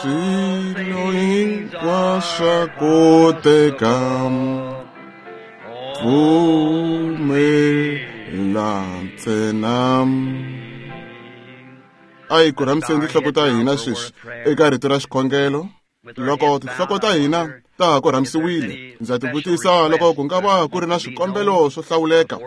Swilo hinkwaswo koteka, pfumela ntsena. A hi korhamiseni tinhloko ta hina sweswi eka rito ra xikhongelo. Loko tinhloko ta hina ta ha korhamisiwile, ndza tivutisa loko ku nga va ku ri na swikombelo swo hlawuleka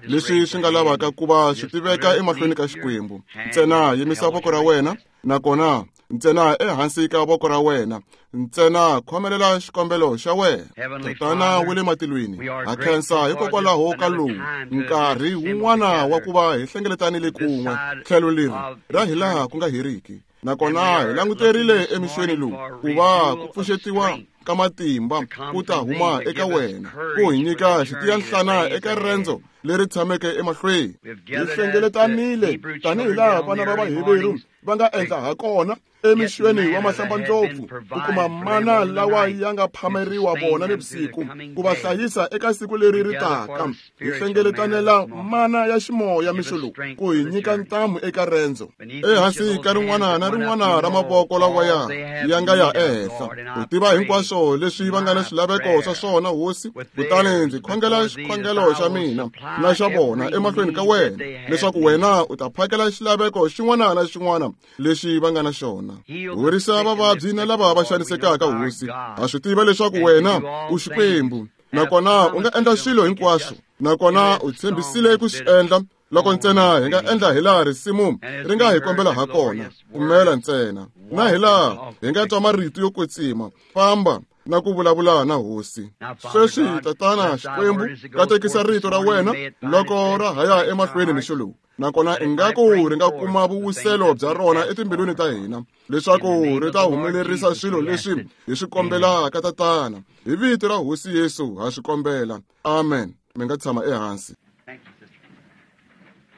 leswi swi nga lavaka ku va swi tiveka emahlweni ka Xikwembu. Ntsena yimisa voko ra wena, nakona ntsena ehansi ka voko ra wena, ntsena khomelela xikombelo xa wena. Tatana wa le matilweni, ha khensa hikokwalaho ka lowu nkarhi wun'wana wa ku va hi hlengeletanile kun'we tlhelo leri ra hilaha ku nga heriki. Nakona hi languterile emixweni lowu ku va ku pfuxetiwa ka matimba ku ta huma eka wena, ku hi nyika xitiyanhlana eka rendzo leri tshameke emahlweni. Hi hlengeletanile tanihi laha vana va Vaheveru va nga endla ha kona emixweni wa mahlambandlopfu, ku kuma mana lawa ya nga phameriwa vona nivusiku, ku va hlayisa eka siku leri ri taka. Hi hlengeletanela mana ya ximoya mixo lowu ku hi nyika ntamu eka rendzo. Ehansi ka rin'wana na rin'wana ra mavoko lawaya ya nga ya ehenhla, u tiva hinkwaswo leswi va nga na swilaveko swa swona, Hosi. Kutani ndzi khongela xikhongelo xa mina na xa vona emahlweni ka wena, leswaku wena u ta phakela xilaveko xin'wana na xin'wana lexi va nga na xona. Horisa vavabyi na lava va xanisekaka, Hosi. Ha swi tiva leswaku wena u Xikwembu, nakona u nga endla swilo hinkwaswo, nakona u tshembisile ku swi endla loko ntsena hi nga endla hilaha risimu ri nga hi kombela ha kona. Pfumela ntsena, na hilaha hi nga twa marito yo kwetsima, famba na ku vulavula na Hosi. Sweswi, Tatana Xikwembu, katekisa rito ra wena loko ra ha ya emahlweni mixo lowu, nakona ingaku ri nga kuma vuwiselo bya rona etimbilwini ta hina, leswaku ri ta humelerisa swilo leswi hi swi kombelaka. Tatana, hi vito ra Hosi Yesu ha swi kombela, amen. Mi nga tshama ehansi.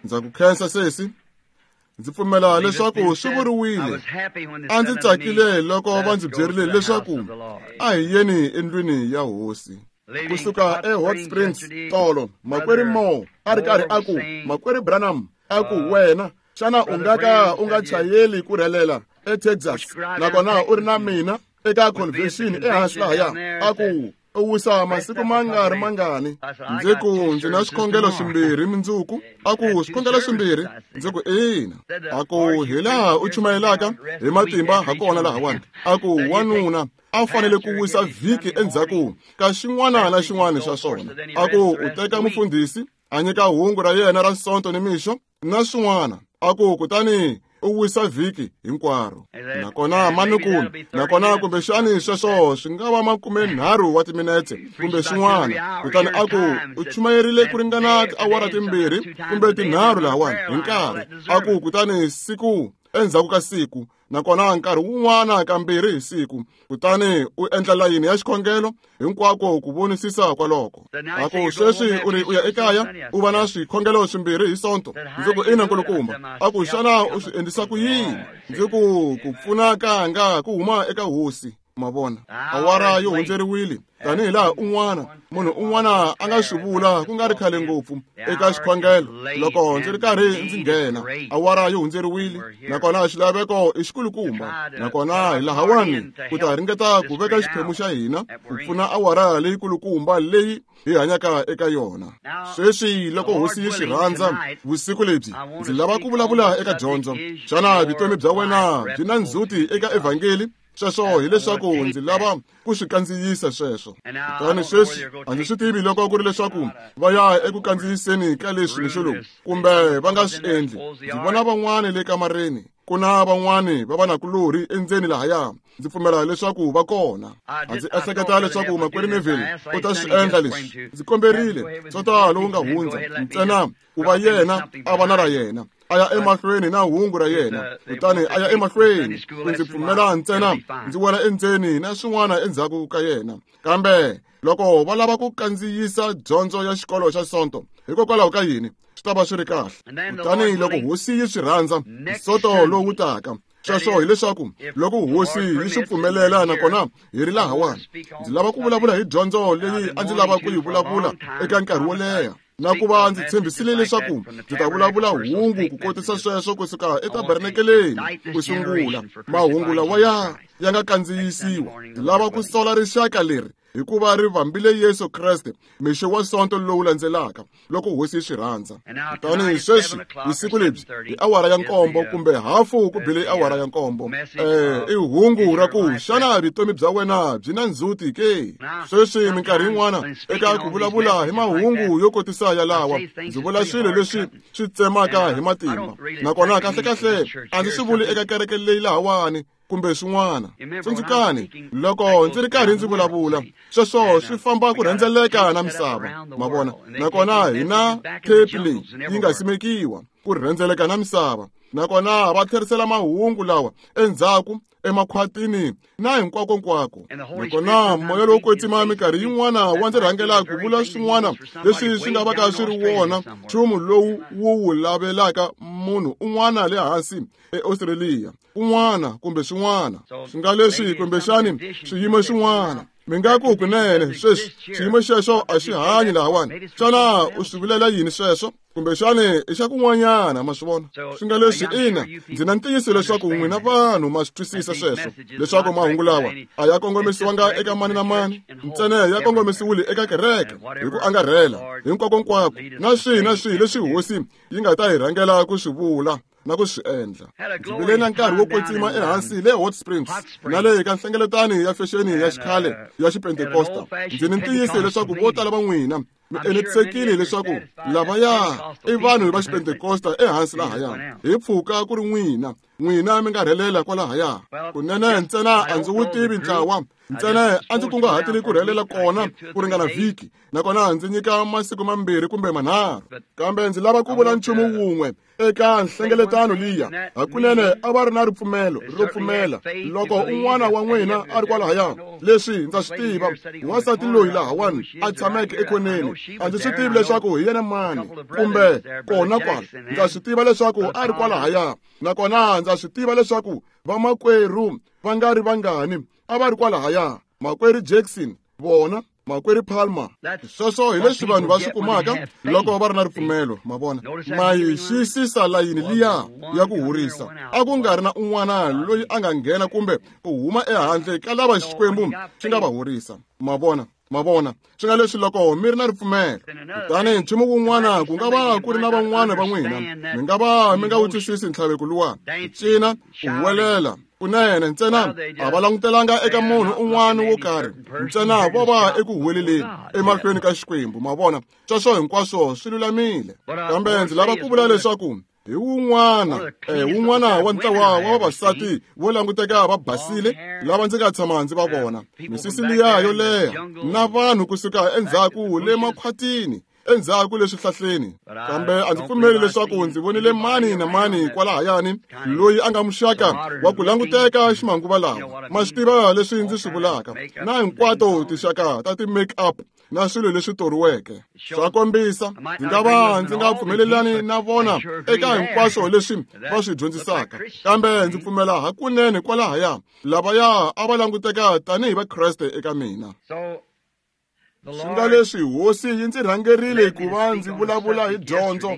Ndza ku khensa, sesi. Ndzi pfumela leswaku swi vuriwile. A ndzi tsakile loko va ndzi byerile leswaku a hi yeni endlwini ya Hosi. Kusuka eHot Springs tolo, Makwerhu Moore a ri karhi a ku, Makwerhu Branham, a ku wena, xana u nga ka u nga chayeli ku rhelela eTexas nakona u ri na mina eka convention ehansi lahaya? A ku u wisa masiku ma nga ri mangani. Ndzi ku ndzi na swikhongelo swimbirhi mindzuku. A ku swikhongelo swimbirhi? Ndzi ku ina. A ku hilaha u chumayelaka hi matimba ha kona lahawani, a ku wanuna a fanele ku wisa vhiki endzhaku ka xin'wana na xin'wana xa swona. A ku u teka mufundhisi a nyika hungu ra yena ra Sonto ni mixo na swin'wana, a ku kutani u wisa vhiki hinkwaro. Nakona manuku, nakona kumbexani sweswo swi nga va 30 wa timinetse kumbe swin'wana. Kutani a ku u chumayerile ku ringana tiawara 2 kumbe 3 lahawani hi nkarhi. A ku kutani siku endzhaku ka siku, nakona nkarhi wun'wana kambirhi hi siku, kutani u endla layini ya xikhongelo hinkwako ku vonisisa kwaloko. A ku sweswi u ri u ya ekaya u va na swikhongelo swimbirhi hi Sonto? Ndzi ku ina, nkulukumba. A ku xana u swi endlisa ku yini? Ndzi ku ku pfuna kanga ku huma eka Hosi. Ma vona, awara yo hundzeriwile, tanihi laha un'wana munhu un'wana a nga swi vula ku nga ri khale ngopfu eka xikhongelo loko ndzi ri karhi ndzi nghena. Awara yo hundzeriwile, nakona xilaveko i xikulukumba, nakona hi lahawani ku ta ringeta ku veka xiphemu xa hina ku pfuna awara leyikulukumba leyi hi hanyaka eka yona sweswi. Loko Hosi yi swi rhandza, vusiku lebyi ndzi lava ku vulavula eka dyondzo, xana vutomi bya wena byi na ndzhuti eka evhangeli? Sweswo hileswaku ndzi lava ku swi kandziyisa sweswo. Kutani sweswi a ndzi swi tivi loko ku ri leswaku va ya eku kandziyiseni ka leswi mixo lowu kumbe va nga swi endli. Ndzi vona van'wani le kamareni, ku na van'wani va vanakulorhi endzeni lahaya, ndzi pfumela leswaku va kona. A ndzi ehleketa leswaku Makwerhu Neville u ta swi endla leswi. Ndzi komberile Sonta lowu nga hundza ntsena ku va yena a va na ra yena, a ya emahlweni na hungu ra yena, kutani a ya emahlweni ku ndzi pfumela ntsena ndzi wela endzeni na swin'wana endzhaku ka yena. Kambe loko va lava ku kandziyisa dyondzo ya xikolo xa Sonto, hikokwalaho ka yini, swi ta va swi ri kahle. Kutani loko Hosi yi swi rhandza, Sonto lowu taka, sweswo hileswaku loko Hosi yi swi pfumelela nakona hi ri lahawani, ndzi lava ku vulavula hi dyondzo leyi a ndzi lava ku yi vulavula eka nkarhi wo leha. Na ku va ndzi tshembisile leswaku ndzi ta vulavula hungu ku kotisa sweswo kusuka etabernakeleni ku sungula mahungu lawa ya nga kandziyisiwa. Ndzi lava ku sola rixaka leri hikuva ri vambile Yesu Kreste mixo wa sonto lowu landzelaka loko hosi yi swi rhandza. Kutani sweswi vusiku lebyi hi awara ya 7 kumbe hafu ku bile awara ya 7 i hungu ra ku xana vutomi bya wena byi na ndzhuti ke? Sweswi minkarhi yin'wana eka ku vulavula hi mahungu yo kotisa yalawa ndzi vula swilo leswi swi tsemaka hi matimba, nakona kahlekahle a ndzi swi vuli eka kereke leyi lahawani kumbe swin'wana. Tsundzukani loko ndzi ri karhi ndzi vulavula sweswo swi famba ku rhendzeleka na misava, ma vona. Nakona hi na thepi leyi yi nga simekiwa ku rhendzeleka na misava, nakona va tlherisela mahungu lawa endzhaku emakhwatini na hinkwakonkwako. Nakona moya lowo kwetsima minkarhi yin'wana wa ndzi rhangela ku vula swin'wana leswi swi nga vaka swi ri wona nchumu lowu wu wu lavelaka munhu un'wana le hansi eAustralia kun'wana kumbe swin'wana. Swi nga leswi kumbexani swiyimo swin'wana mi nga ku kunene sweswi xiyimo xexo a xi hanyi lahawani. Xana u swi vulela yini sweswo? Kumbexani i xa kun'wanyana, ma swi vona. Swi nga leswi ina, ndzi na ntiyiso leswaku n'wina vanhu ma swi twisisa sweswo, leswaku mahungu lawa a ya kongomisiwanga eka mani na mani, ntsena ya kongomisiwile eka kereke hi ku angarhela hinkwakonkwako, na swihi na swihi leswi hosi yi nga ta hi rhangela ku swi vula na ku swi endla. Ndzi vile na nkarhi wo kwetsima ehansi le Hot Springs na le ka nhlengeletano ya fexeni ya xikhale ya Xipentekosta. Ndzi ni ntiyiso leswaku vo tala va n'wina mi enetisekile leswaku lavaya i vanhu va Xipentekosta ehansi lahaya, hi pfuka ku ri n'wina mi nga rhelela kwalahaya. Kunene ntsena a ndzi wu tivi ntlawa, ntsena a ndzi kunguhatile ku rhelela kona ku ringana vhiki, nakona ndzi nyika masiku 2 kumbe 3. Kambe ndzi lava ku vula nchumu wun'we eka nhlengeletano liya. Hakunene a va ri na ripfumelo ro pfumela. Loko un'wana wa n'wina a ri kwalahaya, leswi ndza swi tiva, wansati loyi lahawani a tshameke ekhoneni, a ndzi swi tivi leswaku hi yena mani kumbe kona kwala. Ndza swi tiva leswaku a ri kwalahaya, nakona ndza swi tiva leswaku vamakwerhu va nga ri vangani a va ri kwalahaya, makwerhu Jackson, vona makwerhu Palmer. Sweswo hi leswi vanhu va swi kumaka loko va ri na ripfumelo, ma vona. Ma yi xiyisisa layini liya ya ku horisa. A ku nga ri na un'wana loyi a nga nghena kumbe ku huma ehandle ka lava Xikwembu xi nga va horisa, ma vona. Ma vona, swi nga leswi loko mi ri na ripfumelo. Kutani nchumu wun'wana ku nga va ku ri na van'wana va n'wina mi nga va mi nga wu twisisi ntlhaveko luwa, ku cina, ku huwelela. Kunene ntsena a va langutelanga eka munhu un'wana wo karhi, ntsena vo va eku huweleleni emahlweni ka Xikwembu, ma vona. Sweswo hinkwaswo swi lulamile. Kambe ndzi lava ku vula leswaku hi wun'wana wun'wana wa ntlawa wa vavasati vo languteka va basile lava ndzi nga tshama ndzi va vona, misisi liya yo leha na vanhu kusuka endzhaku le makhwatini, endzhaku le swihlahleni. Kambe a ndzi pfumeli leswaku ndzi vonile mani na mani kwalahayani loyi a nga muxaka wa ku languteka ximanguva lawa. Ma swi tiva leswi ndzi swi vulaka, na hinkwato tinxaka ta ti-make-up na swilo leswi toriweke. Swa kombisa ndzi nga va ndzi nga pfumelelani na vona eka hinkwaswo leswi va swi dyondzisaka, kambe ndzi pfumela hakunene kwalahaya lavaya a va languteka tanihi Vakreste eka mina. Swi nga leswi hosi yi ndzi rhangerile ku va ndzi vulavula hi dyondzo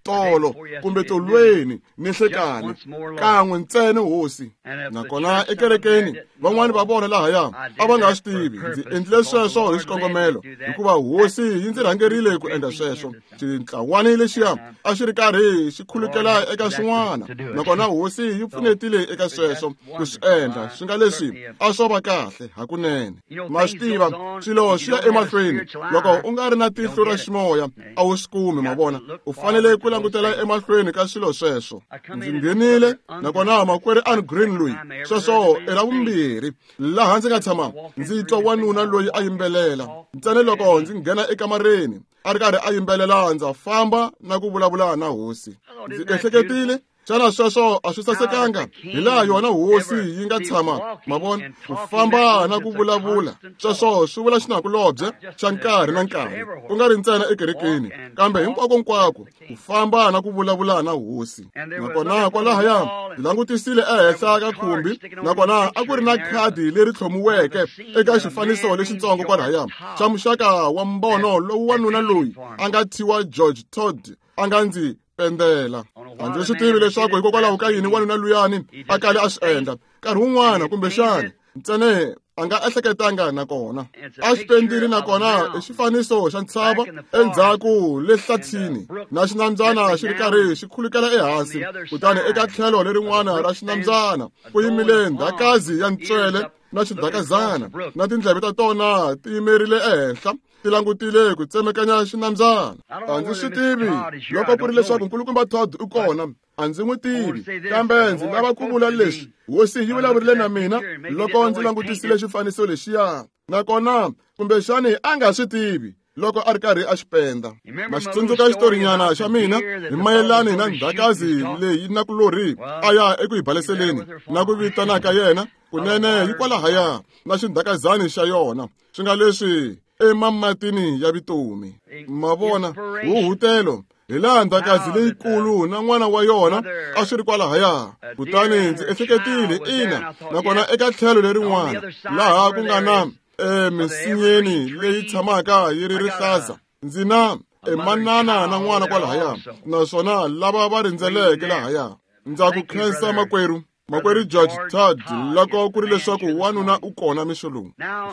tolo kumbe tolweni ni nhlekani kan'we ntsena hosi. Nakona ekerekeni van'wani va vona lahaya a va nga swi tivi ndzi endlile sweswo hi xikongomelo, hikuva hosi yi ndzi rhangerile ku endla sweswo. Xintlawani lexiya a xi ri karhi xi khulukela eka swin'wana, nakona hosi yi pfunetile eka sweswo ku swi endla. Swi nga leswi a swo va kahle hakunene. Ma swi tiva swilo swi ya emahlweni loko u nga ri na tihlo ra ximoya a wu swi kumi, ma vona. U fanele ku langutela emahlweni ka swilo sweswo. Ndzi nghenile nakona makwerhu Ann Green loyi, sweswo i ra vumbirhi laha ndzi nga tshama ndzi twa wanuna loyi a yimbelela. Ntsena loko ndzi nghena ekamareni a ri karhi a yimbelela, ndza famba na ku vulavula na hosi. Ndzi ehleketile, Xana sweswo a swi sasekanga? Hi laha yona hosi yi nga tshama, ma vona, ku famba na ku vulavula. Sweswo swi vula xinakulobye xa nkarhi na nkarhi, ku nga ri ntsena ekerekeni, kambe hinkwako-nkwako, ku famba na ku vulavula na hosi. Nakona kwalahaya ndzi langutisile ehenhla ka khumbi, nakona a ku ri na khadi leri tlhomiweke eka xifaniso lexitsongo kwalahaya xa muxaka wa mbono lowu wanuna loyi a nga thyiwa George Todd a nga ndzi pendela. A ndzi swi tivi leswaku hikokwalaho ka yini wanuna luyani a kale a swi endla nkarhi wun'wana, kumbexana ntsena a nga ehleketanga nakona a xi pendile, nakona i xifaniso xa ntshava endzhaku le hlathini na xinambyana xi ri karhi xi khulukela ehansi, kutani eka tlhelo lerin'wana ra xinambyana ku yimile ndhakazi ya ntswele na xidakazana na tindleve ta tona ti yimerile ehenhla ti langutile ku tsemekanya xinambyana. A ndzi swi tivi loko ku ri leswaku nkulukumba Todd u kona, a ndzi n'wi tivi, kambe ndzi lava ku vula leswi hosi yi vulavurile na mina loko ndzi langutisile xifaniso lexiya, nakona kumbexani a nga swi tivi loko a ri karhi a xi penda. Ma xi tsundzuka xitorinyana xa mina hi mayelani na ndhakazi leyi nakulorhi a ya eku yi baleseleni na ku vitana ka yena kunene yi kwalahaya na xindhakazani xa yona, swi nga leswi emamatini ya vutomi. Ma vona huhutelo hi laha ndhakazi leyikulu na n'wana wa yona a swi ri kwalahaya. Kutani ndzi ehleketile, ina, nakona eka tlhelo lerin'wana laha ku nga na emisinyeni leyi tshamaka yi ri rihlaza, ndzi na manana na n'wana kwalahaya, naswona lava va rindzeleke lahaya. Ndza ku khensa makwerhu George Todd loko ku ri leswaku wanuna u kona mixo lowu.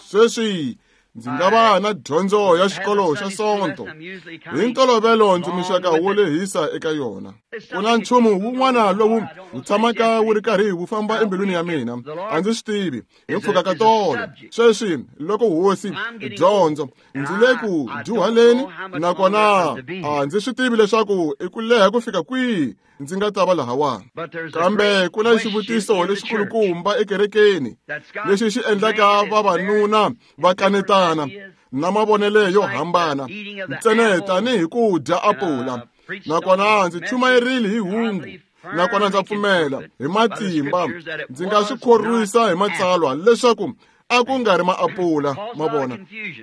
Sweswi ndzi nga va na dyondzo ya xikolo xa Sonto. Hi ntolovelo ndzi muxaka wo lehisa eka yona. Ku na nchumu wun'wana lowu wu tshamaka wu ri karhi wu famba embilwini ya mina, a ndzi swi tivi hi mpfhuka ka tolo. Sweswi loko hosi dyondzo ndzi le ku dyuhaleni, nakona a ndzi swi tivi leswaku i ku leha ku fika kwihi ndzi nga ta va lahawani. Kambe ku na xivutiso lexikulukumba ekerekeni lexi xi endlaka vavanuna va kanetana na mavonelo yo hambana ntsena tanihi ku dya apula. Nakona ndzi chumayerile hi hungu, nakona ndza pfumela hi matimba ndzi nga swi khorwisa hi matsalwa leswaku a ku nga ri maapula. Ma vona,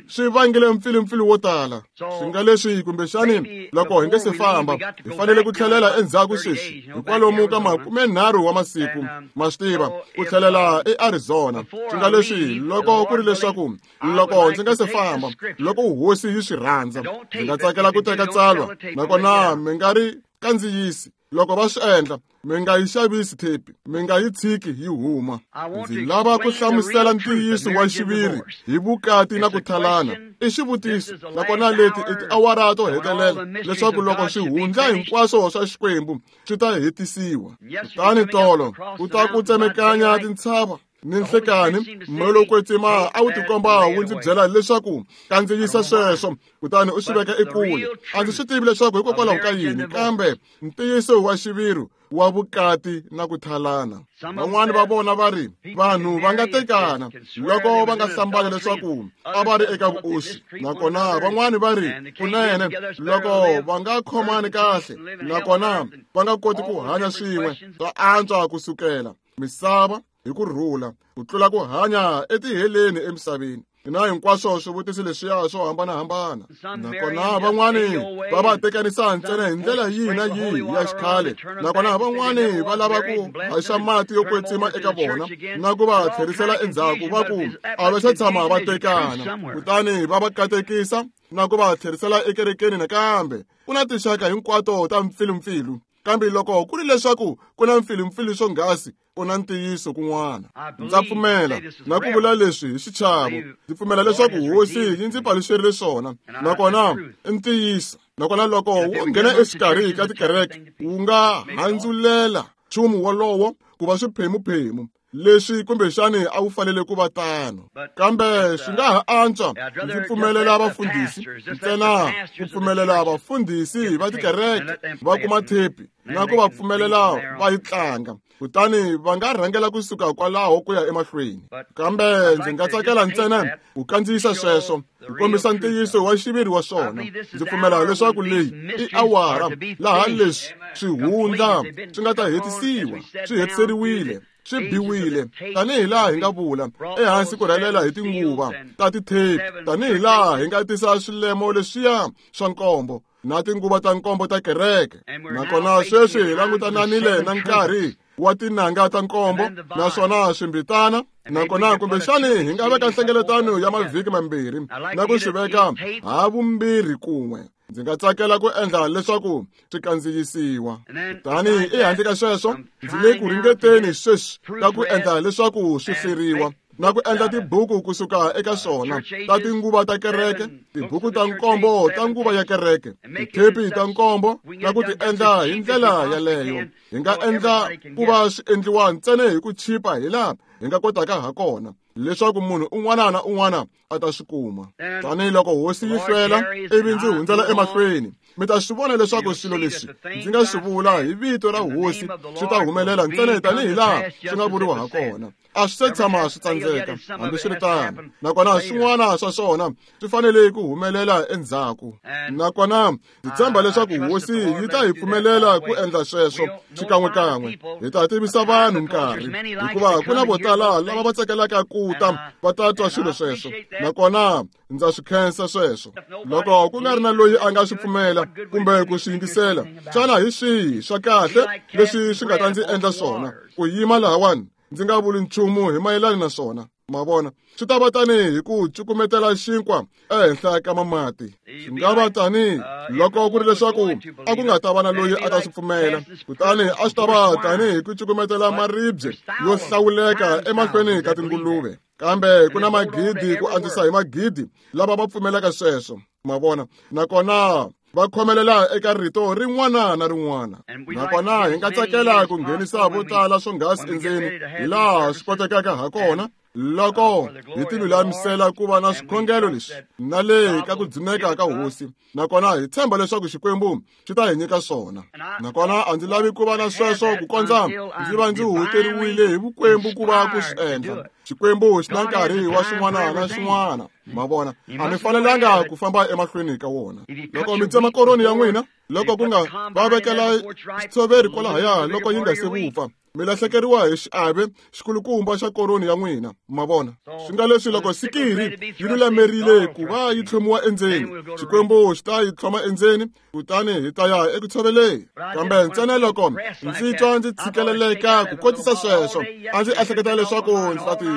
swi vangile mpfilumpfilu wo tala. Swi nga leswi kumbexani loko hi nge se famba hi fanele ku tlhelela endzhaku sweswi hi kwalomu ka 30 wa masiku, ma swi tiva, ku tlhelela eArizona. Swi nga leswi loko ku ri leswaku loko ndzi nga se famba, loko hosi yi swi rhandza, ndzi nga tsakela ku teka tsalwa, nakona mi nga ri kandziyisi. Loko va swi endla, mi nga yi xavisi thepi, mi nga yi tshiki yi huma. Ndzi lava ku hlamusela ntiyiso wa xiviri hi vukati na ku thalana. I xivutiso, nakona leti i tiawara to hetelela leswaku loko swihundla hinkwaswo swa Xikwembu swi ta hetisiwa. Kutani tolo ku ta ku tsemekanya tintshava ni nhlekani, moya lowo kwetsima a wu tikomba wu ndzi byela leswaku kandziyisa sweswo, kutani u swi veka ekule. A ndzi swi tivi leswaku hikokwalaho ka yini, kambe ntiyiso wa xiviri wa vukati na ku thalana. Van'wani va vona va ri vanhu va nga tekana loko va nga hlambanya leswaku a va ri eka vuoswi, nakona van'wani va ri kunene loko va nga khomani kahle nakona va nga koti ku hanya swin'we, swa antswa ku sukela misava hi ku rhula ku tlula ku hanya etiheleni emisaveni. Na hinkwaswo swivutiso leswiya swo hambanahambana, nakona van'wani va va tekanisa ntsena hi ndlela yihi na yihi ya xikhale, nakona van'wani va lava ku haxa mati yo kwetsima eka vona na ku va tlherisela endzhaku, va ku a va se tshama va tekana, kutani va va katekisa na ku va tlherisela ekerekeni nakambe. Ku na tinxaka hinkwato ta mpfilumpfilu, kambe loko ku ri leswaku ku na mpfilumpfilu swonghasi, ku na ntiyiso kun'wana. Ndza pfumela na ku vula leswi hi xichavo, ndzi pfumela leswaku hosi yi ndzi paluxerile swona, nakona i ntiyiso. Nakona loko wu nghena exikarhi ka tikereke, wu nga handzulela nchumu wolowo ku va swiphemuphemu leswi kumbexani a wu fanele ku va tano, kambe swi nga ha antswa ndzi pfumelela vafundhisi ntsena ku pfumelela vafundhisi va tikereke va kuma thepi na ku va pfumelela va yi tlanga, kutani va nga rhangela kusuka kwalaho ku ya emahlweni. Kambe ndzi nga tsakela ntsena ku kandziyisa sweswo ku kombisa ntiyiso wa xiviri wa swona. Ndzi pfumela leswaku leyi i awara laha leswi swihundla swi nga ta hetisiwa, swi hetiseriwile, swi biwile, tanihi laha hi nga vula ehansi ku rhelela hi tinguva ta tithepi, tanihi laha hi nga tisa swilemo leswiya swa nkombo na tinguva ta nkombo ta kereke. Nakona sweswi hi langutananile na nkarhi wa tinanga ta nkombo naswona swimbitana. Nakona kumbexani hi nga veka nhlengeletano ya mavhiki mambirhi na ku swi veka ha vumbirhi kun'we. Ndzi nga tsakela ku endla leswaku swi kandziyisiwa. Kutani ehandle ka sweswo, ndzi le ku ringeteni sweswi ka ku endla leswaku swi hleriwa na ku endla tibuku kusuka eka swona ta tinguva ta kereke, tibuku ta nkombo ta nguva ya kereke, tithepi ta nkombo, na ku ti endla hi ndlela yaleyo. Hi nga endla ku va swi endliwa ntsena hi ku chipa hi laha hi nga kotaka ha kona, leswaku munhu un'wana na un'wana a ta swi kuma. Tanihi loko hosi yi hlwela ivi ndzi hundzela emahlweni, mi ta swi vona leswaku swilo leswi ndzi nga swi vula hi vito ra hosi swi ta humelela ntsena tanihi laha swi nga vuriwa ha kona. A swi se tshama swi tsandzeka hambiswiritano, nakona swin'wana swa swona swi fanele ku humelela endzhaku. Nakona ndzi tshemba leswaku hosi yi ta hi pfumelela ku endla sweswo xikan'wekan'we. Hi ta tivisa vanhu nkarhi, hikuva ku na vo tala lava va tsakelaka ku ta va ta twa swilo sweswo, nakona ndza swi khensa sweswo. Loko ku nga ri na loyi a nga swi pfumela kumbe ku swi yingisela, xana hi swihi swa kahle leswi swi nga ta ndzi endla swona ku yima lahawani ndzi nga vuli nchumu hi mayelana na swona? Ma vona, swi ta va tanihi hi ku cukumetela xinkwa ehenhla ka mamati. Swi nga va tanihi loko ku ri leswaku a ku nga ta va na loyi a ta swi pfumela, kutani a swi ta va tanihi ku cukumetela maribye yo hlawuleka emahlweni ka tinguluve. Kambe ku na magidi ku andzisa hi magidi lava va pfumelaka sweswo. Ma vona, nakona va khomelela eka rito rin'wana na rin'wana. Nakona hi nga tsakela ku nghenisa vo tala swonghasi endzeni hi laha swi kotekaka ha kona, loko hi tilulamisela ku va na swikhongelo leswi na le ka ku dzuneka ka hosi. Nakona hi tshemba leswaku Xikwembu xi ta hi nyika swona. Nakona a ndzi lavi ku va na sweswo ku kondza ndzi va ndzi huhuteriwile hi vukwembu ku va ku swi endla. Xikwembu xi na nkarhi wa swin'wana na swin'wana. Ma vona, a mi fanelanga ku famba emahlweni ka wona. Loko mi tsema koroni ya n'wina, loko ku nga va vekela xitshoveri kwalahaya loko yi nga se vupfa, mi lahlekeriwa hi xiave xikulukumba xa koroni ya n'wina. Ma vona, swi nga leswi loko sikiri yi lulamerile ku va yi tlhomiwa endzeni, Xikwembu xi ta yi tlhoma endzeni, kutani hi ta ya eku tshoveleni. Kambe ntsena loko ndzi twa ndzi tshikeleleka ku kotisa sweswo, a ndzi ehleketa leswaku ndzi ta ti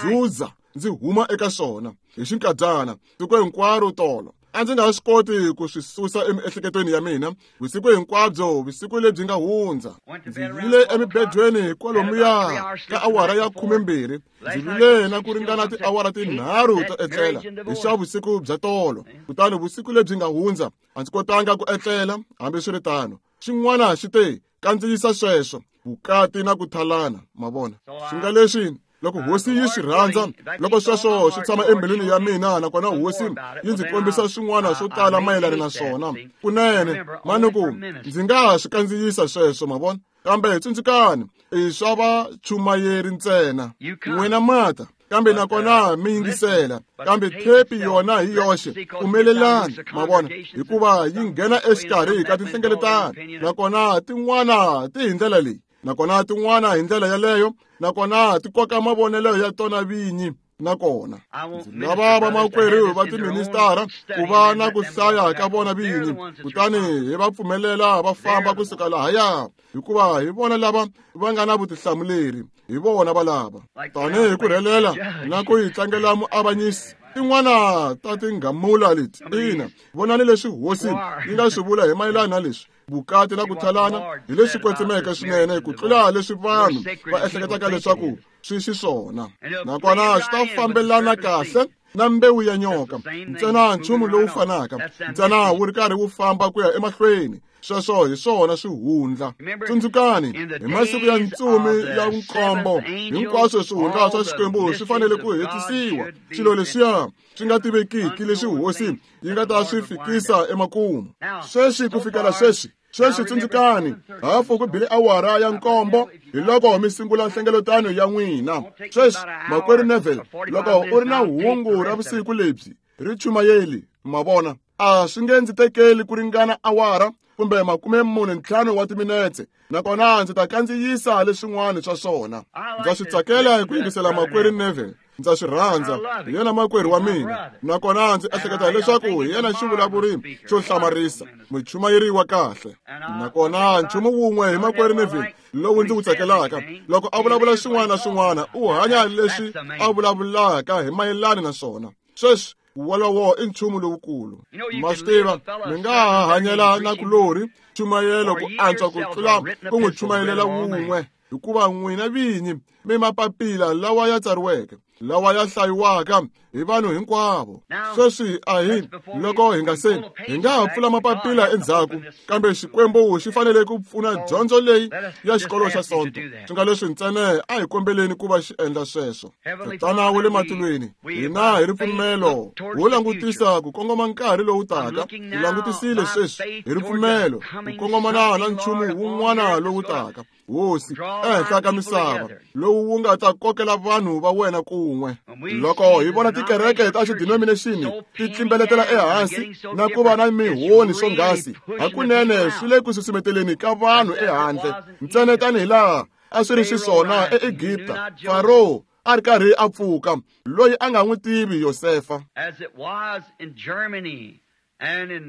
zuza ndzi huma eka swona hi xinkadyana siku hinkwaro tolo. A ndzi nga swi koti ku swi susa emiehleketweni ya mina vusiku hinkwabyo, vusiku lebyi nga hundza. Ndzi yile emibedweni kwalomuya ka awara ya 12. Ndzi vile na ku ringana tiawara tinharhu to etlela hi xa vusiku bya tolo. Kutani vusiku lebyi nga hundza a ndzi kotanga ku etlela hambiswiritano. Xin'wana xi te, kandziyisa sweswo, vukati na ku thalana. Ma vona, swi nga leswi loko hosi yi swi rhandza, loko sweswo swi tshama embilwini ya mina, nakona hosi yi ndzi kombisa swin'wana swo tala mayelana na swona, kunene manuku ndzi nga swi kandziyisa sweswo. Ma vona, kambe tsundzukani, i swa vachumayeri ntsena. N'wina mata, kambe nakona mi yingisela, kambe thepi yona hi yoxe pfumelelani. Ma vona, hikuva yi nghena exikarhi ka tinhlengeletano, nakona tin'wana ti hi ndlela leyi, nakona tin'wana hi ndlela yaleyo, nakona ti koka mavonelo ya tona vinyi. Nakona ndzi lava vamakwerhu va tiministara ku va na ku hlaya ka vona vinyi, kutani hi va pfumelela va famba kusuka lahaya, hikuva hi vona lava va nga na vutihlamuleri, hi vona va lava tanihi ku rhelela na ku yi tlangela muavanyisi. Tin'wana ta tinghamula leti, ina, vonani leswi hosi yi nga swi vula hi mayelana na leswi vukati na ku thalana hi leswi kwetsimeke swinene ku tlula leswi vanhu va ehleketaka leswaku swi xiswona. Nakona swi ta fambelana kahle na mbewu ya nyoka, ntsena nchumu lowu fanaka, ntsena wu ri karhi wu famba ku ya emahlweni. Sweswo hi swona swihundla. Tsundzukani, hi masiku ya ntsumi ya nkombo, hinkwaswo swihundla swa Xikwembu swi fanele ku hetisiwa. Swilo leswiya swi nga tivekiki leswi hosi yi nga ta swi fikisa emakumu. Sweswi ku fikela sweswi, sweswi tsundzukani, hafu ku bile awara ya 7 hi loko mi sungula nhlengeletano ya n'wina. Sweswi, makwerhu Neville, loko u ri na hungu ra vusiku lebyi, ri chumayeli. Ma vona? A swi nge ndzi tekeli ku ringana awara kumbe 45 wa timinetse, nakona ndzi ta kandziyisa leswin'wana swa swona. Ndza swi tsakela ku yingisela makwerhu Neville. Ndza swi rhandza, hi yena makwerhu wa mina, nakona ndzi ehleketa leswaku hi yena xivulavuri xo hlamarisa, muchumayeri wa kahle. Nakona nchumu wun'we hi makwerhu Neville lowu ndzi wu tsakelaka, loko a vulavula xin'wana na xin'wana, u hanya leswi a vulavulaka hi mayelana na swona. Sweswi wolowo i nchumu lowukulu. Ma swi tiva, mi nga ha hanyela na kulorhi chumayelo ku antswa ku tlula ku n'wi chumayelela wun'we, hikuva n'wina vinyi mi mapapila lawa ya tsariweke, lawa ya hlayiwaka hi vanhu hinkwavo. Sweswi a hi loko hi nga se hi nga ha pfula mapapila endzhaku, kambe Xikwembu xi fanele ku pfuna dyondzo leyi ya xikolo xa Sonto. Swi nga leswi ntsena a hi kombeleni ku va xi endla sweswo. Tatana wa le matilweni, hina hi ripfumelo wo langutisa ku kongoma nkarhi lowu taka. Hi langutisile sweswi hi ripfumelo ku kongomana na nchumu wun'wana lowu taka, Hosi, ehenhla ka misava, lowu wu nga ta kokela vanhu va wena kun'we. Loko hi vona tikereke ta xidenomination ti tlimbeletela ehansi na ku va na mihoni swonghasi, hakunene swi le ku susumeteleni ka vanhu ehandle, ntsena tanihi laha a swi ri xiswona eEgipta, Faro a ri karhi a pfuka, loyi a nga n'wi tivi Yosefa.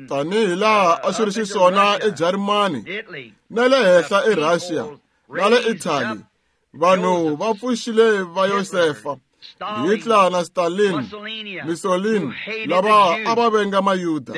Tanihi laha a swi ri xiswona eJarimani, na le henhla eRussia, na le Italy, vanhu va pfuxile va Yosefa, Hitler na Stalin, Mussolini, lava a va venga Mayuda,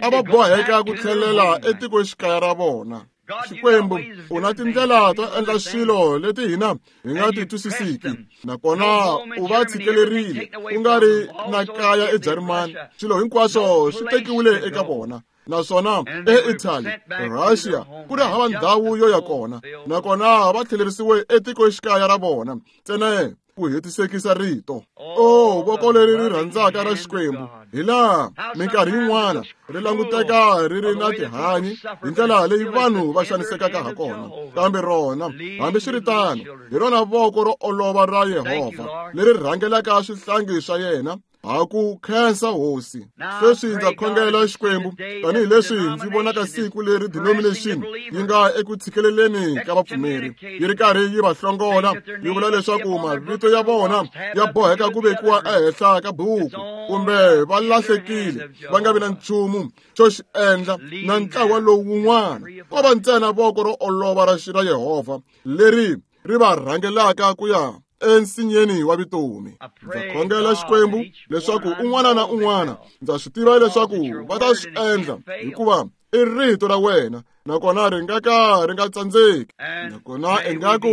a va boheka ku tlhelela etikoxikaya ra vona. Xikwembu, u na tindlela to endla swilo leti hina hi nga ti twisisiki, nakona u va tshikelerile ku nga ri na kaya eJarimani. Swilo hinkwaswo swi tekiwile eka vona, naswona eItaly, Russia, ku ri hava ndhawu yo ya kona, nakona va tlhelerisiwe etikoxikaya ra vona ntsena ku hetisekisa rito. O voko leri ri rhandzaka ra Xikwembu, hi laha minkarhi yin'wana ri languteka ri ri na tihanyi hi ndlela leyi vanhu va xanisekaka ha kona, kambe rona, hambiswiritano, hi rona voko ro olova ra Yehovha leri rhangelaka swihlangi swa yena. Ha ku khensa Hosi. Sweswi ndza khongela Xikwembu, tanihileswi ndzi vonaka siku leri denomination yi nga eku tshikeleleni ka vapfumeri, yi ri karhi yi va hlongola, yi vula leswaku mavito ya vona ya boheka ku vekiwa ehenhla ka buku, kumbe va lahlekile, va nga vi na nchumu xo xi endla na ntlawa lowu wun'wana. Ko va ntsena voko ro olova ra Yehovha leri ri va rhangelaka ku ya ensinyeni wa vutomi. Ndza khongela Xikwembu leswaku un'wana na un'wana, ndza swi tiva leswaku va ta swi endla, hikuva i rito ra wena, nakona ri nga ka ri nga tsandzeki. Nakona ingaku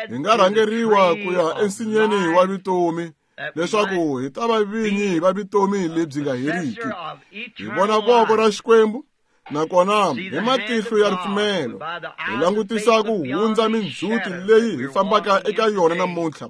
hi nga rhangeriwa ku ya ensinyeni wa vutomi, leswaku hi ta va vinyi va vutomi lebyi nga heriki. Hi vona voko ra Xikwembu, nakona hi matihlo ya ripfumelo hi langutisa ku hundza mindzhuti leyi hi fambaka eka yona namuntlha,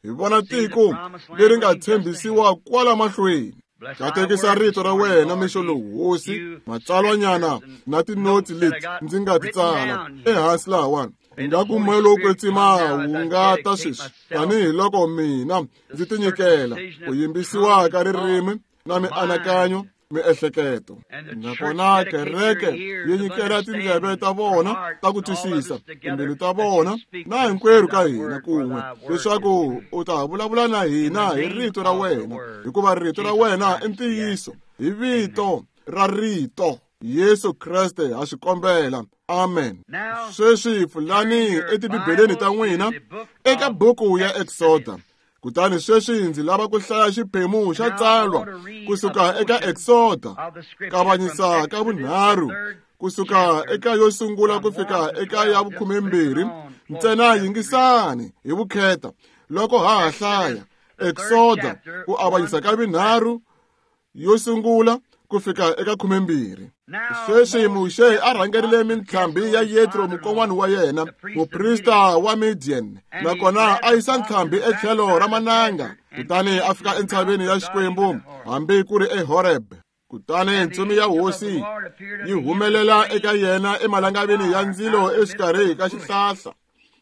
hi vona tiko leri nga tshembisiwa kwala mahlweni. Katekisa rito ra wena mixo lowu, Hosi, matsalwanyana na tinotsi leti ndzi nga ti tsala ehansi lahawani, ingaku moya lowo kwetsima wu nga ta sweswi, tanihiloko mina ndzi tinyikela ku yimbisiwa ka ririmi na mianakanyo, miehleketo. Nakona kereke yi nyikela tindleve ta vona ta ku twisisa, timbilu ta vona, na hinkwerhu ka hina kun'we, leswaku u ta vulavula na hina hi rito ra wena, hikuva rito ra wena i ntiyiso. Hi vito ra rito Yesu Kreste ha swi kombela. Amen. Sweswi pfulani etibibeleni ta n'wina eka buku ya Exoda. Kutani sweswi ndzi lava ku hlaya xiphemu xa tsalwa kusuka eka Exoda, kavanyisa ka vunharhu, kusuka eka yo sungula ku fika eka ya 12. Ntsena yingisani hi vukheta loko ha ha hlaya Exoda, ku avanyisa ka vunharhu, yo sungula ku fika eka 12. Sweswi Muxe a rhangerile mintlhambi ya Yetro mukon'wana wa yena, muprista wa Midian, nakona a yisa ntlhambi etlhelo ra mananga, kutani a fika entshaveni ya Xikwembu, hambi ku ri eHoreb. Kutani ntsumi ya Hosi yi humelela eka yena emalangavini ya ndzilo exikarhi ka xihlahla.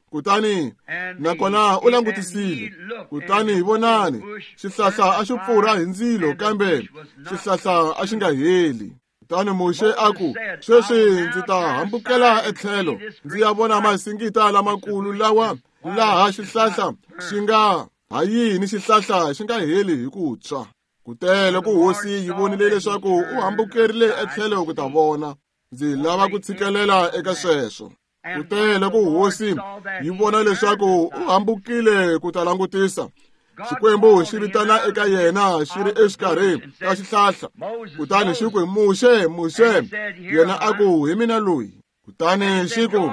Kutani nakona u langutisile, kutani vonani, xihlahla a xi pfurha hi ndzilo, kambe xihlahla a xi nga heli. Kutani Muxe a ku, sweswi ndzi ta hambukela etlhelo ndzi ya vona masingita lamakulu lawa laha xihlahla xi nga ha yini xihlahla xi nga heli hi ku tshwa. Kute loko hosi yi vonile leswaku u hambukerile etlhelo ku ta vona, ndzi lava ku tshikelela eka sweswo. Kute loko hosi yi vona leswaku u hambukile ku ta langutisa, Xikwembu xi vitana eka yena xi ri exikarhi ka xihlahla. Kutani xi ku, Muxe, Muxe. Yena a ku, hi mina loyi. Kutani xi ku,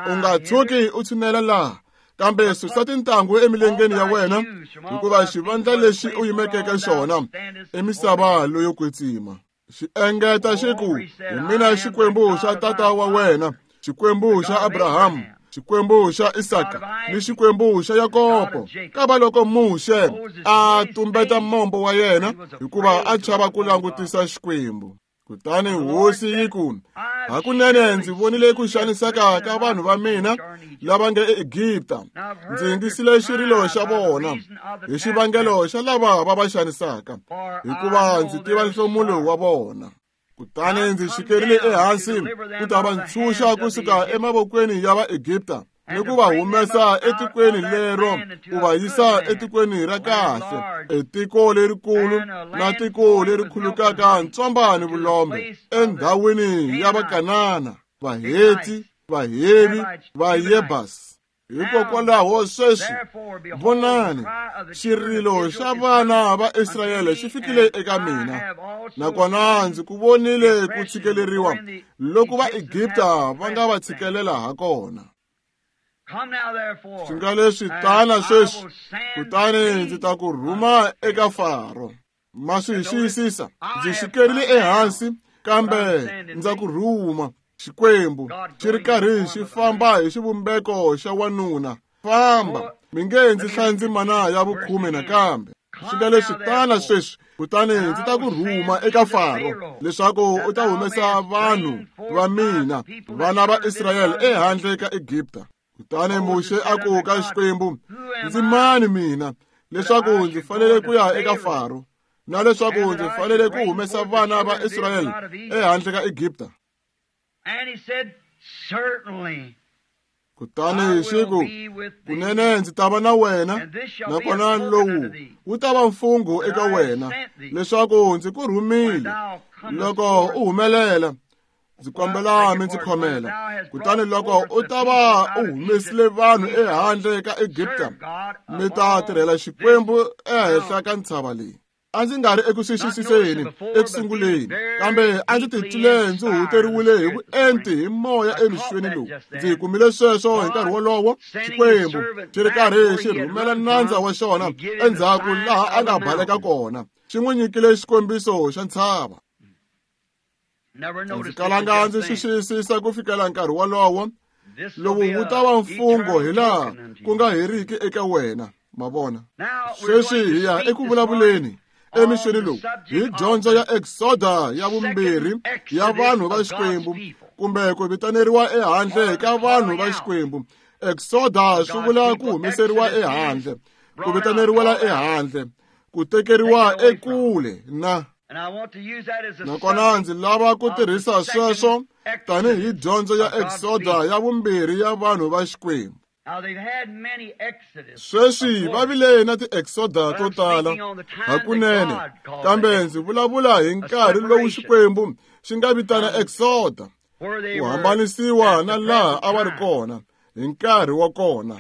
u nga tshuki u tshinela laha, kambe susa tintangu emilengeni ya wena, hikuva xivandla lexi u yimeke xona i misava leyo kwetsima. Xi engeta xi ku, hi mina Xikwembu xa tata wa wena, Xikwembu xa Abrahamu, Xikwembu xa Isaka ni Xikwembu xa Yakobo. Kava loko Muxe a tumbeta mombo wa yena hikuva a chava ku langutisa Xikwembu. Kutani hosi yi ku, hakunene ndzi vonile ku xaniseka ka vanhu va mina lava nge eEgipta. Ndzi yingisile xirilo xa vona hi xivangelo xa lava va va xanisaka, hikuva ndzi tiva nhlomulo wa vona. Kutani ndzi xikerile ehansi ku ta va ntshunxa kusuka emavokweni ya Vaegipta ni ku va humesa etikweni lero ku va yisa etikweni ra kahle, etiko lerikulu na tiko leri khulukaka ntswamba ni vulombe, endhawini ya Vakanana, Vaheti, Vahevi, Vayebasi. Hikokwalaho sweswi vonani, xirilo xa vana va Israyele xi fikile eka mina, nakona ndzi ku vonile ku tshikeleriwa loko Vaegipta va nga va tshikelela ha kona. Swi nga leswi tana sweswi, kutani ndzi ta ku rhuma eka Faro. Ma swi xiyisisa, ndzi xikerile ehansi, kambe ndza ku rhuma. Xikwembu xi ri karhi xi famba hi xivumbeko xa wanuna. Famba, mi nge ndzi hlayi ndzimana ya vukhume nakambe. Swi nga leswi tana sweswi, kutani ndzi ta ku rhuma eka Faro leswaku u ta humesa vanhu va mina, vana va Israyele, ehandle ka Egipta. Kutani Muxe a ku ka Xikwembu, ndzi mani mina leswaku ndzi fanele ku ya eka Faro, na leswaku ndzi fanele ku humesa vana va Israyele ehandle ka Egipta? Kutani xi ku, kunene ndzi ta va na wena, nakona lowu wu ta va mfungho eka wena leswaku ndzi ku rhumile. Loko u humelela, ndzi kombela mi ndzi khomela. Kutani loko u ta va u humesile vanhu ehandle ka Egipta, mi ta tirhela Xikwembu ehenhla ka ntshava leyi. A ndzi nga ri eku swi xiyisiseni eku sunguleni, kambe a ndzi titwile ndzi huhuteriwile hi vuenti hi moya emixweni lowu. Ndzi kumile sweswo hi nkarhi wolowo, Xikwembu xi ri karhi xi rhumela nandza wa xona endzhaku laha a nga baleka kona, xi n'wi nyikile xikombiso xa ntshava. Ndzi kalanga ndzi swi xiyisisa ku fikela nkarhi wolowo. Lowu wu ta va mfungho hi laha ku nga heriki eka wena. Ma vona? Sweswi hi ya eku vulavuleni emixweni lowu hi dyondzo ya Exoda ya vumbirhi ya vanhu va Xikwembu, kumbe ku vitaneriwa ehandle ka vanhu va Xikwembu. Exoda swi vula ku humeseriwa ehandle, ku vitaneriwela ehandle, ku tekeriwa ekule na. Nakona ndzi lava ku tirhisa sweswo tanihi dyondzo ya Exoda ya vumbirhi ya vanhu va Xikwembu. Sweswi va vile na ti-Exoda to tala hakunene, kambe ndzi vulavula hi nkarhi lowu Xikwembu xi nga vitana Exoda, ku hambanisiwa na laha a va ri kona hi nkarhi wa kona.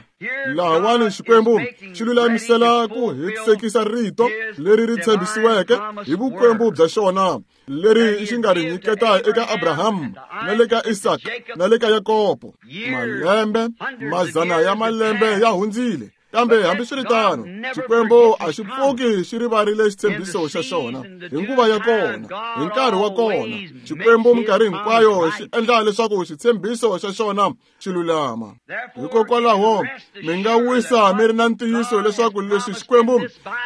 Lahawani Xikwembu xi lulamisela ku hetisekisa rito leri ri tshembisiweke hi vukwembu bya xona, leri xi nga ri nyiketa eka Abraham na le ka Isaka na le ka Yakobo. Malembe, mazana ya malembe ya hundzile, kambe hambiswiritano Xikwembu a xi pfuki xi rivarile xitshembiso xa xona hi nguva ya kona, hi nkarhi wa kona. Xikwembu minkarhi hinkwayo xi endla leswaku xitshembiso xa xona xi lulama. Hikokwalaho mi nga wisa mi ri na ntiyiso leswaku leswi Xikwembu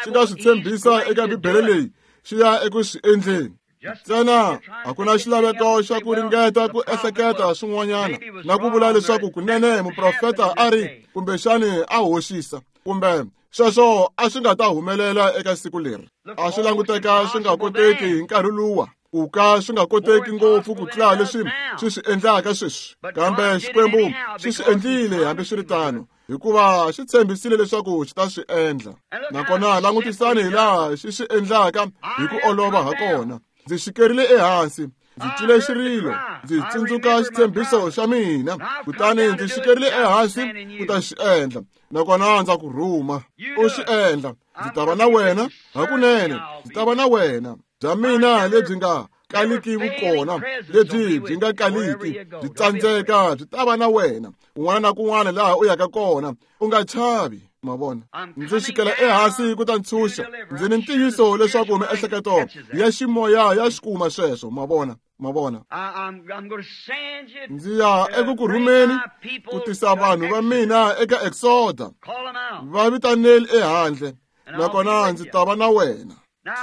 xi nga swi tshembisa eka Bibele leyi xi ya eku swi endleni. Ntsena a ku na xilaveko xa ku ringeta ku ehleketa swin'wanyana na ku vula leswaku kunene muprofeta a ri kumbexani a hoxisa, kumbe sweswo a swi nga ta humelela eka siku leri. A swi languteka swi nga koteki hi nkarhi luwa. Ku ka swi nga koteki ngopfu ku tlula leswi swi swi endlaka sweswi, kambe Xikwembu xi swi endlile hambiswiritano, hikuva xi tshembisile leswaku xi ta swi endla. Nakona langutisani hi laha xi swi endlaka hi ku olova ha kona. Ndzi xikerile ehansi, ndzi twile xirilo, ndzi tsundzuka xitshembiso xa mina, kutani ndzi xikerile ehansi ku ta xi endla. Nakona ndza ku rhuma, u xi endla. Ndzi ta va na wena, hakunene ndzi ta va na wena. Bya mina lebyi nga kaliki vukona, lebyi byi nga kaliki byi tsandzeka, byi ta va na wena kun'wana na kun'wana laha u yaka kona. U nga chavi. Ma vona, ndzi xikela ehansi ku ta ntshunxa. Ndzi ni ntiyiso leswaku miehleketo ya ximoya ya xi kuma sweswo. Ma vona, ma vona, ndzi ya eku ku rhumeni ku tisa vanhu va mina eka Exoda, va vitaneli ehandle, nakona ndzi ta va na wena.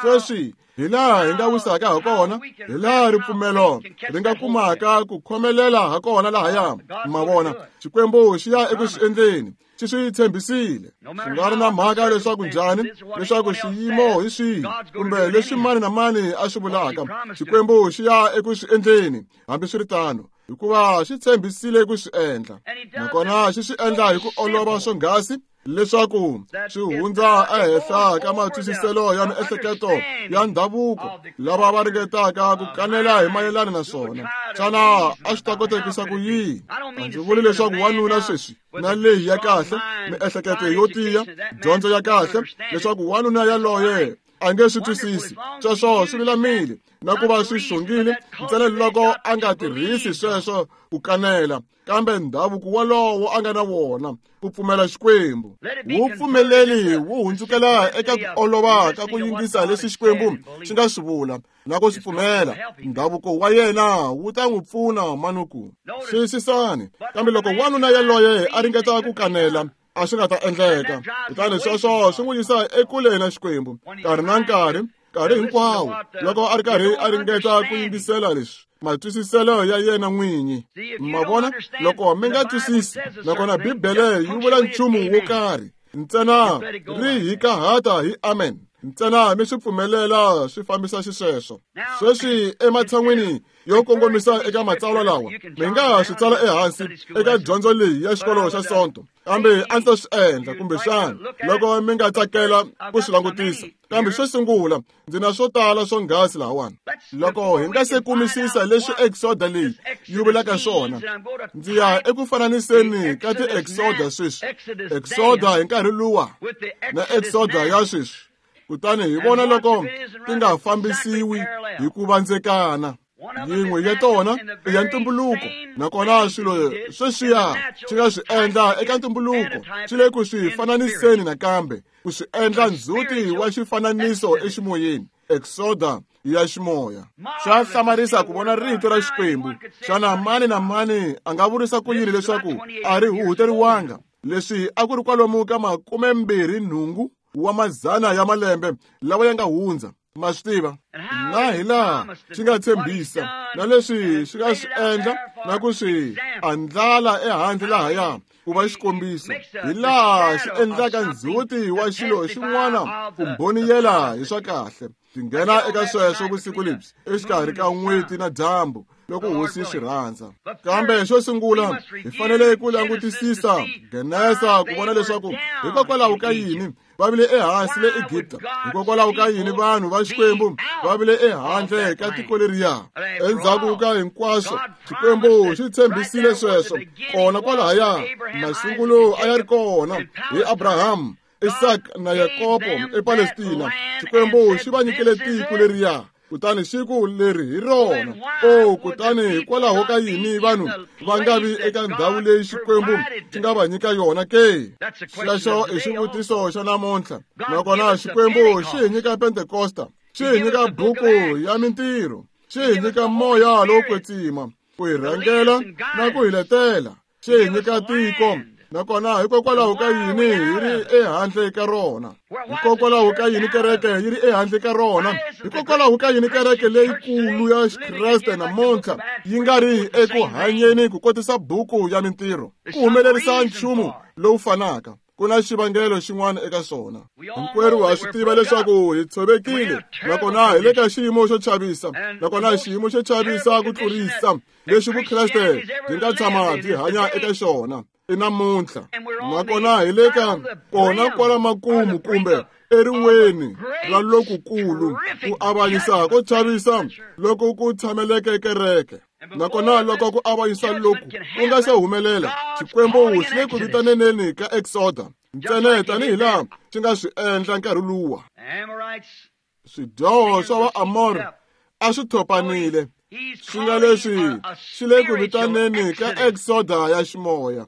Sweswi hi laha hi nga wisaka ha kona, hi laha ripfumelo ri nga kumaka ku khomelela ha kona lahaya. Ma vona, Xikwembu xi ya eku swi endleni, xi swi tshembisile. Swi nga ri na mhaka leswaku njhani, leswaku xiyimo hi swihi, kumbe leswi mani na mani a swi vulaka, Xikwembu xi ya eku swi endleni hambiswiritano, hikuva xi tshembisile ku swi endla. Nakona xi swi endla hi ku olova swonghasi leswaku swi hundza ehenhla ka matwisiselo ya miehleketo ya ndhavuko lava va ringetaka ku kanela hi mayelana na swona. Xana a swi ta kotekisa ku yini? A ndzi vuli leswaku wanuna sweswi na leyi ya kahle, miehleketo yo tiya, dyondzo ya kahle, leswaku wanuna yaloye a nge swi twisisi. Sweswo swi lulamile na ku va swi xongile, ntsena loko a nga tirhisi sweswo ku kanela, kambe ndhavuko wolowo a nga na wona ku pfumela Xikwembu wu pfumeleli wu hundzukela eka ku olova ka ku yingisa leswi Xikwembu xi nga swi vula na ku swi pfumela. Ndhavuko wa yena wu ta n'wi pfuna manuku. Xiyisisani, kambe loko wanuna yaloye a ringeta ku kanela, a swi nga ta endleka. Kutani sweswo swi n'wi yisa ekule na Xikwembu nkarhi na nkarhi, nkarhi hinkwawo loko a ri karhi a ringeta ku yingisela leswi matwisiselo ya yena n'winyi. Ma vona, loko mi nga twisisi, nakona Bibele yi vula nchumu wo karhi, ntsena ri hikahata hi amen, ntsena mi swi pfumelela swi fambisa xisweswo. Sweswi ematshan'wini yo kongomisa eka matsalwa lawa, mi nga swi tsala ehansi eka dyondzo leyi ya xikolo xa Sonto, kambe a ndzi ta swi endla kumbexana loko mi nga tsakela ku swi langutisa. Kambe xo sungula, ndzi na swo tala swonghasi lahawani. Loko hi nga se kumisisa leswi Exoda leyi yi vulaka swona, ndzi ya eku fananiseni ka ti-Exoda sweswi, Exoda hi nkarhi luwa na Exoda ya sweswi, kutani hi vona loko ti nga fambisiwi hi ku vandzekana. Yin'we ya tona i ya ntumbuluko, nakona swilo sweswiya swi nga swi endla eka ntumbuluko swi le ku swi fananiseni nakambe, ku swi endla ndzhuti wa xifananiso eximoyeni, Exoda ya ximoya. Swa hlamarisa ku vona rito ra Xikwembu. Xana mani na mani a nga vurisa ku yini leswaku a ri huhuteriwanga? Leswi a ku ri kwalomu ka 28 wa mazana ya malembe lawa ya nga hundza. Ma swi tiva na hi laha xi nga tshembisa na leswi xi nga swi endla na ku swi andlala ehandle lahaya ku va xikombiso, hi laha xi endlaka ndzhuti wa xilo xin'wana ku mbhoniyela hi swa kahle. Ndzi nghena eka sweswo vusiku lebyi exikarhi ka n'weti na dyambu loko Hosi swi rhandza. Kambe xo sungula hi fanele ku langutisisa Genesa ku vona leswaku hikokwalaho ka yini va vile ehansi le Egipta, hikokwalaho ka yini vanhu va Xikwembu va vile ehandle ka tiko leriya. Endzhaku ka hinkwaswo, Xikwembu xi tshembisile sweswo kona kwalahaya. Masungulo a ya ri kona hi Abraham, Isaac na Yakobo ePalestina. Xikwembu xi va nyikile tiko leriya, kutani xi ku leri hi rona. O, kutani hikwalaho ka yini vanhu va nga vi eka ndhawu leyi Xikwembu xi nga va nyika yona ke? Xexo i xivutiso xa namuntlha. Nakona Xikwembu xi hi nyika Pentekosta, xi hi nyika buku ya mintirho, xi hi nyika moya lowo kwetsima ku hi rhangela na ku hi letela, xi hi nyika tiko. Nakona hikokwalaho ka yini hi ri ehandle ka rona? Hikokwalaho ka yini kereke yi ri ehandle ka rona? Hikokwalaho ka yini kereke leyikulu ya Xikreste namuntlha yi nga ri eku hanyeni ku kotisa buku ya mintirho, ku humelerisa nchumu lowu fanaka? Ku na xivangelo xin'wana eka swona. Hinkwerhu ha swi tiva leswaku hi tshovekile, nakona hi le ka xiyimo xo chavisa, nakona xiyimo xo chavisa ku tlurisa lexi Vukreste byi nga tshama byi hanya eka xona i namuntlha. Nakona hi le ka kona kwala makumu kumbe eriweni ra lokukulu ku avanyisa ko chavisa loko ku tshameleke kereke. Nakona loko ku avanyisa loku ku nga se humelela, Xikwembu xi le ku vitaneneni ka Exoda ntsena tanihi laha xi nga swi endla nkarhi luwa. Swidyoho swa Vaamori a swi thopanile, swi nga leswi xi le ku vitaneni ka Exoda ya ximoya.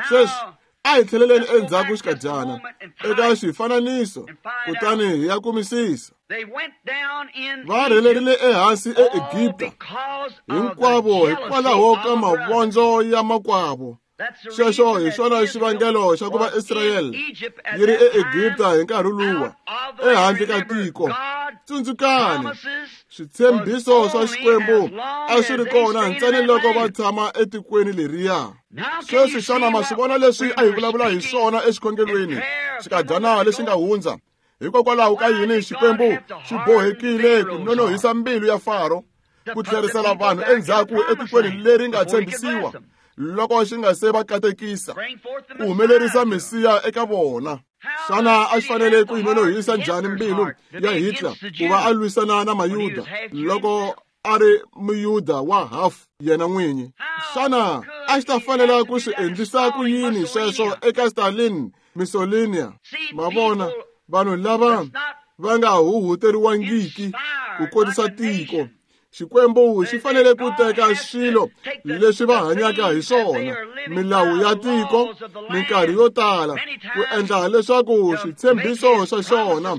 Sweswi a hi tlheleleni endzhaku xikadyana eka xifananiso kutani hi ya kumisisa. Va rhelerile ehansi eEgipta hinkwavo hikwalaho ka mavondzo ya makwavo. Xexo hi xona xivangelo xa ku va Israyele yi ri eEgipta hi nkarhi luwa, ehandle ka tiko. Tsundzukani, switshembiso swa Xikwembu a swi ri kona ntsena loko va tshama etikweni leriya. Sweswi xana ma swi vona leswi a hi vulavula hi swona exikhongelweni xikadyana lexi nga hundza? Hikokwalaho ka yini Xikwembu xi bohekile ku nonohisa mbilu ya Faro ku tlherisela vanhu endzhaku etikweni leri nga tshembisiwa loko xi nga se va katekisa ku humelerisa Mesiya eka vona? Xana a xi fanele ku yi nonohisa njhani mbilu ya Hitler ku va a lwisana na Mayuda loko a ri Muyuda wa half yena n'winyi? Xana a xi ta fanela ku swi endlisa ku yini sweswo eka Stalin, Mussolini? Ma vona, vanhu lava va nga huhuteriwangiki ku kotisa tiko. Xikwembu xi fanele ku teka swilo leswi va hanyaka hi swona, milawu ya tiko, minkarhi yo tala, ku endla leswaku switshembiso swa xona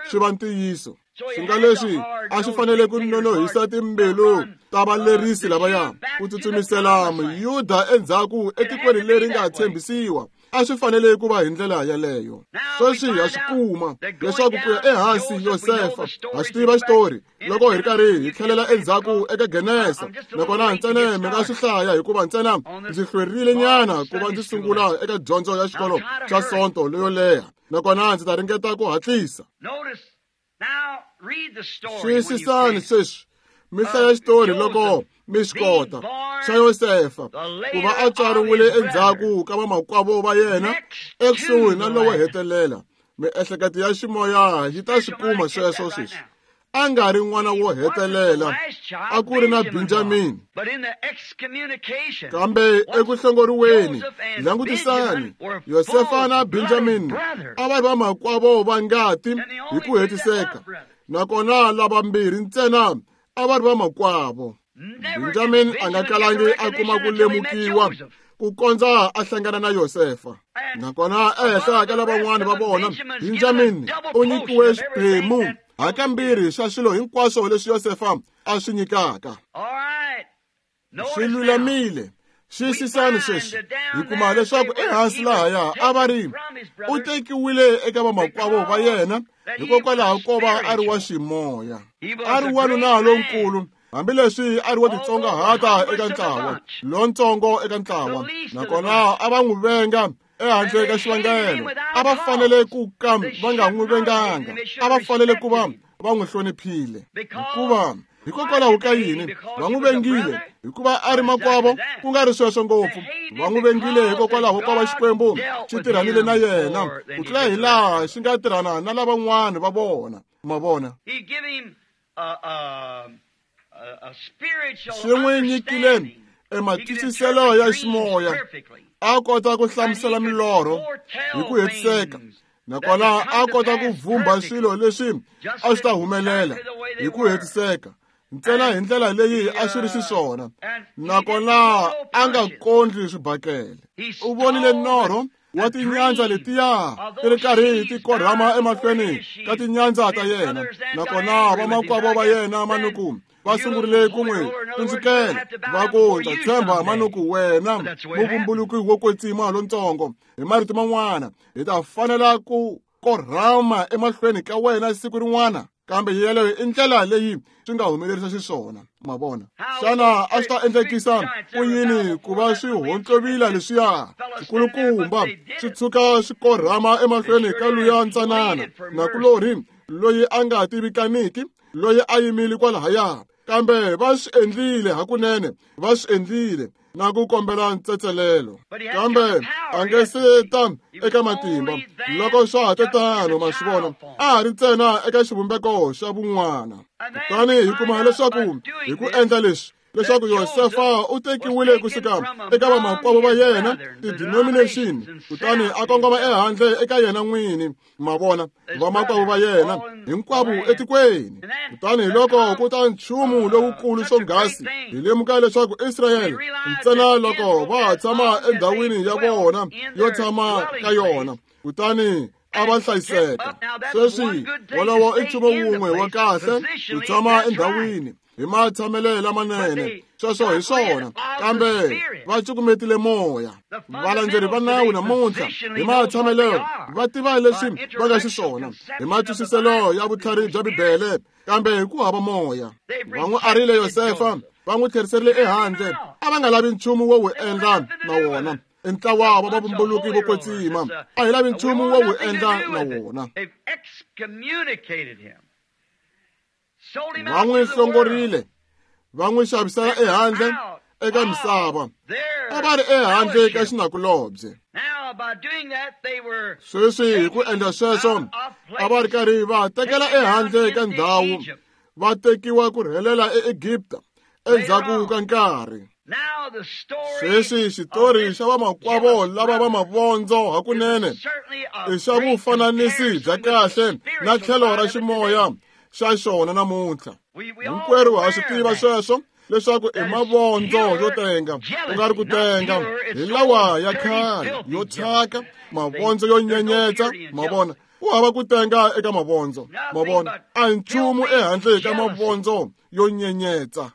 swi va ntiyiso. Swi nga leswi a swi fanele ku nonohisa timbilu ta valerisi lavaya ku tsutsumisela Muyuda endzhaku etikweni leri nga tshembisiwa. A swi fanele ku va hi ndlela yaleyo. Sweswi ha swi kuma leswaku ku ya ehansi Yosefa, ha swi tiva xitori loko hi ri karhi hi tlhelela endzhaku eka Genesa, nakona ntsena mi nga swi hlaya hikuva ntsena ndzi hlwerile nyana ku va ndzi sungula eka dyondzo ya xikolo xa Sonto leyo leha, nakona ndzi ta ringeta ku hatlisa. Xiyisisani sweswi mi hlaya xitori loko mi swi kota xa Yosefa ku va a tswariwile endzhaku ka vamakwavo va yena ekusuhi na lowo hetelela. Miehleketo ya ximoya yi ta swi kuma sweswo sweswi. A nga ri n'wana wo hetelela, a ku ri na Benjamini. Kambe eku hlongoriweni, langutisani, Yosefa na Benjamini a va ri vamakwavo va ngati hi ku hetiseka, nakona lavambirhi ntsena a va ri vamakwavo. Benjamin a nga kalangi a kuma ku lemukiwa ku kondza a hlangana na Yosefa. Nakona ehenhla ka lavan'wana va vona, Benjamin u nyikiwe xiphemu hakambirhi xa swilo hinkwaswo leswi Yosefa a swi nyikaka. Swi lulamile. Xiyisisani sweswi, hi kuma leswaku ehansi lahaya a va ri u tekiwile eka vamakwavo va yena hikokwalaho ko va a ri wa ximoya. A ri wanuna lonkulu, hambileswi a ri wo titsongahata eka ntlawa lontsongo eka ntlawa, nakona a va n'wi venga ehandle ka xivangelo. A va fanele ku ka va nga n'wi venganga, a va fanele ku va va n'wi hloniphile. Hikuva hikokwalaho ka yini va n'wi vengile? Hikuva a ri makwavo, ku nga ri sweswo ngopfu. Va n'wi vengile hikokwalaho ko va Xikwembu xi tirhanile na yena ku tlula hi laha xi nga tirhana na lavan'wana va vona. Ma vona, xi n'wi nyikile ematwisiselo ya ximoya, a kota ku hlamusela milorho hi ku hetiseka, nakona a kota ku vhumba swilo leswi a swi ta humelela hi ku hetiseka ntsena hi ndlela leyi a swi ri xiswona, nakona a nga kondli swibakele. U vonile norho wa tinyandza letiya ti ri karhi ti korhama emahlweni ka tinyandza ta yena, nakona vamakwavo va yena manuku va sungurile ku n'wi tsundzukela va ku, ndza tshemba manuku wena muvumbuluki wo kwetsima lontsongo. Hi marito man'wana, hi ta fanela ku korhama emahlweni ka wena siku rin'wana. Kambe yeleyo i ndlela leyi swi nga humelerisa xiswona, ma vona. Xana a swi ta endlekisa ku yini ku va swi hontlovila leswiya swikulukumba swi tshuka swi korhama emahlweni ka luya ntsanana nakulorhi loyi a nga tivikaniki, loyi a yimile kwalahaya? Kambe va swi endlile hakunene, va swi endlile na ku kombela ntsetselelo. Kambe a nge se ta eka matimba loko swa ha te tano, ma swi vona, a ha ri ntsena eka xivumbeko xa vun'wana. Kutani hi kuma leswaku hi ku endla leswi, leswaku Yosefa u tekiwile kusuka eka vamakwavo va yena, ti-denomination, kutani a kongoma ehandle eka yena n'wini, ma vona, vamakwavo va yena hinkwavo etikweni. Kutani hi loko ku ta nchumu lowukulu swonghasi, hi lemuka leswaku Israyele ntsena loko va ha tshama endhawini ya vona yo tshama ka yona, kutani a va hlayiseka. Sweswi wolowo i nchumu wun'we wa kahle ku tshama endhawini hi matshamelo lamanene, sweswo hi swona. Kambe va cukumetile moya. Valandzeri va nawu namuntlha hi matshamelo va tiva leswi va nga xiswona hi matwisiselo ya vutlhari bya Bibele, kambe hi ku hava moya. Va n'wi arile Yosefa, va n'wi tlheriserile ehandle. A va nga lavi nchumu wo wu endla na wona. I ntlawa wa vavumbuluki vo kwetsima, a hi lavi nchumu wo wu endla na wona. Va n'wi hlongorile, va n'wi xavisela ehandle eka misava. A va ri ehandle ka xinakulobye. Sweswi hi ku endla sweswo, a va ri karhi va tekela ehandle ka ndhawu, va tekiwa ku rhelela eEgipta endzhaku ka nkarhi. Sweswi xitori xa vamakwavo lava va mavondzo hakunene i xa vufananisi bya kahle na tlhelo ra ximoya xa xona namuntlha. Hinkwerhu ha swi tiva sweswo, leswaku i mavondzo yo tenga, ku nga ri ku tenga hi lawa ya khale yo thyaka, mavondzo yo nyenyetsa, ma vona. Ku hava ku tenga eka mavondzo, ma vona. A hi nchumu ehandle ka mavondzo yo nyenyetsa.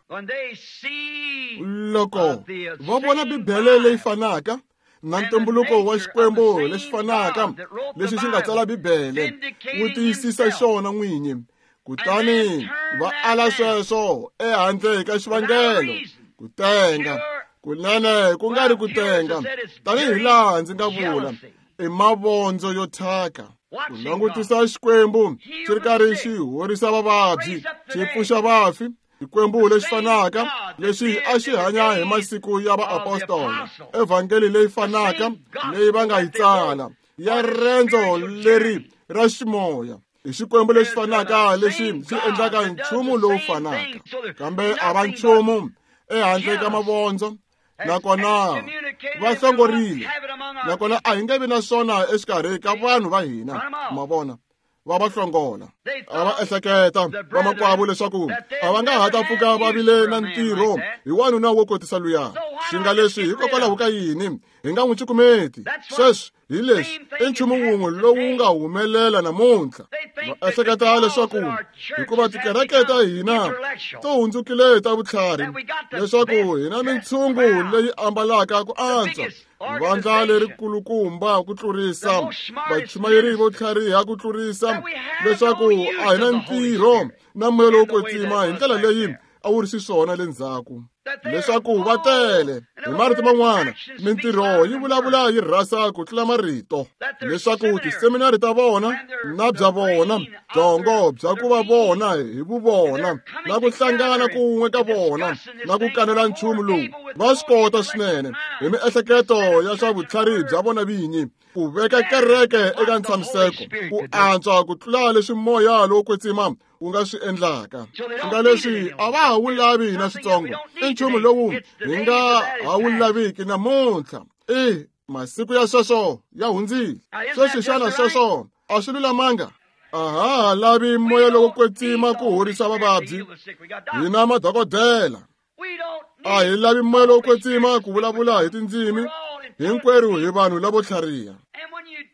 Loko va vona Bibele leyi fanaka na ntumbuluko wa Xikwembu lexi fanaka lexi xi nga tsala Bibele, wu tiyisisa xona n'winyi, kutani va ala sweswo ehandle ka xivangelo, ku tenga kunene ku nga ri ku tenga, tanihi laha ndzi nga vula, i mavondzo yo thyaka. Ku langutisa Xikwembu xi ri karhi xi horisa vavabyi, xi pfuxa vafi, Xikwembu lexi fanaka lexi a xi hanya hi masiku ya vaapostola, evhangeli leyi fanaka leyi va nga yi tsala ya rendzo leri ra ximoya, i Xikwembu lexi fanaka lexi xi endlaka nchumu lowu fanaka. Kambe a va nchumu ehandle ka mavondzo, nakona va hlongorile, nakona a hi nge vi na swona exikarhi ka vanhu va hina, ma vona. Va va hlongola. A va ehleketa vamakwavo leswaku a va nga ha ta pfuka va vile na ntirho hi wanuna wo kotisa luya. Swi nga leswi hikokwalaho ka yini hi nga n'wi cukumeti? Sweswi hi leswi i nchumu wun'we lowu nga humelela namuntlha. Va ehleketa leswaku hikuva tikereke ta hina to hundzukile ta vutlhari, leswaku hi na mintshungu leyi ambalaka ku antswa, vandla lerikulukumba ku tlurisa, vachumayeri vo tlhariha ku tlurisa, leswaku a hi na ntirho na moya lowo kwetsima hi ndlela leyi a wu ri xiswona le ndzhaku, leswaku va tele. Hi marito man'wana, mintirho yi vulavula yi rhasa ku tlula marito, leswaku tiseminari ta vona na bya vona byongo bya ku va vona hi vuvona na ku hlangana kun'we ka vona na ku kanela nchumu lowu va swi kota swinene hi miehleketo ya swa vutlhari bya vona vinyi ku veka kereke eka ntshamiseko ku antswa ku tlula leswi moya lowo kwetsima wu nga swi endlaka. Swi nga leswi a va ha wu lavi na switsongo, i nchumu lowu hi nga ha wu laviki namuntlha. I masiku ya sweswo ya hundzile. Sweswi xana sweswo a swi lulamanga? A ha ha lavi moya lowo kwetsima ku horisa vavabyi, hina madokodela. A hi lavi moya lowo kwetsima ku vulavula hi tindzimi, hinkwerhu hi vanhu lavo tlhariha.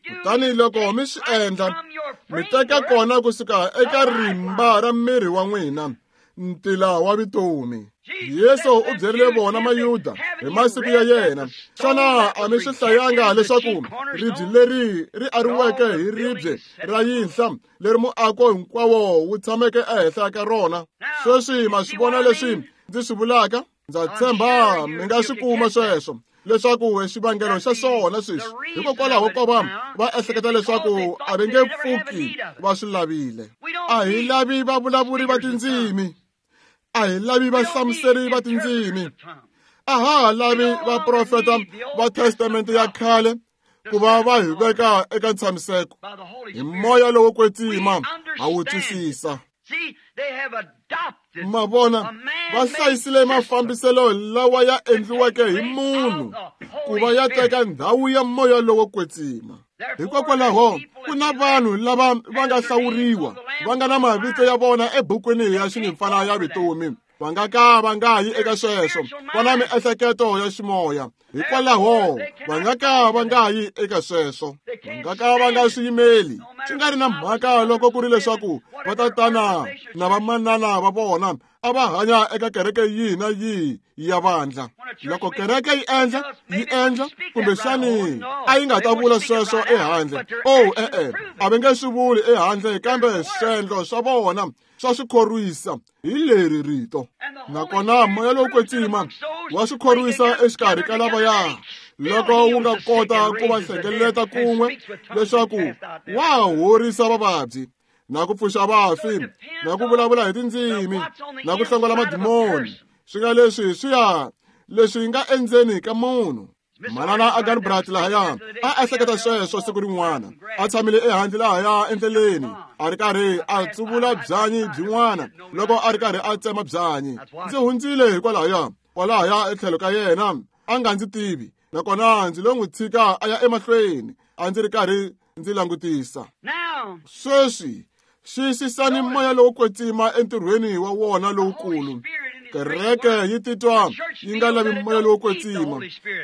Kutani loko mi swi endla, mi teka kona kusuka eka rimba ra miri wa n'wina ntila wa vutomi. Yesu u byerile vona Mayuda hi masiku ya yena, xana a mi swi hlayanga leswaku ribye leri ri ariweke hi ribye ra yinhla leri muako hinkwawo wu tshameke ehenhla ka rona? Sweswi ma swi vona leswi ndzi swi vulaka? Ndza tshemba mi nga swi kuma sweswo leswaku xivangelo xa swona sweswi hikokwalaho ko va va ehleketa leswaku a va nge pfuki va swi lavile. A hi lavi vavulavuri va tindzimi, a hi lavi vahlamuseri va tindzimi, a ha ha lavi vaprofeta va testamente ya khale ku va va hi veka eka ntshamiseko. Hi moya lowo kwetsima ha wu twisisa. Ma vona, va hlayisile mafambiselo lawa ya endliweke hi munhu ku va ya teka ndhawu ya moya lowo kwetsima. Hikokwalaho ku na vanhu lava va nga hlawuriwa, va nga na mavito ya vona ebukwini ya xinyimpfana ya vutomi, va nga ka va nga yi eka sweswo, va na miehleketo ya ximoya. Hikwalaho va nga ka va nga yi eka sweswo, va nga ka va nga swi yimeli. Swi nga ri na mhaka loko ku ri leswaku va tatana na vamanana va vona a va hanya eka kereke yihi na yihi ya vandla. Loko kereke yi endla kumbexani a yi nga ta vula sweswo ehandle. Oh, e-e, a va nge swi vuli ehandle, kambe swendlo swa vona swa swi khorwisa hi leri rito. Nakona moya lowo kwetsima wa swi khorwisa exikarhi ka lavaya loko wu nga kota ku va hlengeleta kun'we leswaku wa horisa vavabyi na ku pfuxa vafi na ku vulavula hi tindzimi na ku hlongola madimoni. Swi nga leswi swi ya leswi nga endzeni ka munhu. Manana a Garbrat lahaya a ehleketa sweswo siku rin'wana, a tshamile ehandle lahaya endleleni a ri karhi a tsuvula byanyi byin'wana loko a ri karhi a tsema byanyi. Ndzi hundzile hikwalahaya kwalahaya etlhelo ka yena, a nga ndzi tivi, nakona ndzi lo n'wi tshika a ya emahlweni, a ndzi ri karhi ndzi langutisa. Sweswi xiyisisani moya lowo kwetsima entirhweni wa wona lowukulu. Kereke yi titwa yi nga lavi moya lowo kwetsima.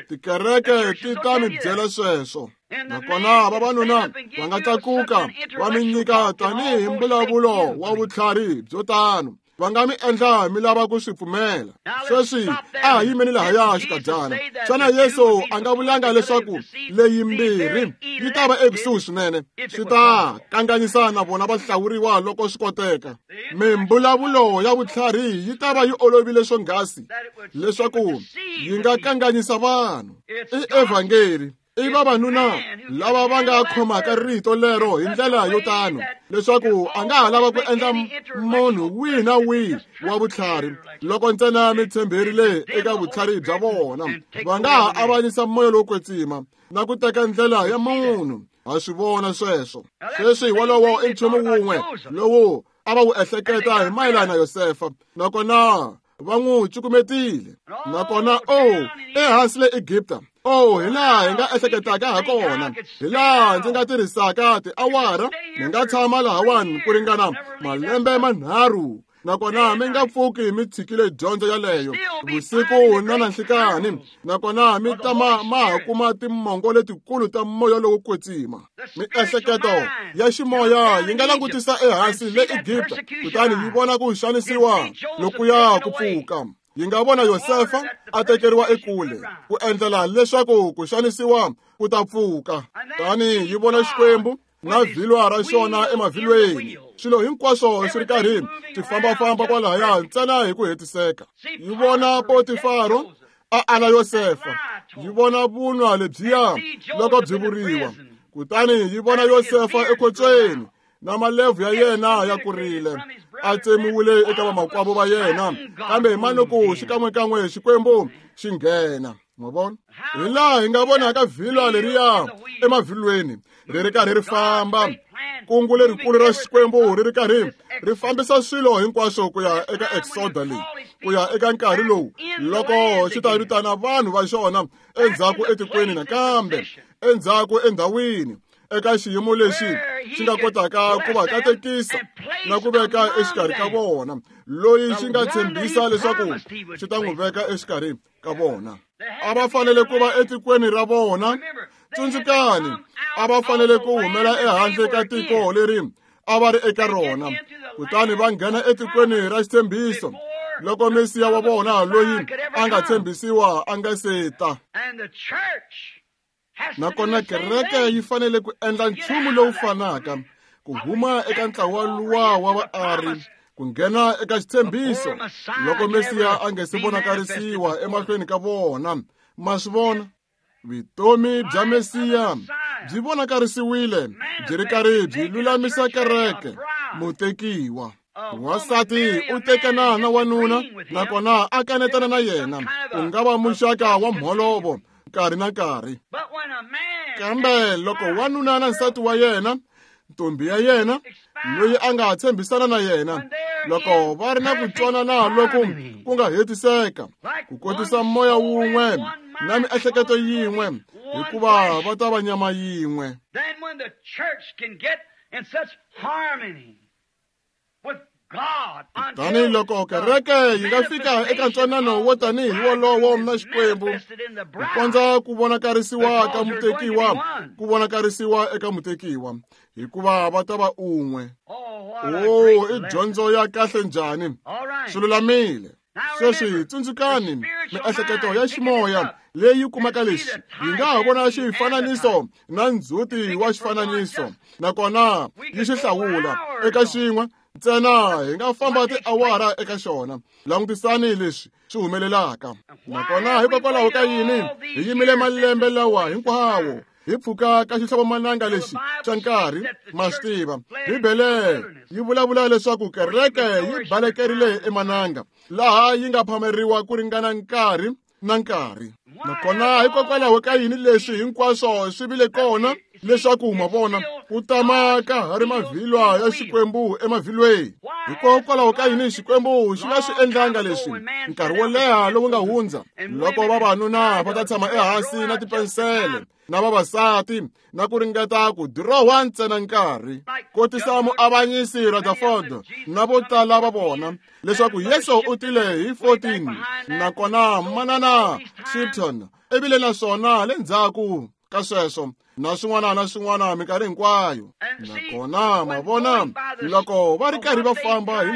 Tikereke ti ta mi byela sweswo. Nakona vavanuna va nga tlakuka va mi nyika tanihi mbulavulo wa vutlhari byo tano, va nga mi endla mi lava ku swi pfumela. Sweswi a ha yimeni lahaya xikadyana. Xana Yesu a nga vulanga leswaku leyi mbirhi yi ta va ekusuhi swinene, swi ta kanganyisa na vona va hlawuriwa loko swi koteka? Mimbulavulo ya vutlhari yi ta va yi olovile swonghasi leswaku yi nga kanganyisa vanhu. I evhangeli, i vavanuna lava va nga khomaka rito lero hi ndlela yo tano leswaku a nga ha lava ku endla munhu wihi na wihi wa vutlhari loko ntsena mi tshemberile eka vutlhari bya vona. Va nga ha avanyisa moya lowo kwetsima na ku teka ndlela ya munhu. Ha swi vona sweswo. Sweswi wolowo i nchumu wun'we lowu a va wu ehleketa hi mayelana na Yosefa, nakona va n'wi cukumetile. Nakona oh, ehansi le Egipta, oh, hi laha hi nga ehleketaka ha kona, hi laha ndzi nga tirhisaka tiawara, mi nga tshama lahawani ku ringana malembe manharhu, nakona mi nga pfuki mi tshikile dyondzo yaleyo vusiku na nanhlikani, nakona mi tama ma ha kuma timongo letikulu ta moya lowo kwetsima. Miehleketo ya ximoya yi nga langutisa ehansi le Egipta kutani yi vona ku xanisiwa lokuya ku pfuka. Yi nga vona Yosefa a tekeriwa ekule ku endlela leswaku ku xanisiwa ku ta pfuka. Tani yi vona Xikwembu na vhilwa ra xona emavhilweni, swilo hinkwaswo swi ri karhi swi fambafamba kwalahaya ntsena hi ku hetiseka. Yi vona Potifaro a ala Yosefa, yi vona vunwa lebyiya loko byi vuriwa, kutani yi vona Yosefa ekhotsweni na malebvu ya yena ya kurile, a tsemiwile eka vamakwavo va yena, kambe hi manuku xikan'wekan'we Xikwembu xi nghena. Ma vona? Hi laha hi nga vonaka vhilwa leriya emavhilweni ri ri karhi ri famba, kungu lerikulu ra Xikwembu ri ri karhi ri fambisa swilo hinkwaswo ku ya eka Exoda leyi, ku ya eka nkarhi lowu loko xi ta vitana vanhu va xona endzhaku etikweni nakambe, endzhaku endhawini, eka xiyimo lexi xi nga kotaka ku va katekisa na ku veka exikarhi ka vona, loyi xi nga tshembisa leswaku xi ta n'wi veka exikarhi ka vona. A va fanele ku va etikweni ra vona. Tsundzukani, a va fanele ku humela ehandle ka tiko leri a va ri eka rona, kutani va nghena etikweni ra xitshembiso loko Mesiya wa vona loyi a nga tshembisiwa a nga se ta. Nakona kereke yi fanele ku endla nchumu lowu fanaka, ku huma eka ntlawa luwa wa vaari ku nghena eka xitshembiso loko Mesiya a nga se vonakarisiwa emahlweni ka vona. Ma swi vona? Vutomi bya Mesiya byi vonakarisiwile byi ri karhi byi lulamisa kereke, mutekiwa. Wansati u tekana na wanuna nakona a kanetana na yena, ku nga va muxaka wa mholovo nkarhi na nkarhi. Kambe loko wanuna na nsati wa yena, ntombi ya yena loyi a nga tshembisana na yena, loko va ri na ku twanana loku ku nga hetiseka, ku kotisa moya wun'we na miehleketo yin'we, hikuva va ta va nyama yin'we. Tani loko kereke yi nga fika eka ntwanano wo tanihi wolowo na Xikwembu, ku kondza ku vonakarisiwa ka mutekiwa, ku vonakarisiwa eka mutekiwa, hikuva va ta va un'we. O, i dyondzo ya kahle njhani! Swi lulamile. Sweswi tsundzukani, miehleketo ya ximoya leyi kumaka lexi yi nga ha vona xifananiso na ndzhuti wa xifananiso, nakona yi xi hlawula eka xin'we ntsena. Hi nga famba tiawara eka xona. Langutisani leswi swi humelelaka. Nakona hikokwalaho ka yini hi yimile malembe lawa hinkwawo hi pfuka ka xihlovomananga lexi xa nkarhi? Ma swi tiva, Bibele yi vulavula leswaku kereke yi balekerile emananga, laha yi nga phameriwa ku ringana nkarhi na nkarhi. Nakona hikokwalaho ka yini leswi hinkwaswo swi vile kona? Leswaku ma vona ku tama ka ha ri mavhilwa ya Xikwembu emavhilweni. Hikokwalaho ka yini Xikwembu xi nga swi endlanga leswi nkarhi wo leha lowu nga hundza, loko vavanuna va ta tshama ehansi na tipensele na vavasati na ku ringeta ku dirowa ntsena nkarhi, kotisa muavanyisi Rutherford na vo tala va vona, leswaku Yesu u tile hi 14, nakona manana Shipton ivile naswona le ndzhaku ka sweswo na swin'wana na swin'wana minkarhi hinkwayo. Nakona ma vona, loko va ri karhi va famba hi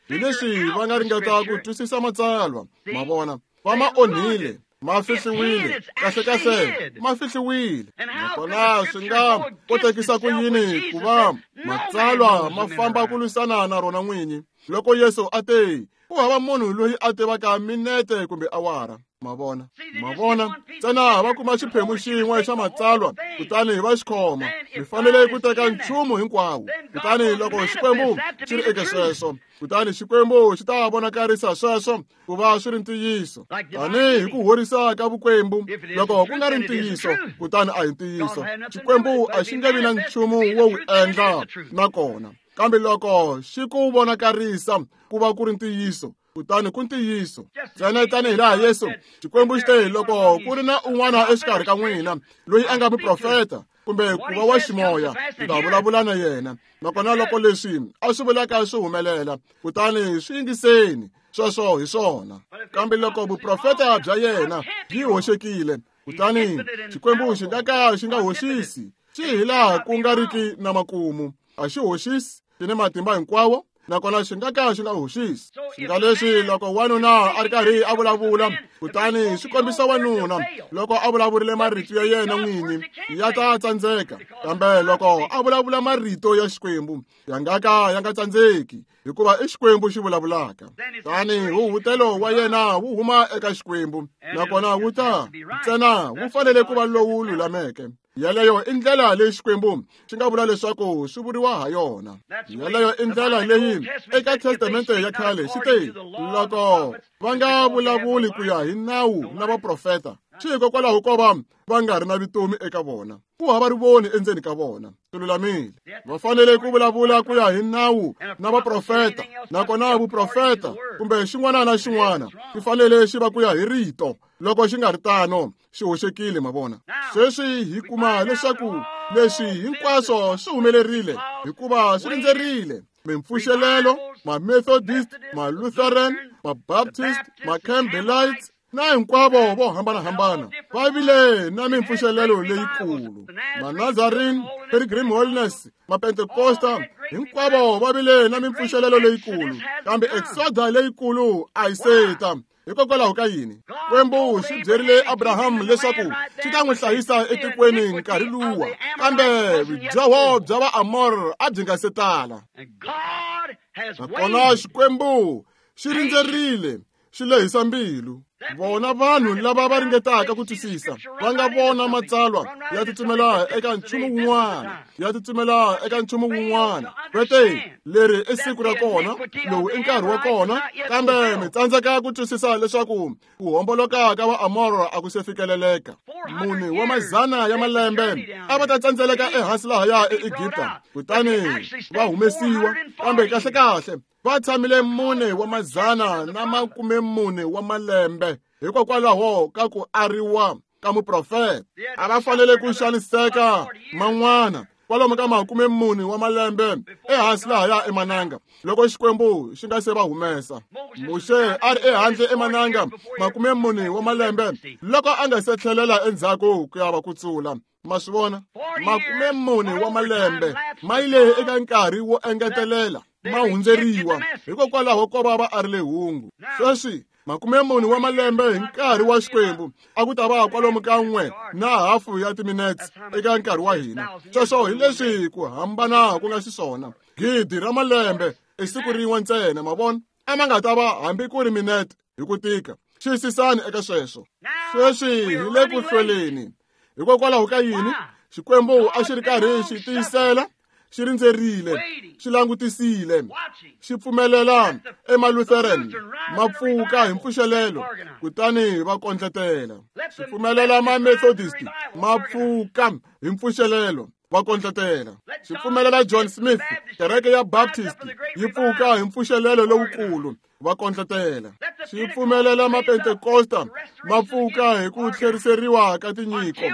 leswi va nga ringeta ku twisisa matsalwa, ma vona, va ma onhile, ma fihliwile, kahlekahle ma fihliwile. Nakona swi nga kotekisa ku yini ku va matsalwa ma famba ku lwisana na rona n'winyi, loko Yesu a te ku hava munhu loyi a tivaka minete kumbe awara? Ma vona, ma vona, ntsena va kuma xiphemu xin'we xa matsalwa kutani va xi khoma. Mi fanele ku teka nchumu hinkwawo. Kutani loko Xikwembu xi ri eka sweswo, kutani Xikwembu xi ta vonakarisa sweswo ku va swi ri ntiyiso. Tanihi hi ku horisa ka vukwembu, loko ku nga ri ntiyiso, kutani a hi ntiyiso. Xikwembu a xi nge vi na nchumu wo wu endla nakona. Kambe loko xi ku vonakarisa ku va ku ri ntiyiso, kutani ku ntiyiso. Ntsena tanihi laha Yesu, Xikwembu xi te loko ku ri na un'wana exikarhi ka n'wina loyi a nga muprofeta kumbe ku va wa ximoya, ndzi ta vulavula na yena. Nakona loko leswi a swi vulaka swi humelela, kutani swi yingiseni, sweswo hi swona. Kambe loko vuprofeta bya yena byi hoxekile, kutani Xikwembu xi nga ka xi nga hoxisi, xi hi laha ku nga riki na makumu. A xi hoxisi, xi ni matimba hinkwawo, nakona xi nga ka xi nga hoxisi. Xi nga leswi loko wanuna a ri karhi a vulavula, kutani swi kombisa wanuna loko a vulavurile marito ya yena n'winyi, ya ta tsandzeka. Kambe loko a vulavula marito ya Xikwembu, ya nga ka ya nga tsandzeki, hikuva i Xikwembu xi vulavulaka. Tani huhutelo wa yena wu huma eka Xikwembu, nakona wu ta ntsena wu fanele ku va lowu lulameke. Yaleyo i ndlela leyi Xikwembu xi nga vula leswaku swi vuriwa ha yona. Yaleyo i ndlela leyi eka Testamente ya khale xi te loko va nga vulavuli ku ya hi nawu na vaprofeta, swi hikokwalaho ko va va nga ri na vutomi eka vona, ku hava rivoni endzeni ka vona. Swi lulamile. Va fanele ku vulavula ku ya hi nawu na vaprofeta, nakona vuprofeta kumbe xin'wana na xin'wana xi fanele xi va ku ya hi rito. Loko xi nga ri tano, xi hoxekile. Ma vona, sweswi hi kuma leswaku leswi hinkwaswo swi humelerile hikuva swi rindzerile mimpfuxelelo, ma-Methodist, ma-Lutheran, ma-Baptist, ma-Campbellites na hinkwavo vo hambanahambana va vile na mimpfuxelelo leyikulu. Ma-Nazarene, Pilgrim Holiness, ma-Pentecosta Hinkwavo va vile na mimpfuxelelo leyikulu, kambe exoda leyikulu a yi se ta. Hikokwalaho ka yini? Xikwembu xi byerile Abraham leswaku xi ta n'wi hlayisa etikweni nkarhi luwa, kambe vudyoho bya Vaamor a byi nga se tala. Nakona Xikwembu xi rindzerile, xi lehisa mbilu. Vona vanhu lava va ringetaka ku twisisa va nga vona matsalwa ya tsutsumela eka nchumu wun'wana, ya tsutsumela eka nchumu wun'wana. Vete leri i siku ra kona, lowu i nkarhi wa kona, kambe mi tsandzeka ku twisisa leswaku ku homboloka ka Vaamor a ku se fikeleleka. Mune wa mazana ya malembe a va ta tsandzeleka ehansi lahaya eEgipta, kutani va humesiwa, kambe kahlekahle va tshamile 4 wa mazana na 40 wa malembe hikokwalaho ka ku ariwa ka muprofeta. A va fanele ku xaniseka man'wana kwalomu ka 40 wa malembe ehansi lahaya emananga loko Xikwembu xi nga se va humesa. Muxe a ri ehandle emananga 40 wa malembe loko a nga se tlhelela endzhaku ku ya va kutsula. Ma swi vona? 40 wa malembe ma yile eka nkarhi wo engetelela, ma hundzeriwa hikokwalaho ko va va arile hungu. Sweswi 40 wa malembe hi nkarhi wa Xikwembu a ku ta va kwalomu ka 1.5 ya timinetse eka nkarhi wa hina. Sweswo hi leswi ku hambana ku nga xiswona. 1,000 ra malembe i siku rin'we ntsena, ma vona? A ma nga ta va hambi ku ri minete hi ku tika. Xiyisisani eka sweswo. Sweswi hi le ku hlweleni. Hikokwalaho ka yini? Xikwembu a xi ri karhi xi tiyisela, xi rindzerile, xi langutisile, xi pfumelela emaLutheran ma pfuka hi mpfuxelelo, kutani va kondletela. Xi pfumelela ma-Methodist ma pfuka hi mpfuxelelo, va kondletela. Xi pfumelela John Smith, kereke ya Baptist, yi pfuka hi mpfuxelelo lowukulu, va kondletela. Xi pfumelela Mapentekosta ma pfuka hi ku tlheriseriwa ka tinyiko,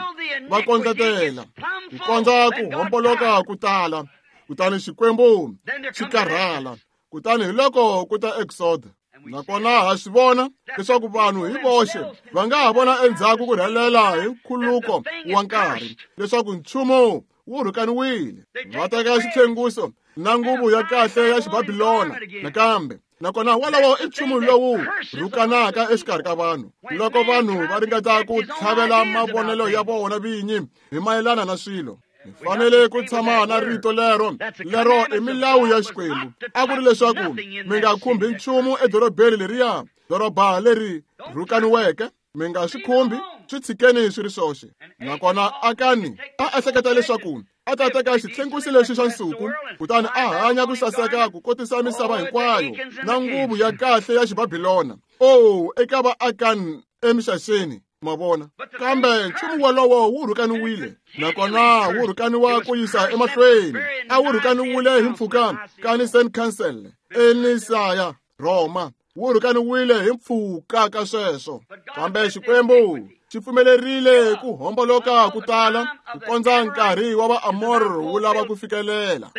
va kondletela, ku kondza ku homboloka ku tala. Kutani Xikwembu xi karhala. Kutani hi loko ku ta Exoda. Nakona ha swi vona leswaku vanhu hi voxe va nga ha vona endzhaku ku rhelela hi nkhuluko wa nkarhi leswaku nchumu wu rhukaniwile. Va teka xitlhenguso na nguvu ya kahle ya Xibabilona nakambe. Nakona wolowo i nchumu lowu rhukanaka exikarhi ka vanhu loko vanhu va ringeta ku tlhavela mavonelo ya vona vinyi hi mayelana na swilo. Mi fanele ku tshama na rito lero, lero i milawu ya Xikwembu. A ku ri leswaku mi nga khumbi nchumu edorobeni leriya, doroba leri rhukaniweke. Mi nga swi khumbi, swi tshikeni swi ri swoxe. Nakona Akani a ehleketa leswaku a ta teka xitlhengusi lexi xa nsuku, kutani a hanya ku saseka ku kotisa misava hinkwayo na nguvu ya kahle ya Xibabilona. Oh, eka va Akani emixaxeni, ma vona. Kambe nchumu wolowo wu rhukaniwile, nakona wu rhukaniwa ku yisa emahlweni. A wu rhukaniwile hi mpfhuka ka Nicene Council eNisaya, Roma. Wu rhukaniwile hi mpfhuka ka sweswo. Kambe Xikwembu xi pfumelerile ku homboloka ku tala ku kondza nkarhi wa Vaamor wu lava ku fikelela.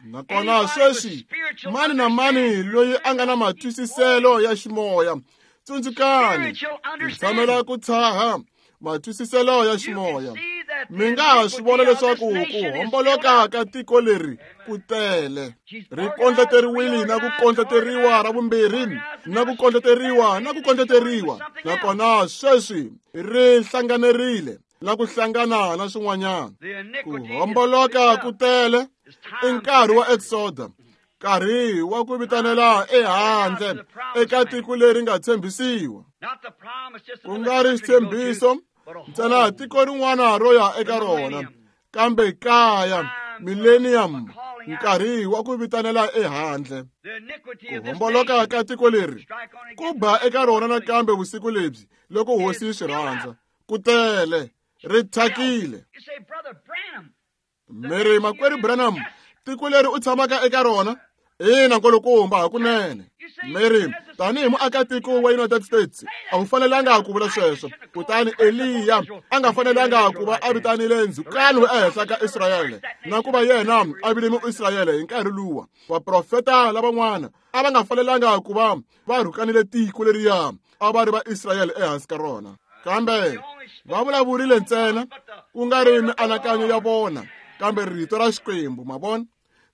Nakona sweswi mani na mani loyi a nga na matwisiselo ya ximoya, tsundzukani, ndzi tshamela ku tshaha matwisiselo ya ximoya. Mi nga ha swi vona leswaku ku homboloka ka tiko leri ku tele. Ri kondleteriwile na ku kondleteriwa ra vumbirhi, na ku kondleteriwa na ku kondleteriwa. Nakona sweswi ri hlanganerile na ku hlangana na swin'wanyana. Ku homboloka ku tele i nkarhi wa Exoda, nkarhi wa ku vitanela ehandle eka tiko leri nga tshembisiwa. Ku nga ri xitshembiso ntsena tiko rin'wana ro ya eka rona, kambe kaya, millennium, nkarhi wa ku vitanela ehandle. Ku homboloka ka tiko leri ku ba eka rona nakambe vusiku lebyi loko Hosi yi swi rhandza. Ku tele, ri thyakile. Mi ri, Makwerhu Branham, tiko leri u tshamaka eka rona? Ina, nkulukumba, hakunene. Mi ri, tanihi muakatiko wa United States, a wu fanelanga ku vula sweswo. Kutani Eliya a nga fanelanga ku va a vitanile ndzhukano ehenhla ka Israyele, na ku va yena a vile Muisrayele hi nkarhi luwa. Vaprofeta lavan'wana a va nga fanelanga ku va va rhukanile tiko leriya a va ri va Israyele ehansi ka rona. Kambe va vulavurile ntsena, ku nga ri mianakanyo ya vona, kambe rito ra Xikwembu, ma vona?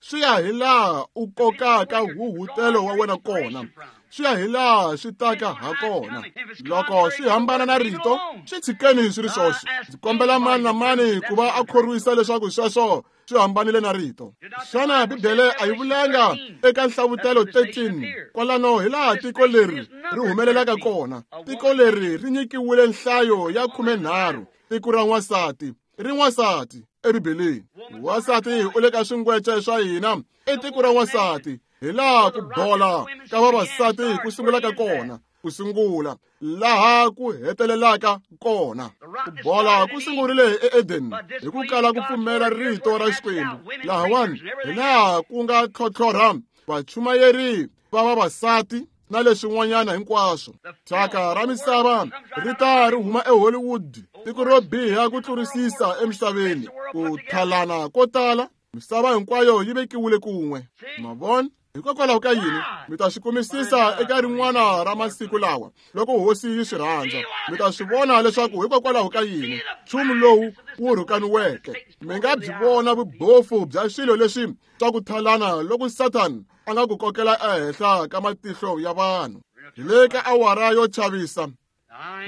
Swi ya hi laha u kokaka huhutelo wa wena kona, swi ya hi laha swi taka ha kona. Loko swi hambana na rito, swi tshikeni swi ri swoxe. Ndzi kombela mani na mani ku va a khorwisa leswaku sweswo swi hambanile na rito. Xana Bibele a yi vulanga eka Nhlavutelo 13 kwalano hi laha tiko leri ri humelelaka kona? Tiko leri ri nyikiwile nhlayo ya 13, tiko ra n'wansati, ri n'wansati eBibeleni. Wansati u le ka swingwece swa hina, i tiko ra n'wansati, hi laha ku bola ka vavasati ku sungulaka kona, ku sungula laha ku hetelelaka kona. Ku bola ku sungurile eEden hi ku kala ku pfumela rito ra Xikwembu. Lahawani hi laha ku nga tlhotlhorha vachumayeri va vavasati na leswin'wanyana hinkwaswo. Thyaka ra misava ri ta ri huma eHollywood, tiko ro biha ku tlurisisa emisaveni. Ku thalana ko tala, misava hinkwayo yi vekiwile kun'we. Ma vona? Hikokwalaho ka yini? Mi ta swi kumisisa eka rin'wana ra masiku lawa, loko hosi yi swi rhandza. Mi ta swi vona leswaku hikokwalaho ka yini nchumu lowu wu rhukaniweke. Mi nga byi vona vubofu bya swilo leswi swa ku thalana loko Satan a nga ku kokela ehenhla ka matihlo ya vanhu. Hi le ka awara yo chavisa.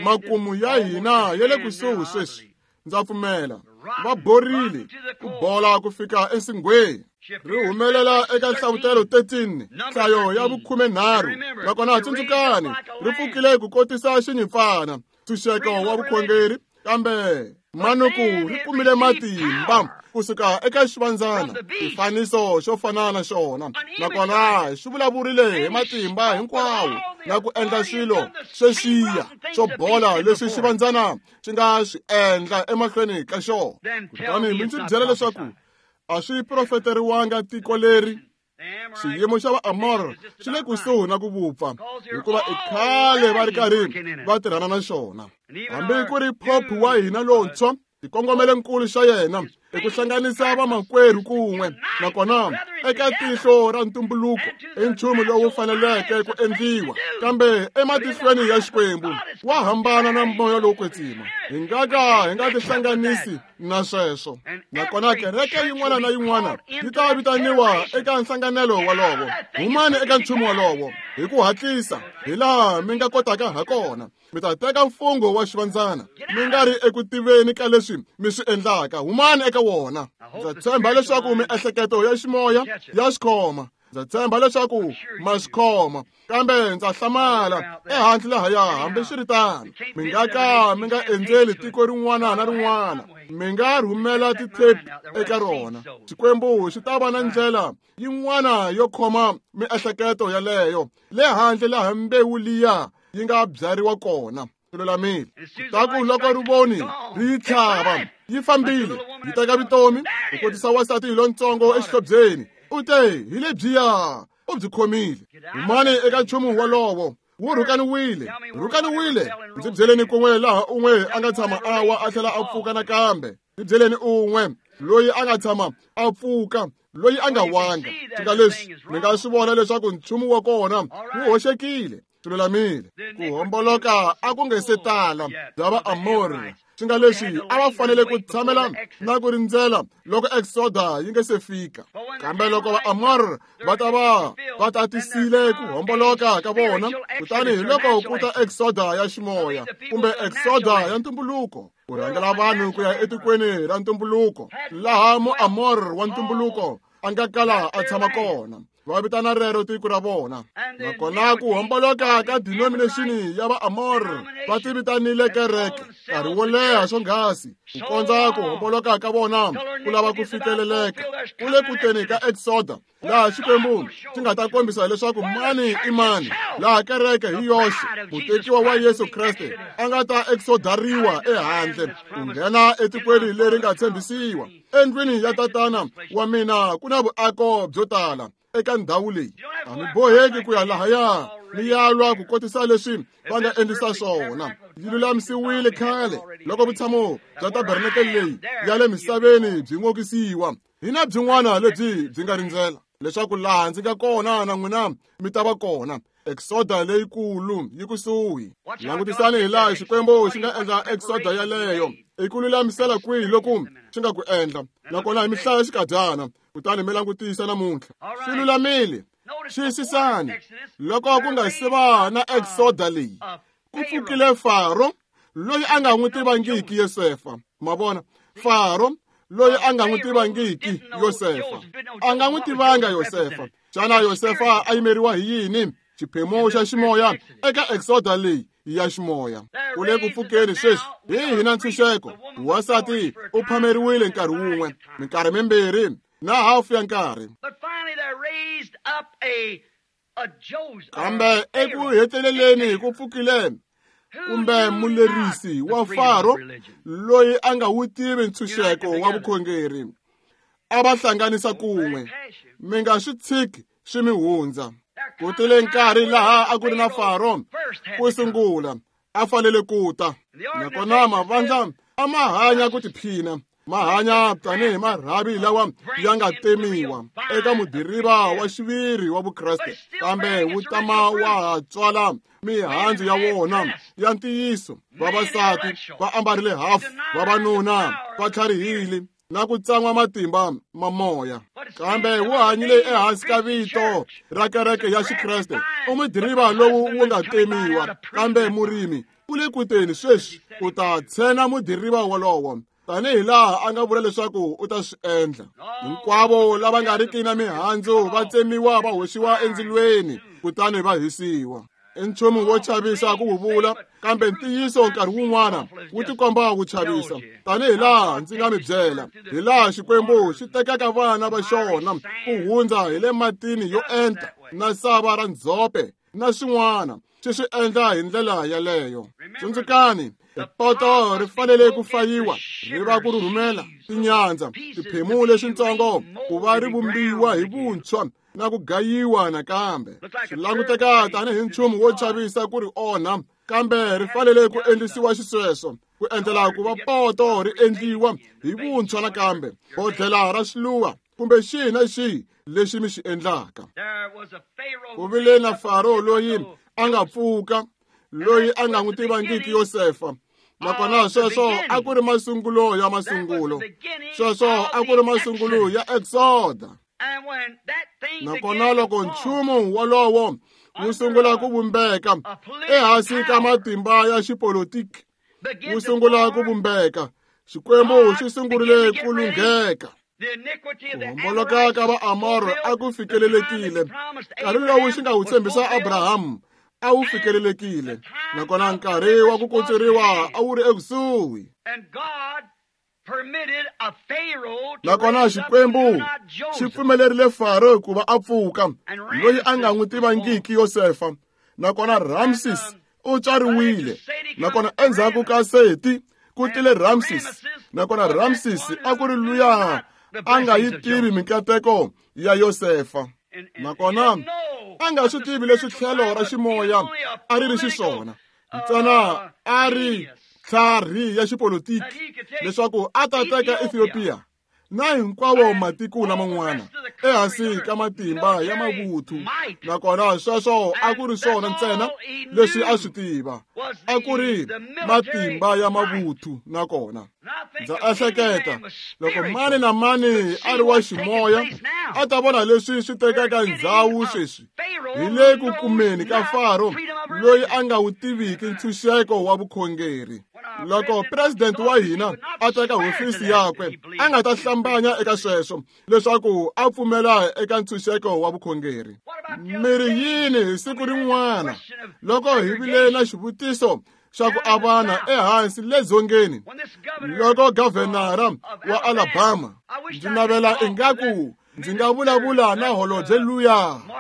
Makumu ya hina ya le kusuhi sweswi. Ndza pfumela va borile ku bola ku fika ensinghweni. Ri humelela eka Nhlavutelo 13, nhlayo ya vu-13. Nakona tsundzukani, ri pfukile ku kotisa xinyimpfana, ntshunxeko wa vukhongeri, kambe manuku ri kumile matimba kusuka eka xivandzana, xifaniso xo fana na xona. Nakona xi vulavurile hi matimba hinkwawo na ku endla swilo sweswiya swo bola leswi xivandzana xi nga swi endla emahlweni ka xona. Kutani mi ndzi byela leswaku a swi profeteriwanga tiko leri. Xiyimo xa Vaamor xi le kusuhi na ku vupfa, hikuva i khale va ri karhi va tirhana na xona. Hambi ku ri Pope wa hina lontshwa, xikongomelo-nkulu xa yena i ku hlanganisa vamakwerhu kun'we, nakona eka tihlo ra ntumbuluko i nchumu lowu faneleke ku endliwa, kambe ematihlweni ya Xikwembu wa hambana na moya lowo kwetsima. Hi nga ka hi nga tihlanganisi na sweswo. Nakona kereke yin'wana na yin'wana yi ta vitaniwa eka nhlanganelo wolowo. Humani eka nchumu wolowo hi ku hatlisa hi laha mi nga kotaka ha kona. Mi ta teka mfungho wa xivandzana mi nga ri eku tiveni ka leswi mi swi endlaka. Humani eka wona. Ndza tshemba leswaku miehleketo ya ximoya ya swi khoma. Ndza tshemba leswaku ma swi khoma, kambe ndza hlamala ehandle lahaya. Hambiswiritano, mi nga ka mi nga endzeli tiko rin'wana na rin'wana, mi nga rhumela tithepi eka rona. Xikwembu xi ta va na ndlela yin'wana yo khoma miehleketo yaleyo le handle laha mbewu liya yi nga byariwa kona. Lulamile. Kutaku loko rivoni ri yi tlhava, yi fambile, yi teka vutomi, ku kotisa wansati lontsongo exihlobyeni. U te, hi lebyiya, u byi khomile. Humani eka nchumu wolowo. Wu rhukaniwile, rhukaniwile. Ndzi byeleni kun'we laha un'we a nga tshama a wa a tlhela a pfuka nakambe. Ndzi byeleni un'we loyi a nga tshama a pfuka, loyi a nga wanga. Swi leswi mi nga swi vona leswaku nchumu wa kona wu hoxekile. Swi lulamile. Ku homboloka a ku nge se tala bya Vaamori, swi nga leswi a va fanele ku tshamela na ku rindzela loko Exoda yi nge se fika. Kambe loko Vaamori va ta va va tatisile ku homboloka ka vona, kutani hi loko ku ta Exoda ya ximoya kumbe Exoda ya ntumbuluko, ku rhangela vanhu ku ya etikweni ra ntumbuluko laha Muamor wa ntumbuluko a nga kala a tshama kona. Va vitana rero tiko ra vona. Nakona ku homboloka ka denomination ya Vaamor va ti vitanile kereke nkarhi wo leha swonghasi, ku kondza ku homboloka ka vona ku lava ku fikeleleka. Ku le ku teni ka Exoda laha Xikwembu xi nga ta kombisa leswaku mani i mani, laha kereke hi yoxe mutekiwa wa Yesu Kreste a nga ta exodariwa ehandle ku nghena etikweni leri nga tshembisiwa. Endlwini ya tatana wa mina ku na vuako byo tala eka ndhawu leyi. A mi boheki ku ya lahaya mi ya lwa ku kotisa leswi va nga endlisa swona. Yi lulamisiwile khale loko vutshamo bya tabernakele leyi ya le misaveni byi n'okisiwa. Hi na byin'wana lebyi byi nga rindzela leswaku laha ndzi nga kona na n'wina mi ta va kona. Exoda leyikulu yi kusuhi. Langutisani hi laha Xikwembu xi nga endla Exoda yaleyo. I ku lulamisela kwihi loku xi nga ku endla? Nakona hi mihlaya xikadyana. Kutani mi langutisa namuntlha. Swi lulamile. Xiyisisani, loko ku nga se va na Exoda leyi, ku pfukile Faro loyi a nga n'wi tivangiki Yosefa. Ma vona, Faro loyi a nga n'wi tivangiki Yosefa. A nga n'wi tivanga Yosefa. Xana Yosefa a yimeriwa hi yini? Xiphemu xa ximoya eka Exoda leyi ya ximoya. U le ku pfukeni sweswi hi hina ntshunxeko. Wansati u phameriwile nkarhi wun'we, minkarhi mimbirhi na hafu ya nkarhi. Kambe eku heteleleni ku pfukile kumbe mulerisi wa Faro loyi a nga wu tivi ntshunxeko wa vukhongeri. A va hlanganisa kun'we. Mi nga swi tshiki swi mi hundza. Ku tile nkarhi laha a ku ri na Faro ku sungula, a fanele ku ta. Nakona mavandla a ma hanya ku tiphina, ma hanya tanihi marhavi lawa ya nga temiwa eka mudiriva wa xiviri wa Vukreste, kambe wu tama wa ha tswala mihandzu ya wona ya ntiyiso. Vavasati va ambarile hafu, vavanuna va tlharihile na ku tsan'wa matimba ma moya. Kambe wu hanyile ehansi ka vito ra kereke ya Xikreste. U mudiriva lowu wu nga temiwa, kambe murimi u le kuteni sweswi u ta tshena mudiriva wolowo, tanihi laha a nga vula leswaku u ta swi endla. Hinkwavo lava nga riki na mihandzu va tsemiwa va hoxiwa endzilweni kutani va hisiwa. I nchumu wo chavisa ku wu vula, kambe ntiyiso nkarhi wun'wana wu tikomba wu chavisa. Tanihi laha ndzi nga mi byela, hi laha Xikwembu xi tekaka vana va xona ku hundza hi le matini yo enta na sava ra ndzhope na swin'wana, xi swi endla hi ndlela yaleyo. Tsundzukani, poto ri fanele ku fayiwa ri va ku rhurhumela, tinyandza, tiphemu leswitsongo ku va ri vumbiwa hi vuntshwa na ku gayiwa nakambe. Swi languteka tanihi nchumu wo chavisa ku ri onha, kambe ri fanele ku endlisiwa xisweswo ku endlela ku va poto ri endliwa hi vuntshwa nakambe, bodlhela ra swiluva kumbe xihi na xihi lexi mi xi endlaka. Ku vile na Faro loyi a nga pfuka, loyi a nga n'wi tivangiki Yosefa. Nakona sweswo a ku ri masungulo ya masungulo. Sweswo a ku ri masungulo ya Exoda. Nakona loko nchumu wolowo wu sungula ku vumbeka ehansi ka matimba ya xipolitiki, wu sungula ku vumbeka, Xikwembu xi sungurile ku lungheka. Ku homboloka ka Vaamoro a ku fikelelekile. Nkarhi lowu xi nga wu tshembisa Abrahamu a wu fikelelekile, nakona nkarhi wa ku kutsuriwa a wu ri ekusuhi. Nakona Xikwembu xi pfumelerile Faro ku va a pfuka, loyi a nga n'wi tivangiki Yosefa. Nakona Ramses u tswariwile. Nakona endzhaku ka Seti ku tile Ramses. Nakona Ramses a ku ri luya a nga yi tivi minkateko ya Yosefa. Nakona a nga swi tivi leswi tlhelo ra ximoya a ri ri xiswona, ntsena a ri tlhari ya xipolitiki leswaku a ta teka Ethiopia na hinkwavo matiko laman'wana ehansi ka matimba ya mavuthu. Nakona sweswo a ku ri swona ntsena leswi a swi tiva, a ku ri matimba ya mavuthu. Nakona ndza ehleketa loko mani na mani a ri wa ximoya a ta vona leswi swi tekaka ndzhawu sweswi hi le ku kumeni ka Faro loyi a nga wu tiviki ntshunxeko wa vukhongeri. Loko president wa hina a teka hofisi yakwe, a nga ta hlambanya eka sweswo leswaku a pfumela eka ntshunxeko wa vukhongeri. Mi ri yini hi siku rin'wana loko hi vile na xivutiso xa ku avana ehansi le dzongeni, loko gavhenara wa Alabama, ndzi navela ingaku ndzi nga vulavula na holobye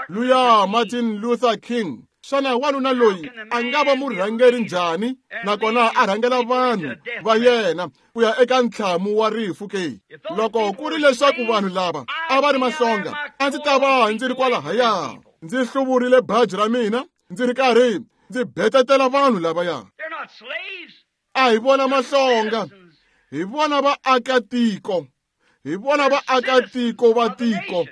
luya Martin Luther King. Xana wanuna loyi a nga va murhangeri njhani nakona a rhangela vanhu va yena ku ya eka ntlhamu wa rifu ke? Loko ku ri leswaku vanhu lava a va ri mahlonga, a ndzi ta va ndzi ri kwalahaya ndzi hluvurile baji ra mina ndzi ri karhi ndzi betetela vanhu lavaya. A hi vona mahlonga, hi vona vaakatiko, hi vona vaakatiko va tiko.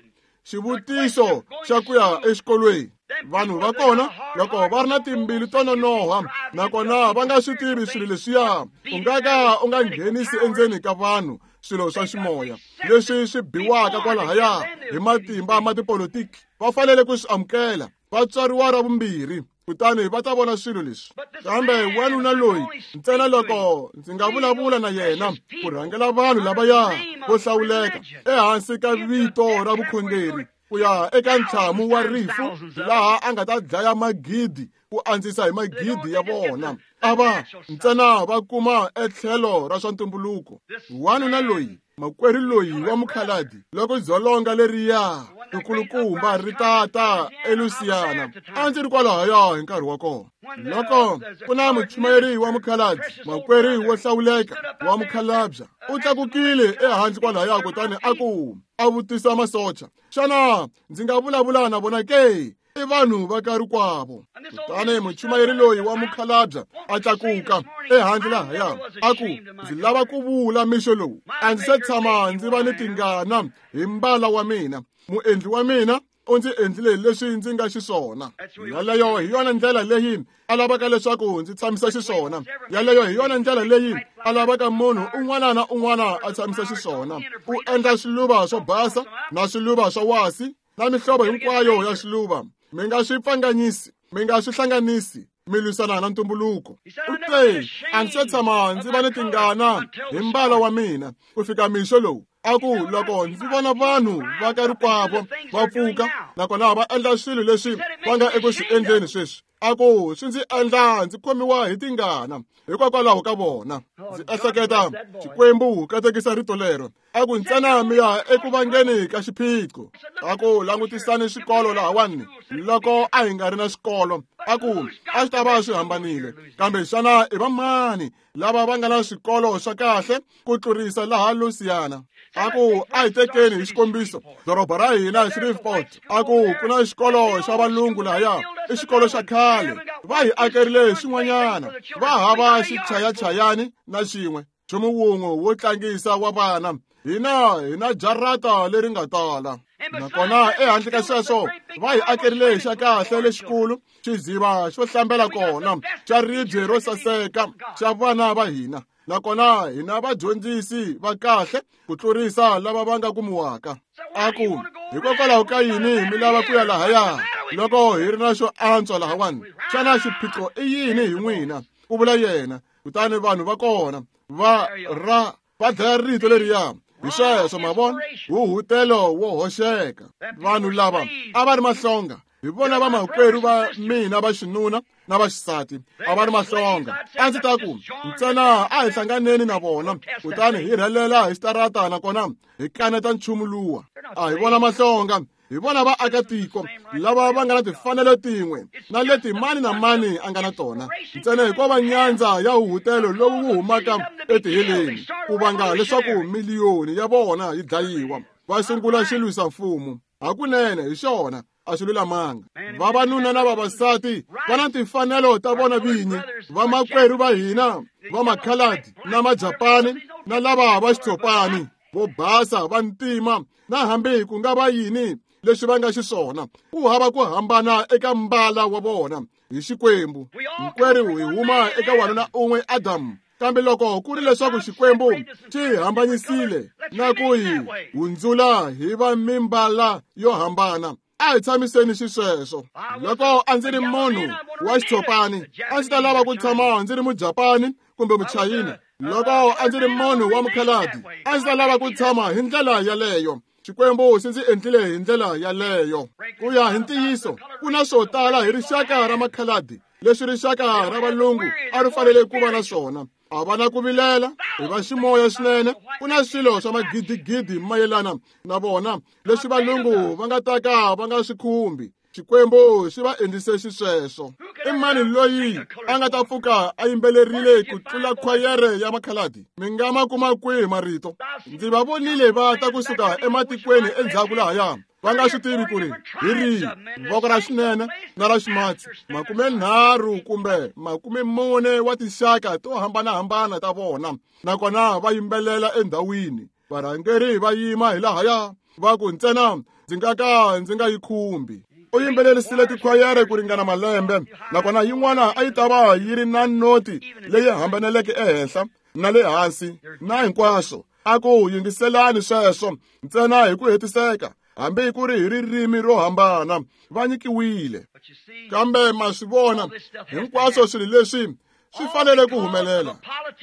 Xivutiso xa ku ya exikolweni, vanhu va kona loko va ri na timbilu to nonoha nakona va nga swi tivi swilo leswiya, u nga ka u nga nghenisi endzeni ka vanhu swilo swa ximoya leswi swi biwaka kwalahaya hi matimba ma tipolitiki. Va fanele ku swi amukela, va tswariwa ra vumbirhi, kutani va ta vona swilo leswi. Kambe wanuna loyi ntsena loko ndzi nga vulavula na yena ku rhangela vanhu lavaya vo hlawuleka ehansi ka vito ra vukhongeri ku ya eka ntlhamu wa rifu laha a nga ta dlaya magidi ku andzisa hi magidi ya vona, a va ntsena va kuma etlhelo ra swa ntumbuluko. Wanuna loyi, makwerhu loyi wa mukhaladi, loko dzolonga leriya rikulukumba ri tata eLouisiana, a ndzi ri kwalahaya hi nkarhi wa kona. Loko ku na muchumayeri wa mukhaladi, makwerhu wo hlawuleka wa mukhalabya, u tlakukile ehandle kwalahaya kutani a ku a vutisa masocha, xana ndzi nga vulavula na vona ke? I vanhu va ka rikwavo. Kutani muchumayeri loyi wa mukhalabya a tlakuka ehandle lahaya a ku, ndzi lava ku vula mixo lowu, a ndzi se tshama ndzi va ni tingana hi mbala wa mina. Muendli wa mina u ndzi endlile leswi ndzi nga xiswona. Yaleyo hi yona ndlela leyi a lavaka leswaku ndzi tshamisa xiswona. Yaleyo hi yona ndlela leyi a lavaka munhu un'wana na un'wana a tshamisa xiswona. U endla swiluva swo basa na swiluva swa wasi na mihlovo hinkwayo ya swiluva. Mi nga swi pfanganyisi, mi nga swi hlanganisi, mi lwisana na ntumbuluko. U te, a ndzi se tshama ndzi va ni tingana hi mbala wa mina ku fika mixo lowu. A ku loko ndzi vona vanhu va ka rikwavo va pfuka nakona va endla swilo leswi va nga eku swi endleni sweswi, a ku swi ndzi endla ndzi khomiwa hi tingana hikokwalaho ka vona. Ndzi ehleketa, Xikwembu katekisa rito lero. A ku ntsena mi ya eku vangeni ka xiphiqo. A ku langutisani swikolo lahawani. Loko a hi nga ri na swikolo, a ku a swi ta va swi hambanile. Kambe xana i vamani lava va nga na swikolo swa kahle ku tlurisa laha Louisiana? A ku a hi tekeni hi xikombiso doroba ra hina Shreveport. A ku ku na xikolo xa valungu lahaya, i xikolo xa khale, va hi akerile xin'wanyana, va hava xichayachayani na xin'we, nchumu wun'we wo tlangisa wa vana. Hina hi na jarata leri nga tala. Nakona ehandle ka sweswo va hi akerile xa kahle lexikulu, xiziva xo hlambela kona xa ribye ro saseka xa vana va hina. Nakona hina vadyondzisi va kahle ku tlurisa lava va nga kumiwaka. A ku hikokwalaho ka yini mi lava ku ya lahaya loko hi ri na xo antswa lahawani? Xana xiphiqo i yini hi n'wina? Ku vula yena. Kutani vanhu va kona va ra va dlaya rito leriya. Hi sweswo ma vona, huhutelo wo hoxeka. Vanhu lava a va ri mahlonga, hi vona vamakwerhu va mina va xinuna na va xisati, a va ri mahlonga. A ndzi ta ku ntsena a hi hlanganeni na vona kutani hi rhelela hi xitarata nakona hi kaneta nchumu luwa. A hi vona mahlonga, hi vona vaakatiko lava va nga na timfanelo tin'we na leti mani na mani a nga na tona, ntsena hikuva nyandza ya huhutelo lowu wu humaka etiheleni ku vanga leswaku miliyoni ya vona yi dlayiwa. Va sungula xilwisa mfumo. Hakunene hi xona a swi lulamanga. Vavanuna na vavasati va na timfanelo ta vona vinyi. Vamakwerhu va hina va makhaladi na majapani na lava va xitshopani, vo basa, va ntima, na hambi ku nga va yini leswi va nga xiswona, ku hava ku hambana eka mbala wa vona hi Xikwembu. Hinkwerhu hi huma eka wanuna un'we Adamu. Kambe loko ku ri leswaku Xikwembu xi hambanyisile na ku hi hundzula hi va mimbala yo hambana, a hi tshamiseni xisweswo. Loko a ndzi ri munhu wa xitshopani, a ndzi ta lava ku tshama ndzi ri mujapani kumbe muchayina. Loko a ndzi ri munhu wa mukhaladi, a ndzi ta lava ku tshama hi ndlela yaleyo. Xikwembu xi ndzi endlile hi ndlela yaleyo. Ku ya hi ntiyiso, ku na swo tala hi rixaka ra makhaladi leswi rixaka ra valungu a ri fanele ku va na swona. A va na ku vilela, hi va ximoya swinene. Ku na swilo swa magidigidi mayelana na vona leswi valungu va nga ta ka va nga swi khumbi. Xikwembu xi va endlise xisweswo. I mani loyi a nga ta pfuka a yimbelerile ku tlula khwayere ya makhaladi? Mi nga ma kuma kwihi marito? Ndzi va vonile va ta kusuka ematikweni endzhaku lahaya, va nga swi tivi ku ri hi rihi voko ra xinene na ra ximatsi, 30 kumbe 40 wa tinxaka to hambanahambana ta vona, nakona va yimbelela endhawini. Varhangeri va yima hi lahaya va ku ntsena ndzi nga ka ndzi nga yi khumbi. U yimbelerisile tikhwayere ku ringana malembe, nakona yin'wana a yi ta va yi ri na noti leyi hambaneleke ehenhla na le hansi na hinkwaswo. A ku yingiselani sweswo ntsena hi ku hetiseka, hambi ku ri hi ririmi ro hambana, va nyikiwile. Kambe ma swi vona, hinkwaswo swilo leswi swi fanele ku humelela.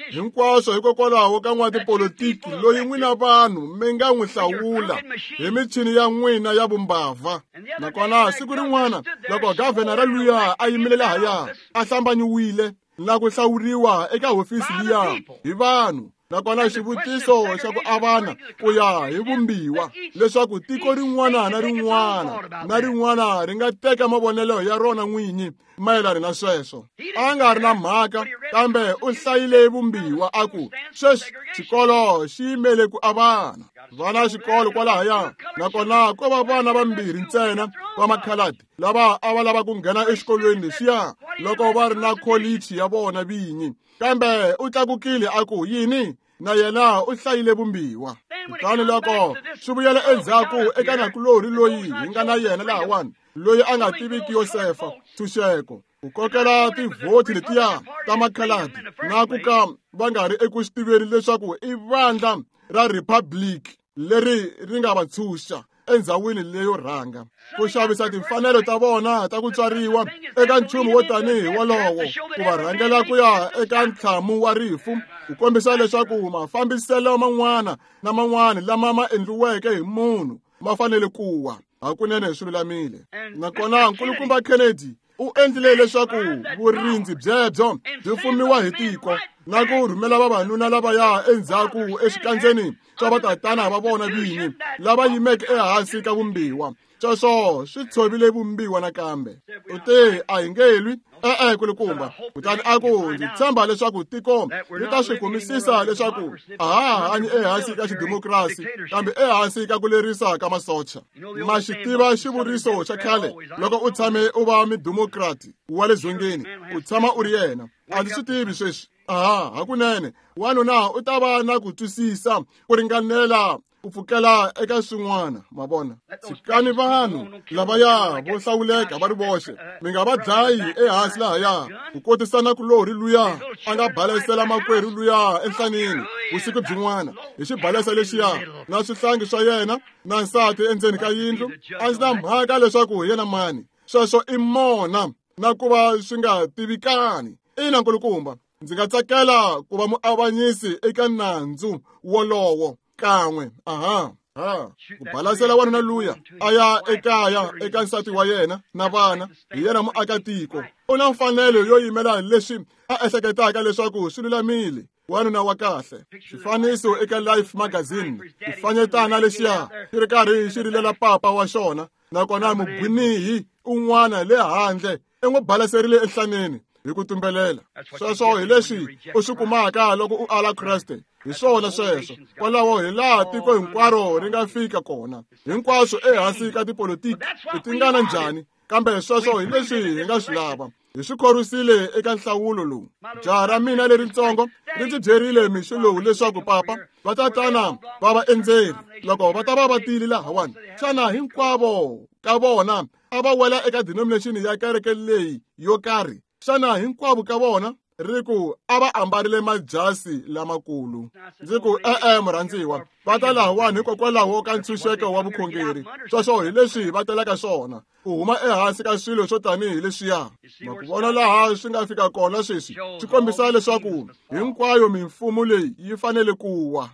Hinkwaswo hikokwalaho ka n'watipolitiki loyi n'wina vanhu mi nga n'wi hlawula hi michini ya n'wina ya vumbavha. Nakona siku rin'wana loko gavhenara luya a yimile lahaya a hlambanyiwile na ku hlawuriwa eka hofisi liya hi vanhu, nakona xivutiso xa ku avana ku ya hi vumbiwa leswaku tiko rin'wana na rin'wana na rin'wana ri nga teka mavonelo ya rona n'winyi mayelana na sweswo. A nga ri na mhaka, kambe u hlayile vumbiwa a ku sweswi xikolo xi yimele ku avana. Vana xikolo kwalahaya, nakona ko va vana vambirhi ntsena va makhaladi lava a va lava ku nghena exikolweni lexiya loko va ri na kholichi ya vona vinyi. Kambe u tlakukile a ku yini, na yena u hlayile vumbiwa. Kutani loko swi vuyela endzhaku eka nakulorhi loyi hi nga na yena lahawani, loyi a nga tiviki Yosefa ntshunxeko, ku kokela tivhoti letiya ta makhaladi na ku ka va nga ri eku swi tiveni leswaku i vandla ra Republic leri ri nga va ntshunxa endzhawini leyo rhanga, ku xavisa timfanelo ta vona ta ku tswariwa eka nchumu wo tanihi wolowo, ku va rhangela ku ya eka ntlhamu wa rifu, ku kombisa leswaku mafambiselo man'wana na man'wana lama ma endliweke hi munhu ma fanele ku wa. Hakunene swi lulamile. Nakona nkulukumba Kennedy u endlile leswaku vurindzi byebyo byi fumiwa hi tiko na ku rhumela vavanuna lavaya endzhaku exikandzeni swa vatatana va vona vinyi lava yimeke ehansi ka vumbiwa. Sweswo swi tshovile vumbiwa nakambe. U te a hi nge lwi, e-e kulukumba. Kutani a ku ndzi tshemba leswaku tiko ri ta swi kumisisa leswaku a ha hanyi ehansi ka xidemokirasi, kambe ehansi ka ku lerisa ka masocha. Ma xi tiva xivuriso xa khale, loko u tshame u va midemokrati wa le dzongeni, u tshama u ri yena. A ndzi swi tivi sweswi. Aha, hakunene wanuna u ta va na ku twisisa ku ringanela ku pfukela eka swin'wana. Ma vona, tshikani vanhu lavaya vo hlawuleka va ri voxe, mi nga va dlayi ehansi lahaya ku kotisa nakulorhi luya a nga balesela makwerhu luya enhlanini vusiku byin'wana hi xibalesa lexiya na swihlangi swa yena na nsati endzeni ka yindlu. A ndzi na mhaka leswaku hi yena mani, sweswo i mona na ku va swi nga tivikani. Ina nkulukumba, ndzi nga tsakela ku va muavanyisi eka nandzu wolowo kan'we. Aha, ha ku balasela wanuna luya a ya ekaya eka nsati wa yena na vana, hi yena muakatiko, u na mfanelo yo yimela leswi a ehleketaka leswaku swi lulamile. Wanuna wa kahle. Xifaniso eka Life magazine, xifanyetana lexiya xi ri karhi xi rilela papa wa xona, nakona mugwinihi un'wana le handle i n'wi balaserile enhlaneni hi ku tumbelela. Sweswo hi leswi u swi kumaka loko u ala Kreste. Hi swona sweswo. Kwalaho hi laha tiko hinkwaro ri nga fika kona, hinkwaswo ehansi ka tipolitiki. I tingana njhani, kambe sweswo hi leswi hi nga swi lava. Hi swi khorwisile eka nhlawulo lowu. Jaha ra mina leritsongo ri ndzi byerile mixo lowu leswaku papa vatatana va vaendzeri loko va ta va va tile lahawani, xana hinkwavo ka vona a va wela eka denomination ya kereke leyi yo karhi? Xana hinkwavo ka vona ri ku a va ambarile majasi lamakulu? Ndzi ku e-e murhandziwa, va ta lahawani hikokwalaho ka ntshunxeko wa vukhongeri. Sweswo hi leswi va telaka swona, ku huma ehansi ka swilo swo tanihi leswiya. Ma ku vona laha swi nga fika kona sweswi, swi kombisa leswaku hinkwayo mimfumo leyi yi fanele ku wa.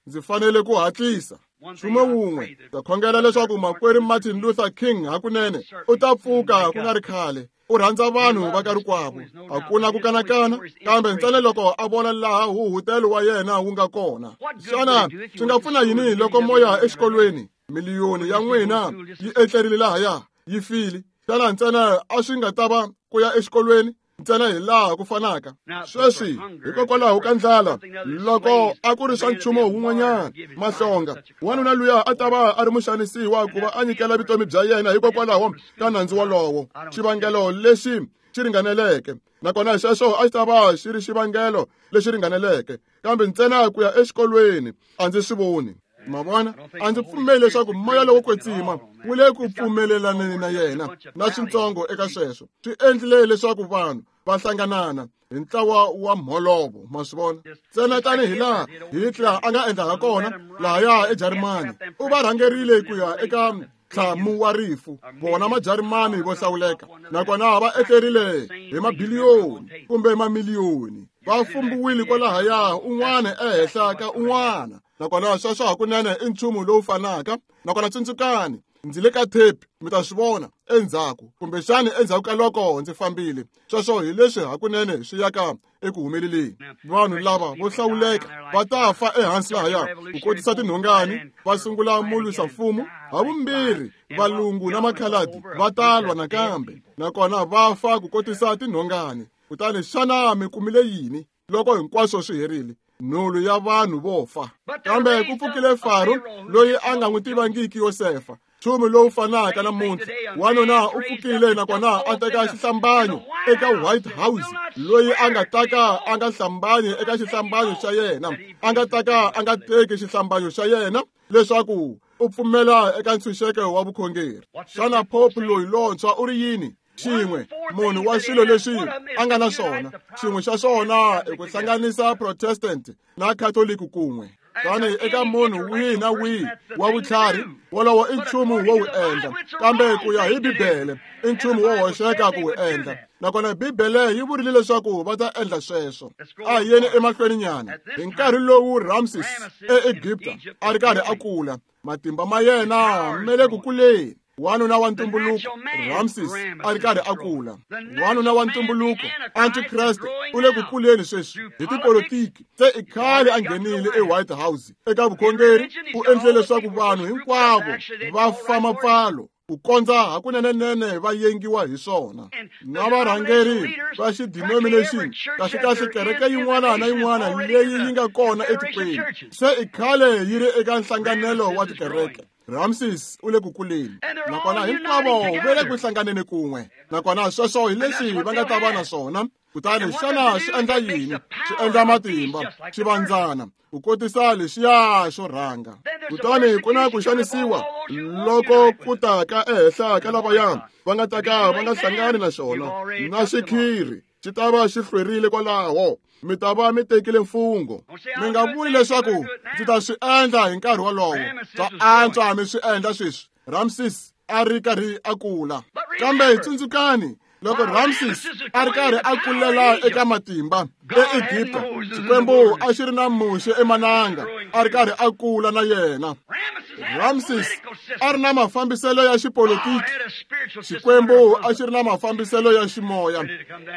Ndzi fanele ku hatlisa. Nchumu wun'we, ndza khongela leswaku makwerhu Martin Luther King hakunene u ta pfuka ku nga ri khale. U rhandza vanhu va ka rikwavo, a ku na ku kanakana, kambe ntsena loko a vona laha huhutelo wa yena wu nga kona. Xana swi nga pfuna yini loko moya exikolweni miliyoni ya n'wina yi etlerile lahaya yi file? Xana ntsena a swi nga ta va ku ya exikolweni ntsena hi laha ku fanaka? Sweswi hikokwalaho ka ndlala, loko a ku ri swa nchumu wun'wanyana mahlonga, wanuna luya a ta va a ri muxanisiwa ku va a nyikela vutomi bya yena hikokwalaho ka nandzu wolowo. Xivangelo lexi xi ringaneleke, nakona xexo a xi ta va xi ri xivangelo lexi ringaneleke, kambe ntsena ku ya exikolweni a ndzi swi voni. Ma vona, a ndzi pfumeli leswaku moya lowo kwetsima wu le ku pfumelelaneni na yena na swintsongo eka sweswo. Swi endlile leswaku vanhu va hlanganana hi ntlawa wa mholovo, ma swi vona. Ntsena tanihi laha Hitler a nga endlaka kona lahaya eJarimani, u va rhangerile ku ya eka ntlhamu wa rifu, vona Majarimani vo hlawuleka, nakona va etlerile hi mabiliyoni kumbe mamiliyoni, va fumbiwile kwalahaya un'wana ehenhla ka un'wana. Nakona sweswo hakunene i nchumu lowu fanaka. Nakona tsundzukani, ndzi le ka tape, mi ta swi vona endzhaku, kumbexani endzhaku ka loko ndzi fambile. Sweswo hi leswi hakunene swi yaka eku humeleleni. Vanhu lava vo hlawuleka va ta fa ehansi lahaya ku kotisa tinhongani, va sungula mulwisa mfumo. Havumbirhi valungu na makhaladi va ta lwa nakambe, nakona va fa ku kotisa tinhongani. Kutani xana mi kumile yini loko hinkwaswo swi herile? Nhulu ya vanhu vo fa. Kambe ku pfukile Faro loyi a nga n'wi tivangiki Yosefa, nchumu lowu fanaka namuntlha. Wanuna u pfukile nakona a teka xihlambanyo eka White House, loyi a nga taka a nga hlambanyi eka xihlambanyo xa yena, a nga taka a nga teki xihlambanyo xa yena leswaku u pfumela eka ntshunxeko wa vukhongeri. Xana Pope loyi lontshwa u ri yini? Xin'we munhu wa swilo leswi a nga na swona, xin'we xa swona i ku hlanganisa Protestant na Catholic kun'we. Tani eka munhu wihi na wihi wa vutlhari, wolowo i nchumu wo wu endla, kambe ku ya hi Bibele i nchumu wo hoxeka ku wu endla. Nakona Bibele yi vurile leswaku va ta endla sweswo. A hi yeni emahlweni nyana. Hi nkarhi lowu Ramses eEgipta a ri karhi a kula, matimba ma yena ma le ku kuleni. Wanuna wa ntumbuluko Ramses a ri karhi a kula. Wanuna wa ntumbuluko Antichrist u le ku kuleni sweswi hi tipolitiki. Se i khale a nghenile eWhite House eka vukhongeri, u endle leswaku vanhu hinkwavo va fa mapfalo ku kondza hakunenenene va yengiwa hi swona. Na varhangeri va xidenomination, kahlekahle kereke yin'wana na yin'wana leyi yi nga kona etikweni, se i khale yi ri eka nhlanganelo wa tikereke. Ramses u le ku kuleni, nakona hinkwavo va le ku hlanganeni kun'we. Nakona sweswo hi leswi va nga ta va na swona. Kutani xana swi endla yini? Swi endla matimba, xivandzana, ku kotisa lexiya xo rhanga. Kutani ku na ku xanisiwa loko ku ta ka ehenhla ka lavaya va nga ta ka va nga hlangani na xona, na xikhiri xi ta va xi hlwerile kwalaho. Mi ta va mi tekile mfungho. Mi nga vuli leswaku ndzi ta swi endla hi nkarhi wolowo. Swa antswa mi swi endla sweswi. Ramses a ri karhi a kula. Kambe tsundzukani, loko Ramses a ri karhi a kulela eka matimba eEgipta, Xikwembu a xi ri na Muxe emananga, a ri karhi a kula na yena. Ramses a ri na mafambiselo ya xipolitiki, Xikwembu a xi ri na mafambiselo ya ximoya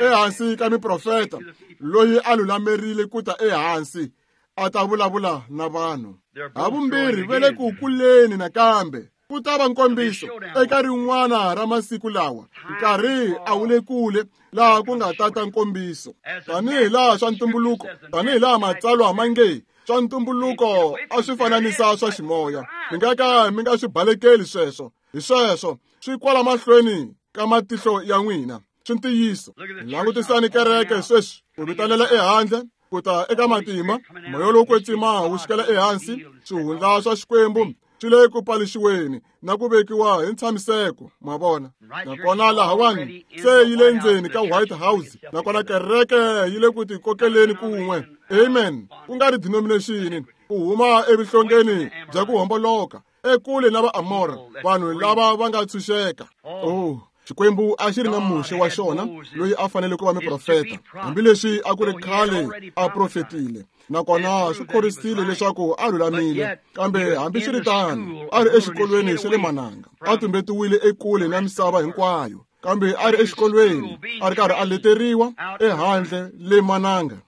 ehansi ka miprofeta loyi a lulamerile ku ta ehansi a ta vulavula na vanhu. Havumbirhi va le ku kuleni nakambe. Ku ta va nkombiso eka rin'wana ra masiku lawa. Nkarhi a wu le kule laha ku nga tata nkombiso. Tanihi laha swa ntumbuluko, tanihi laha matsalwa ma nge swa ntumbuluko a swi fananisa swa ximoya. Mi nga ka mi nga swi balekeli sweswo. Hi sweswo swi kwala mahlweni ka matihlo ya n'wina. Swi ntiyiso. Langutisani kereke sweswi, ku vitanela ehandle, ku ta eka matimba, moya lowo kwetsima wu xikela ehansi, swihundla swa Xikwembu swi le ku palixiweni na ku vekiwa hi ntshamiseko, ma vona. Nakona lahawani se yi le ndzeni ka White House, nakona kereke yi le ku tikokeleni kun'we. Amen. Ku nga ri denomination, ku huma evuhlongeni bya ku homboloka, ekule na Vaamora, vanhu lava va nga tshunxeka. Oh, Xikwembu a xi ri na Muxe wa xona loyi a fanele ku va muprofeta, hambileswi a ku ri khale a profetile. Nakona swi khorisile leswaku a lulamile, kambe hambiswiritano a ri exikolweni xa le mananga, a tumbetiwile ekule na misava hinkwayo, kambe a ri exikolweni a ri karhi a leteriwa ehandle le mananga.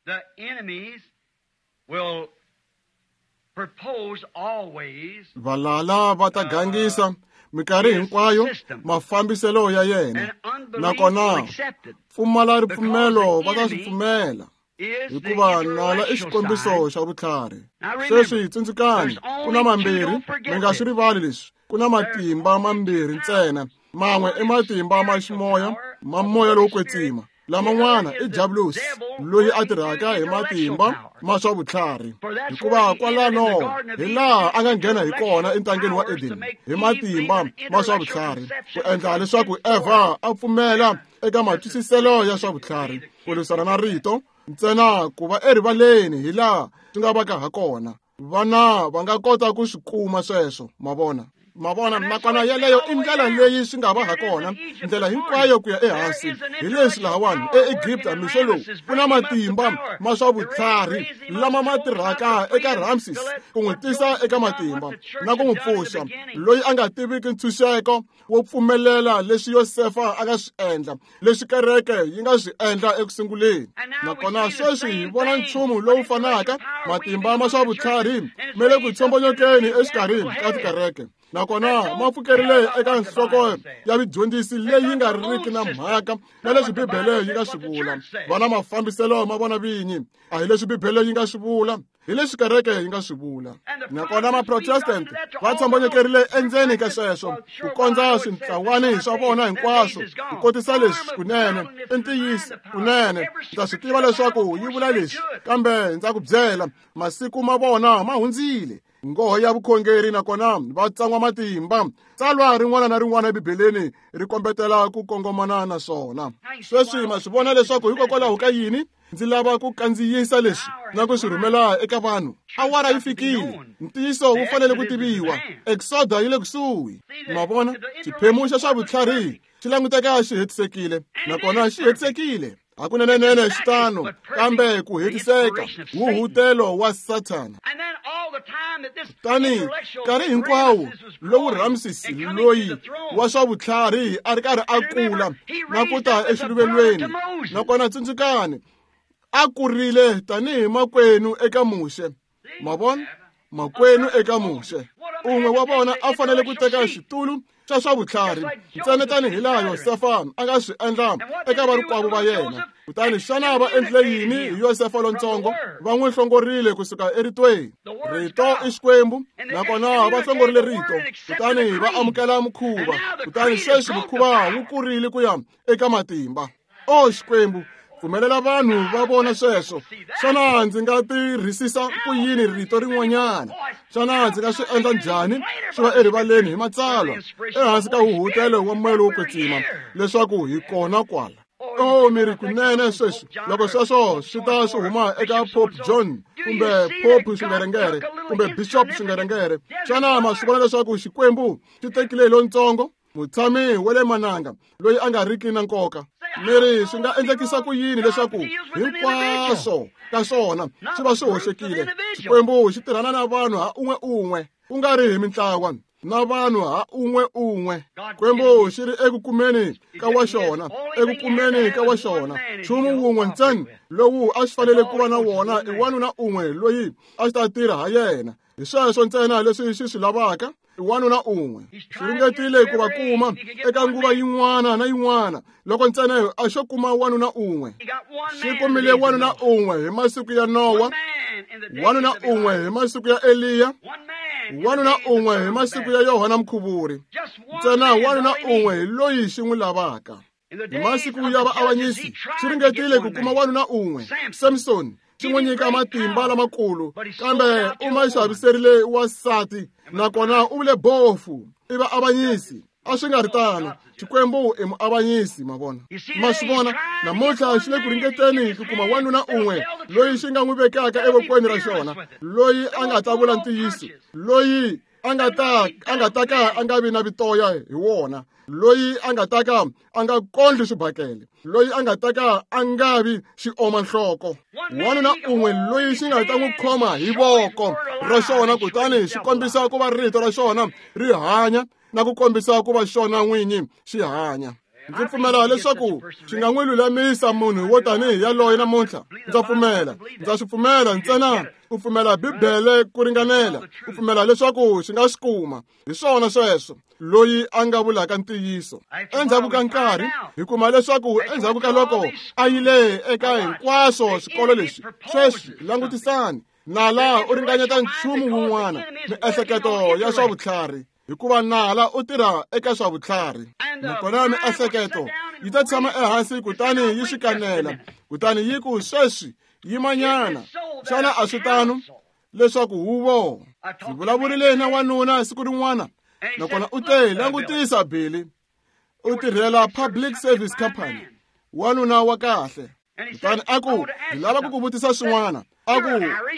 Valala va ta gangisa minkarhi hinkwayo mafambiselo ya yena, nakona pfumala ripfumelo va ta swi pfumela, hikuva nala i xikombiso xa vutlhari. Sweswi tsundzukani, ku na mambirhi, mi nga swi rivali leswi, ku na matimba mambirhi ntsena. Man'we i matimba ma ximoya, ma moya lowo kwetsima. Laman'wana i Diabolus loyi a tirhaka hi matimba ma swa vutlhari, hikuva kwalano hi laha a nga nghena hi kona entangeni wa Eden hi matimba ma swa vutlhari, ku endla leswaku Eva a pfumela eka matwisiselo ya swa vutlhari. ku lwisana na rito, ntsena ku va erivaleni hi laha swi nga vaka ha kona. Vana va nga kota ku swi kuma sweswo, ma vona. Ma vona, nakona yeleyo i ndlela leyi swi nga va ha kona, ndlela hinkwayo ku ya ehansi. Hi leswi lahawani eEgipta mixo lowu ku na matimba ma swa vutlhari lama ma tirhaka eka Ramses ku n'wi tisa eka matimba na ku n'wi pfuxa, loyi a nga tiviki ntshunxeko wo pfumelela leswi Yosefa a nga swi endla, leswi kereke yi nga swi endla eku sunguleni. Nakona sweswi hi vona nchumu lowu fanaka, matimba ma swa vutlhari ma le ku tshombonyokeni exikarhi ka tikereke, nakona ma pfukerile eka nhloko ya vudyondzisi leyi nga riki na mhaka na leswi Bibele yi nga swi vula. Va na mafambiselo ma vona vinyi, a hi leswi Bibele yi nga swi vula, hi leswi kereke yi nga swi vula. Nakona Maprotestant va tshombonyekerile endzeni ka sweswo ku kondza swintlawani swa vona hinkwaswo ku kotisa leswi kunene i ntiyiso kunene. Ndza swi tiva leswaku yi vula leswi, kambe ndza ku byela, masiku ma vona ma hundzile. Nghoho ya vukhongeri nakona va tsan'wa matimba. Tsalwa rin'wana na rin'wana eBibeleni ri kombetela ku kongomana na swona. Sweswi ma swi vona leswaku hikokwalaho ka yini ndzi lava ku kandziyisa leswi na ku swi rhumela eka vanhu. Awara yi fikile, ntiyiso wu fanele ku tiviwa. Exoda yi le kusuhi. Ma vona, xiphemu xa swa vutlhari xi languteka xi hetisekile, nakona xi hetisekile. Hakunenenene xi tano, kambe ku hetiseka huhutelo wa Sathana. Kutani nkarhi hinkwawo lowu Ramses loyi wa swa vutlhari a ri karhi a kula na ku ta exiluvelweni, nakona tsundzukani, a kurile tanihi makwenu eka Muxe. Ma vona, makwenu eka Muxe. Un'we wa vona a fanele ku teka xitulu xa swa vutlhari ntsena tanihi laha Yosefa a nga swi endla eka varikwavo va yena. Kutani xana va endlile yini hi Yosefa lontsongo? Va n'wi hlongorile kusuka eritweni. Rito i Xikwembu, nakona va hlongorile rito, kutani va amukela mukhuva. Kutani sweswi mukhuva wu kurile ku ya eka matimba. O Xikwembu, pfumelela vanhu va vona sweswo. Xana ndzi nga tirhisisa ku yini rito rin'wanyana? Xana ndzi nga swi endla njhani swi va erivaleni hi matsalwa ehansi ka huhutelo wa moya lowo kwetsima leswaku hi kona kwala? O mi ri kunene sweswi, loko sweswo swi ta swi huma eka Pope John kumbe Pope Swingerengere kumbe Bishop Swingerengere, xana ma swi vona leswaku Xikwembu xi tekile lontsongo, mutshami wa le mananga loyi a nga riki na nkoka? Mi ri swi nga endlekisa ku yini leswaku hinkwaswo ka swona swi va swi hoxekile? Xikwembu xi tirhana na vanhu ha un'we un'we, ku nga ri hi mintlawa, na vanhu ha un'we un'we. Xikwembu xi ri eku kumeni ka wa xona, eku kumeni ka wa xona. Nchumu wun'we ntsena lowu a xi fanele ku va na wona i wanuna un'we loyi a xi ta tirha ha yena. Hi sweswo ntsena leswi xi swi lavaka, i wanuna un'we. Xi ringetile ku va kuma eka nguva yin'wana na yin'wana, loko ntsena a xo kuma wanuna un'we. Xi kumile wanuna un'we hi masiku ya Nowa, wanuna un'we hi masiku ya Eliya, wanuna un'we hi masiku ya Yohana Mukhuvuri. Ntsena wanuna un'we hi loyi xi n'wi lavaka. Hi masiku ya vaavanyisi xi ringetile ku kuma wanuna un'we, Samson, xi n'wi nyika matimba lamakulu, kambe u ma xaviserile wansati, nakona u vule bofu. I vaavanyisi. A swi nga ri tano. Xikwembu i muavanyisi, ma vona. Ma swi vona, namuntlha xi le ku ringeteni ku kuma wanuna un'we loyi xi nga n'wi vekaka evokweni ra xona, loyi a nga ta vula ntiyiso, loyi a nga ta ka a nga vi na vitoya hi wona, loyi a nga ta ka a nga kondli swibakele, loyi a nga ta ka a nga vi xiomanhloko. Wanuna un'we loyi xi nga ta n'wi khoma hi voko ra xona, kutani xi kombisa ku va rito ra xona ri hanya na ku kombisa ku va xona n'winyi xi hanya. Ndzi pfumela leswaku xi nga n'wi lulamisa munhu wo tanihi yaloye namuntlha. Ndza pfumela, ndza swi pfumela ntsena ku pfumela Bibele ku ringanela, ku pfumela leswaku xi nga swi kuma. Hi swona sweswo, loyi a nga vulaka ntiyiso. Endzhaku ka nkarhi, hi kuma leswaku endzhaku ka loko a yile eka hinkwaswo swikolo leswi, sweswi langutisani, nala u ringanyeta nchumu wun'wana, miehleketo ya swa vutlhari, hikuva nala u tirha eka swa vutlhari. Nakona miehleketo yi ta tshama ehansi kutani yi swi kanela, kutani yi ku sweswi yimanyana. Xana a swi tano leswaku huvo? Ndzi vulavurile na wanuna siku rin'wana, nakona u te, langutisa Billy, u tirhela Public Service Company, wanuna wa kahle. Kutani a ku, ndzi lava ku ku vutisa swin'wana. A ku,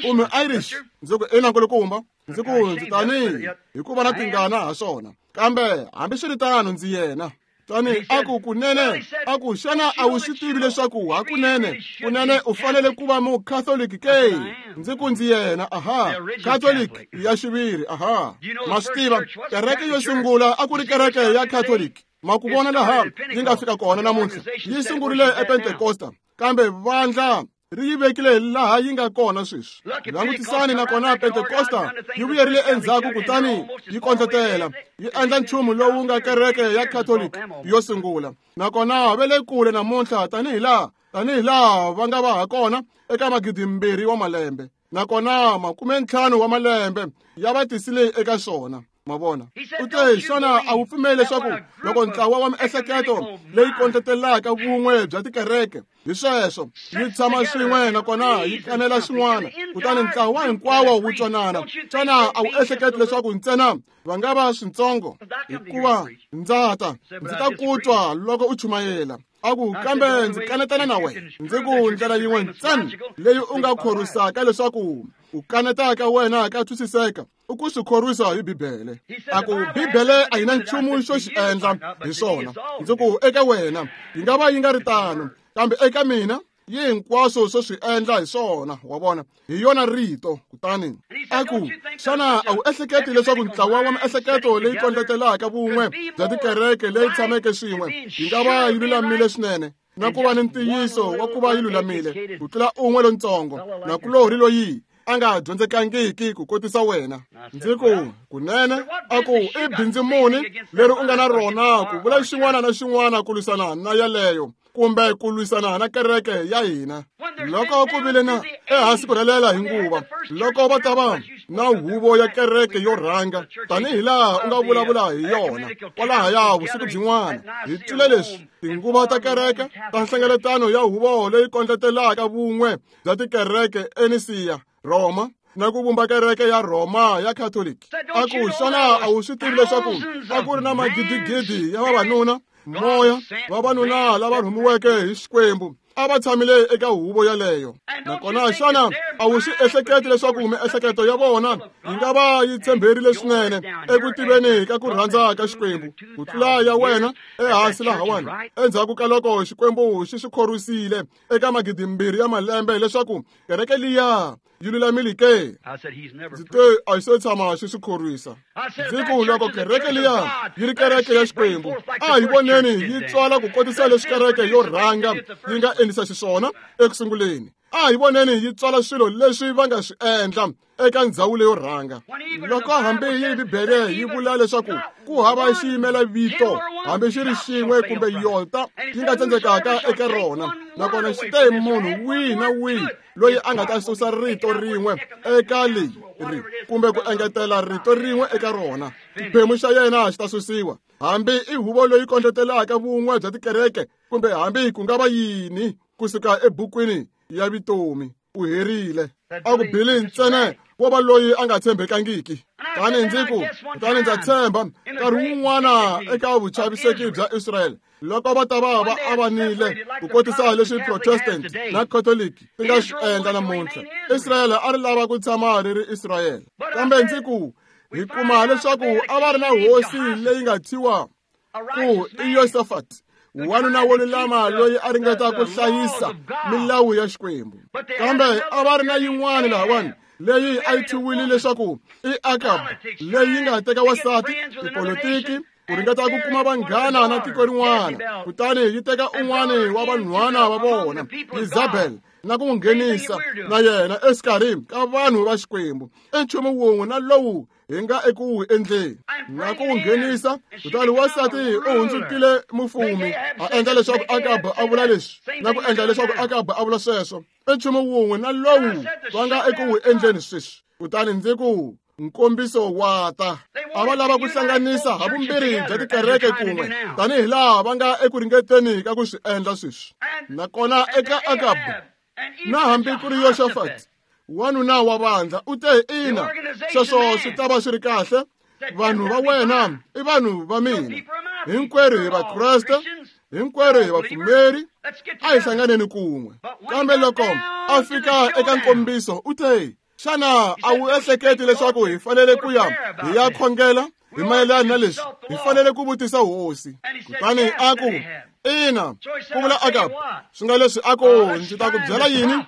u mu-Irish? Ndzi ku, ina nkulukumba. Ndzi ku, ndzi tani hikuva na tingana ha swona, kambe hambiswiritano ndzi yena. Tani a ku, kunene, a ku, xana a wu swi tivi leswaku hakunene kunene u fanele ku va mu-Catholic ke? Ndzi ku, ndzi yena. Aha, Catholic ya xiviri. Aha, ma swi tiva, kereke yo sungula a ku ri kereke ya Catholic. Ma ku vona laha yi nga fika kona namuntlha, yi sungurile ePentecosta, kambe vandla ri yi vekile laha yi nga kona sweswi. Langutisani, nakona Pentecosta yi vuyerile endzhaku kutani yi kondletela, yi endla nchumu lowu nga kereke ya Catholic yo sungula. Nakona va le kule namuntlha tanihi laha va nga va ha kona eka 2000 wa malembe, nakona 50 wa malembe ya va tisile eka swona. Ma vona? U te, xana a wu pfumeli leswaku loko ntlawa wa miehleketo leyi kondletelaka vun'we bya tikereke hi sweswo yi tshama swin'we nakona yi kanela xin'wana, kutani ntlawa hinkwawo wu twanana, xana a wu ehleketi leswaku ntsena va nga va swintsongo? Hikuva ndza ta, ndzi ta ku twa loko u chumayela. A ku, kambe ndzi kanetana na wena. Ndzi ku, ndlela yin'we ntsena leyi u nga khorwisaka leswaku u kanetaka wena ka twisiseka, u ku swi khorwisa hi Bibele. A ku, Bibele a yi na nchumu xo xi endla hi swona. Ndzi ku, eka wena yi nga va yi nga ri tano, kambe eka mina yi hinkwaswo swo swi endla hi swona. Wa vona, hi yona rito. Kutani a ku, xana a wu ehleketi leswaku ntlawa wa miehleketo leyi kondletelaka vun'we bya tikereke leyi tshameke swin'we yi nga va yi lulamile swinene na ku va ni ntiyiso wa ku va yi lulamile ku tlula un'we lontsongo nakulorhi loyi a nga dyondzekangiki ku kotisa wena? Ndzi ku, kunene. A ku, i bindzu muni leri u nga na rona ku vula xin'wana na xin'wana ku lwisana na yeleyo kumbe ku lwisana na kereke ya hina? Loko ku vile na ehansi ku rhelela hi nguva, loko va ta va na huvo ya kereke yo rhanga tanihi laha u nga vulavula hi yona kwalahaya vusiku byin'wana, hi twile leswi tinguva ta kereke ta nhlengeletano ya huvo leyi kondletelaka vun'we bya tikereke eNisiya, Roma, na ku vumba kereke ya Roma ya Catholic. A ku, xana a wu swi tivi leswaku a ku ri na magidigidi ya vavanuna, moya, vavanuna lava rhumiweke hi Xikwembu a va tshamile eka huvo yaleyo? Nakona xana a wu swi ehleketi leswaku miehleketo ya vona yi nga va yi tshemberile swinene eku tiveni ka ku rhandza ka Xikwembu ku tlula ya wena ehansi lahawani, endzhaku ka loko Xikwembu xi swi khorwisile eka 2000 ya malembe leswaku kereke liya yi lulamile ke? Ndzi te, a yi se tshama xi swi khorwisa. Ndzi ku, loko kereke liya yi ri kereke ya Xikwembu, a hi voneni yi tswala ku kotisa leswi kereke yo rhanga yi nga endlisa xiswona eku sunguleni. A hi voneni yi tswala swilo leswi va nga swi endla eka ndzhawu leyo rhanga. Loko hambi yi Bibele yi vula leswaku ku hava xiyimela vito hambi xi ri xin'we kumbe yota yi nga tsandzekaka eka rona, nakona xi te munhu wihi na wihi loyi a nga ta susa rito rin'we eka leyi ri kumbe ku engetela rito rin'we eka rona, xiphemu xa yena xi ta susiwa, hambi i huvo leyi kondletelaka vun'we bya tikereke kumbe hambi ku nga va yini, kusuka ebukwini ya vutomi. U herile. A ku, Billy ntsena wo va loyi a nga tshembekangiki. Tani ndzi ku, kutani ndza tshemba nkarhi wun'wana eka vuchaviseki bya Israel, loko va ta va va avanile ku kotisa leswi Protestant na Catholic ti nga swi endla namuntlha, Israel a ri lava ku tshama ri ri Israel. Kambe ndzi ku, hi kuma leswaku a va ri na hosi leyi nga thyiwa ku i Yosafat, wanuna wo lulama loyi a ringeta ku hlayisa milawu ya Xikwembu. Kambe a va ri na yin'wana lahawani leyi a yi thyiwile leswaku i Akab, leyi nga teka wasati, tipolitiki, ku ringeta ku kuma vanghana na tiko rin'wana, kutani yi teka un'wana wa vanhwana va vona, Isabel, na ku n'wi nghenisa na yena exikarhi ka vanhu va Xikwembu. I nchumu wun'we na lowu hi nga eku wu endleni na ku wu nghenisa. Kutani wansati u hundzukile mufumi, a endla leswaku Akab a vula leswi na ku endla leswaku Akab a vula sweswo. I nchumu wun'we na lowu va nga eku wu endleni sweswi. Kutani ndzi ku, nkombiso wa ta. A va lava ku hlanganisa havumbirhi bya tikereke kun'we tanihi laha va nga eku ringeteni ka ku swi endla sweswi. Nakona eka Akab na hambi ku ri Yoshafat, wanuna wa vandla, u te, ina, sweswo swi ta va swi ri kahle. Vanhu va wena i vanhu va mina, hinkwerhu hi Vakreste. Hinkwerhu hi vapfumeri, a hi hlanganeni kun'we. Kambe loko a fika eka nkombiso u te, xana a wu ehleketi leswaku hi fanele ku ya hi ya khongela hi mayelana na leswi? Hi fanele ku vutisa hosi. Kutani a ku, ina, ku vula Akabu, swi nga leswi a ku ndzi ta ku byela yini?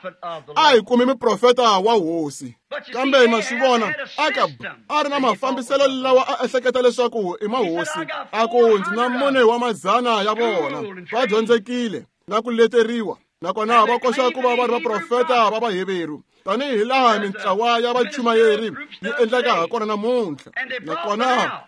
A hi kumi muprofeta wa hosi. Kambe ma swi vona, Akabu a ri na mafambiselo lawa a ehleketa leswaku i mahosi. A ku ndzi na 4 wa madzana ya vona, va dyondzekile na ku leteriwa, nakona va koxa ku va va ri vaprofeta va Vaheveru, tanihi laha mintlawa ya vachumayeri yi endlaka hakona namuntlha. Nakona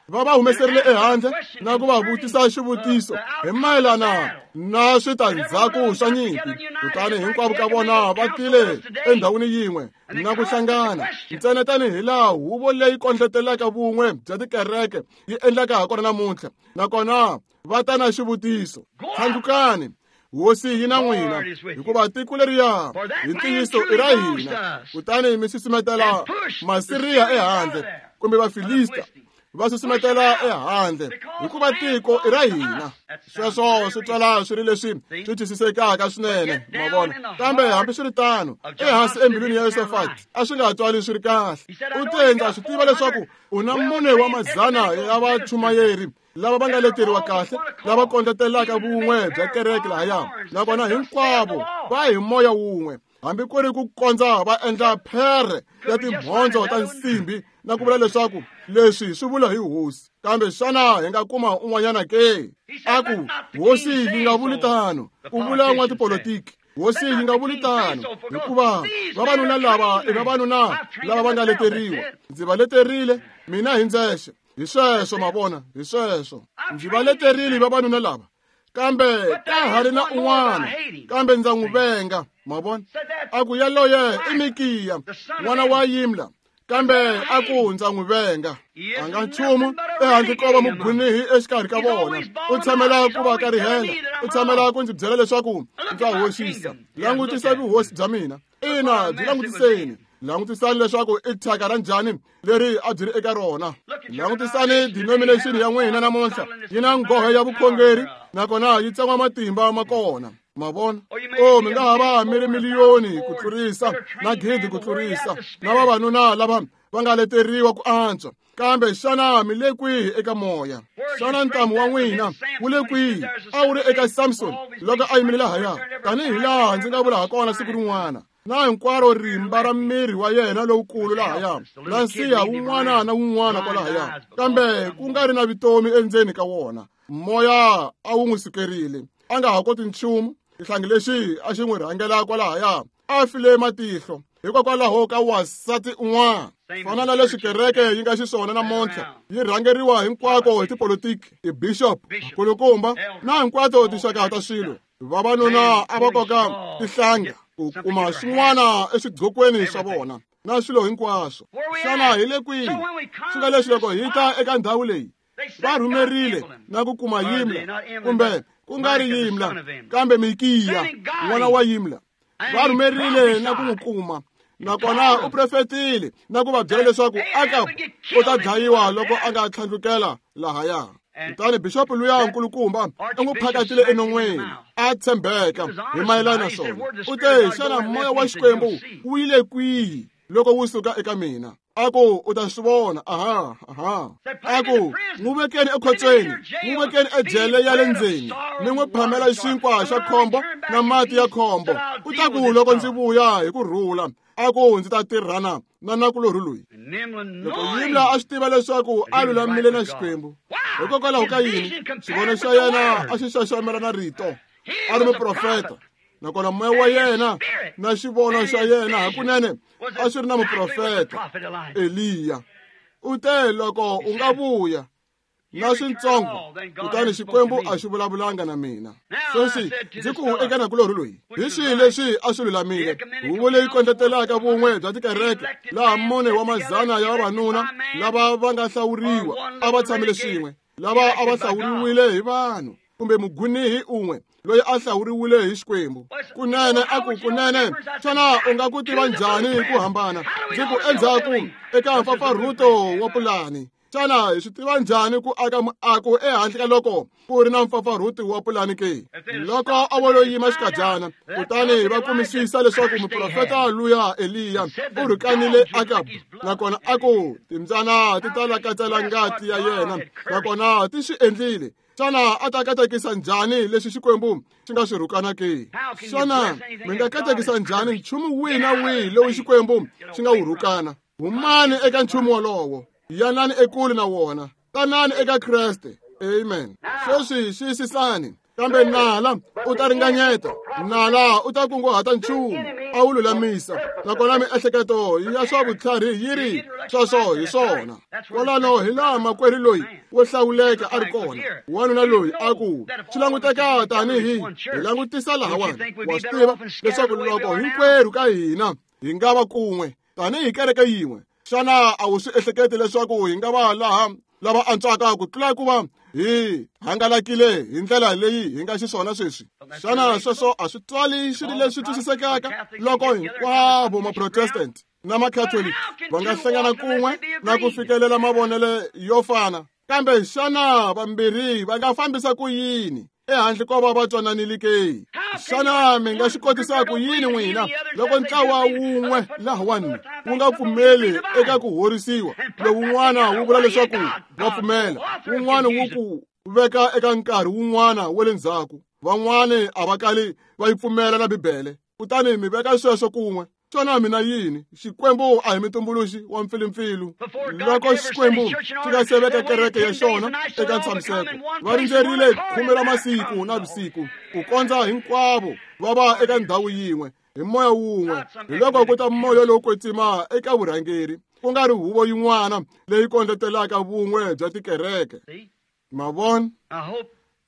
va va humeserile ehandle na ku va vutisa xivutiso hi mayelana na switandzhaku swa nyimpi. Kutani hinkwavo ka vona va tile endhawini yin'we na ku hlangana, ntsena tanihi laha huvo leyi kondletelaka vun'we bya tikereke yi endlaka hakona namuntlha. Nakona va ta na xivutiso, tlhandlukani, hosi yi na n'wina, hikuva tiko leriya hi ntiyiso i ra hina. Kutani mi susumetela Masiriya ehandle, kumbe Vafilista va susumetela ehandle, hikuva tiko i ra hina. Sweswo swi twala swi ri leswi swi twisisekaka swinene, ma vona. Kambe hambiswiritano, ehansi embilwini ya Yosafati a swi nga twali swi ri kahle. U te, ndza swi tiva leswaku u na 4 wa madzana ya vachumayeri lava va nga leteriwa kahle, lava kondletelaka vun'we bya kereke lahaya, nakona hinkwavo va hi moya wun'we, hambi ku ri ku kondza va endla phere ya timhondzo ta nsimbi na ku vula leswaku leswi swi vula hi hosi. Kambe xana hi nga kuma un'wanyana ke? A ku, hosi yi nga vuli tano, ku vula n'watipolitiki. Hosi yi nga vuli tano, hikuva vavanuna lava i vavanuna lava va nga leteriwa. Ndzi va leterile mina hi ndzexe. Hi sweswo, ma vona, hi sweswo. Ndzi va leterile vavanuna lava, kambe ka ha ri na un'wana, kambe ndza n'wi venga, ma vona. A ku yaloye i Mikiya, n'wana wa Yimla, kambe a ku ndza n'wi venga. A nga nchumu ehandle ko va mugwinihi exikarhi ka vona. U tshamela ku va karihela, u tshamela ku ndzi byela leswaku ndza hoxisa. Langutisa vuhosi bya mina. Ina, byi langutiseni. Langutisani leswaku i thyaka ra njhani leri a byi ri eka rona. Langutisani denomination ya n'wina namuntlha, yi na nghohe ya vukhongeri, nakona yi tsan'wa matimba ma kona. Ma vona? O, mi nga ha va mi ri miliyoni ku tlurisa na 1,000 ku tlurisa na vavanuna lava va nga leteriwa ku antswa, kambe xana mi le kwihi eka moya? Xana ntamu wa n'wina wu le kwihi? A wu ri eka Samson loko a yimile lahaya, tanihi laha ndzi nga vula hakona siku rin'wana, na hinkwaro rimba ra miri wa yena lowukulu lahaya, na nsiha wun'wana na wun'wana kwalahaya, kambe ku nga ri na vutomi endzeni ka wona. Moya a wu n'wi sukerile, a nga ha koti nchumu. Xihlangi lexi a xi n'wi rhangela kwalahaya a file matihlo hikokwalaho ka wansati un'wana. Fana na leswi kereke yi nga xiswona namuntlha, yi rhangeriwa hinkwako hi tipolitiki, tibishop, nkulukumba na hinkwato tinxaka ta swilo. Vavanuna a va koka tihlanga ku kuma swin'wana eswigqokweni swa vona na swilo hinkwaswo. Xana hi le kwihi? Swi nga leswi loko hi ta eka ndhawu leyi, va rhumerile na ku kuma Yimla, kumbe ku nga ri Yimla, kambe Mikiya n'wana wa Yimla. Va rhumerile na ku n'wi kuma, nakona u profetile na ku va byela leswaku Akabu u ta dlayiwa loko a nga tlhandlukela lahaya. Kutani bixopo luya nkulukumba u n'wi phakatile enon'weni, a tshembeka hi mayelana na swona. U te, xana moya wa Xikwembu wu yile kwihi loko wu suka eka mina? A ku u ta swi vona. Aha, aha. A ku n'wi vekeni ekhotsweni, n'wi vekeni ejele ya le ndzeni, mi n'wi phamela xinkwa xa khombo na mati ya khombo. U ta ku loko ndzi vuya hi ku rhula, a ku ndzi ta tirhana na nakulorhi loyi. Loko Yimla a swi tiva leswaku a lulamile na Xikwembu, hikokwalaho ka yini xivono xa yena a xi xaxamela na rito? A ri muprofeta, nakona moya wa yena na xivono xa yena hakunene a swi ri na muprofeta Eliya. U te loko u nga vuya na swintsongo, kutani Xikwembu a xi vulavulanga na mina. Sweswi ndzi ku eka nakulorhi loyi, hi swihi leswi a swi lulamile? Huvo leyi kondletelaka vun'we bya tikereke, laha 4 wa madzana ya vavanuna lava va nga hlawuriwa a va tshamile swin'we, lava a va hlawuriwile hi vanhu, kumbe mugwinihi un'we loyi a hlawuriwile hi Xikwembu. Kunene a ku, kunene xana u nga ku tiva njhani ku hambana? Ndzi ku endzhaku eka mpfapfarhuto wa pulani. Xana hi swi tiva njhani ku aka muako ehandle ka loko ku ri na mpfapfarhuti wa pulani ke? Loko a vo lo yima xikadyana, kutani va kumisisa leswaku muprofeta luya Eliya u rhukanile Akabu, nakona a ku timbyana ti ta lakatsela ngati ya yena, nakona ti swi endlile. Xana a ta katekisa njhani leswi Xikwembu xi nga swi rhukana ke? Xana mi nga katekisa njhani nchumu wihi na wihi lowu Xikwembu xi nga wu rhukana? Humani eka nchumu wolowo, yanani ekule na wona, tanani eka Kreste. Amen. Sweswi xiyisisani, kambe nala u ta ringanyeta, nala u ta kunguhata nchumu a wu lulamisa, nakona miehleketo ya swa vutlhari yi ri sweswo hi swona. Kwalano hi laha makwerhu loyi wo hlawuleka a ri kona, wanuna loyi a ku swi languteka tanihi hi langutisa lahawani. Wa swi tiva leswaku loko hinkwerhu ka hina hi nga va kun'we tanihi kereke yin'we, xana a wu swi ehleketi leswaku hi nga va laha lava antswaka ku tlula ku va hi hangalakile hi ndlela leyi hi nga xiswona sweswi? Xana sweswo a swi twali swi ri leswi twisisekaka loko hinkwavo maprotestant na makatholiki va nga hlangana kun'we na ku fikelela mavonelo yo fana? Kambe xana vambirhi va nga fambisa ku yini ehandle ko va va twananile ke? Xana mi nga swi kotisa ku yini n'wina loko ntlawa wun'we lahawani wu nga pfumeli eka ku horisiwa, lowun'wana wu vula leswaku wa pfumela, wun'wana wu ku veka eka nkarhi wun'wana wa le ndzhaku, van'wani a va kali va yi pfumela na Bibele, kutani mi veka sweswo kun'we? Xana mina yini? Xikwembu a hi mitumbuluxi wa mpfilumpfilu. Loko Xikwembu xi nga se veka kereke ya xona eka ntshamiseko, va rindzerile 10 ra masiku na vusiku ku kondza hinkwavo va va eka ndhawu yin'we hi moya wun'we. Hi loko ku ta moya lowo kwetsima eka vurhangeri, ku nga ri huvo yin'wana leyi kondletelaka vun'we bya tikereke. Ma vona?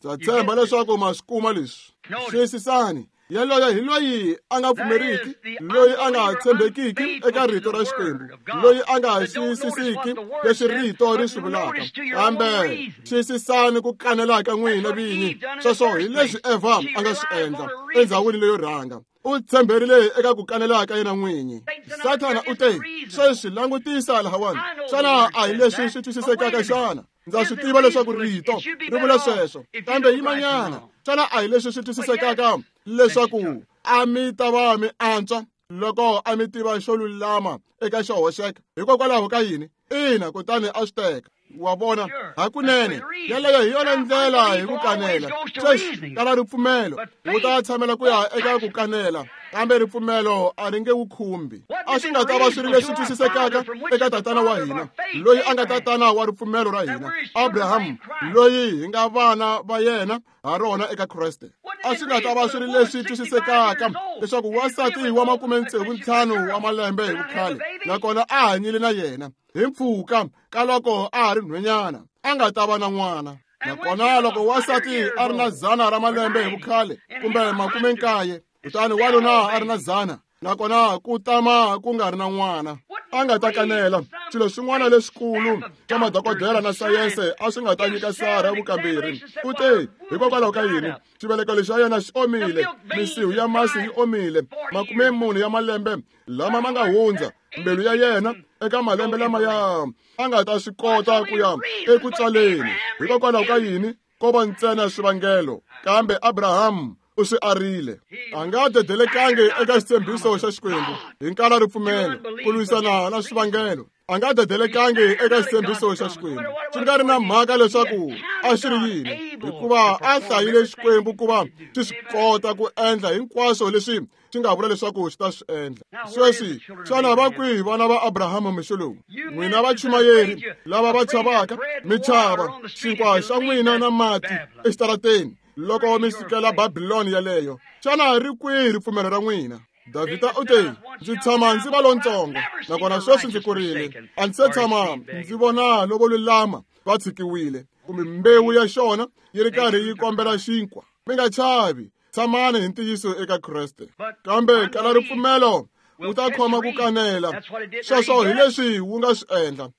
Ndza tshemba leswaku ma swi kuma leswi. Xiyisisani, yaloye hi loyi a nga pfumeriki, loyi a nga tshembekiki eka rito ra Xikwembu, loyi a nga xiyisisiki leswi rito ri swi vulaka. Kambe xiyisisani ku kanela ka n'wina vinyi. Sweswo hi leswi Eva a nga swi endla endzhawini leyo rhanga. U tshemberile eka ku kanela ka yena n'winyi. Sathana u te, sweswi langutisa lahawani, xana a hi leswi swi twisisekaka xana? Ndza swi tiva leswaku rito ri vula sweswo, kambe yimanyana, xana a hi leswi swi twisisekaka leswaku a mi ta va mi antswa loko a mi tiva xo lulama eka xo hoxeka? Hikokwalaho ka yini? Ina, kutani a swi teka. Wa vona, hakunene yeleyo hi yona ndlela hi ku kanela. Sweswi kala ripfumelo wu ta tshamela ku ya eka ku kanela, kambe ripfumelo a ri nge wu khumbi. A swi nga ta va swi ri leswi twisisekaka eka tatana wa hina, loyi a nga tatana wa ripfumelo ra hina, Abraham, loyi hi nga vana va yena ha rona eka Kreste. A swi nga ta va swi ri leswi twisisekaka leswaku wansati wa 65 wa malembe hi vukhale, nakona a hanyile na yena hi mpfhuka ka loko a ha ri nhwenyana, a nga ta va na n'wana. Nakona loko wansati a ri na 100 ra malembe hi vukhale kumbe 90, kutani wanuna a ri na 100, nakona ku tama ku nga ri na n'wana, a nga ta kanela. Swilo swin'wana leswikulu swa madokodela na sayense a swi nga ta nyika Sara vukamberi. U te, hikokwalaho ka yini? Xiveleko lexi xa yena xi omile, misihu ya masi yi omile, 40 ya malembe lama ma nga hundza, mbilu ya yena eka malembe lama ya a nga ta swi kota ku ya eku tswaleni. Hikokwalaho ka yini? Ko va ntsena swivangelo, kambe Abraham u swi arile. A nga dedelekangi eka xitshembiso xa Xikwembu hi nkala ripfumelo ku lwisana na swivangelo. A nga dedelekangi eka xitshembiso xa Xikwembu, swi nga ri na mhaka leswaku a xi ri yini, hikuva a hlayile Xikwembu ku va xi swi kota ku endla hinkwaswo leswi xi nga vula leswaku xi ta swi endla. Sweswi, xana va kwihi vana va Abrahama mixo lowu? N'wina vachumayeri lava va chavaka, mi chava xinkwa xa n'wina na mati exitarateni loko mi sukela Babiloni yaleyo, xana ri kwihi ripfumelo ra n'wina? Davhida u te, ndzi tshama ndzi va lontsongo, nakona sweswi ndzi kurile, a ndzi se tshama ndzi vona lovo lulama va tshikiwile, kumbe mbewu ya xona yi ri karhi yi kombela xinkwa. Mi nga chavi, tshamani hi ntiyiso eka Kreste. Kambe kala ripfumelo wu ta khoma ku kanela. Sweswo hi leswi wu nga swi endla.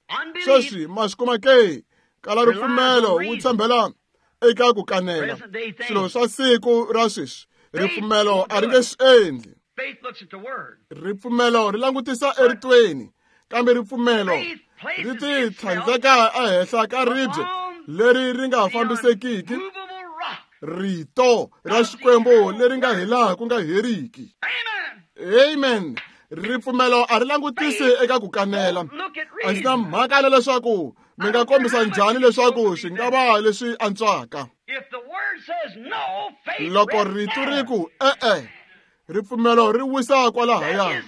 Sweswi ma swi kuma ke? Kala ripfumelo wu tshembela eka ku kanela. Swilo swa siku ra sweswi, ripfumelo a ri nge swi endli. Ripfumelo ri langutisa eritweni, kambe ripfumelo ri ti tlhandleka ehenhla ka ribye leri ri nga fambisekiki, rito ra Xikwembu leri nga hilaha ku nga heriki. Amen. Ripfumelo a ri langutisi eka ku kanela. A ndzi na mhaka na leswaku mi nga kombisa njhani leswaku swi nga va leswi antswaka. Loko rito ri ku e-e, ripfumelo ri wisa kwalahaya.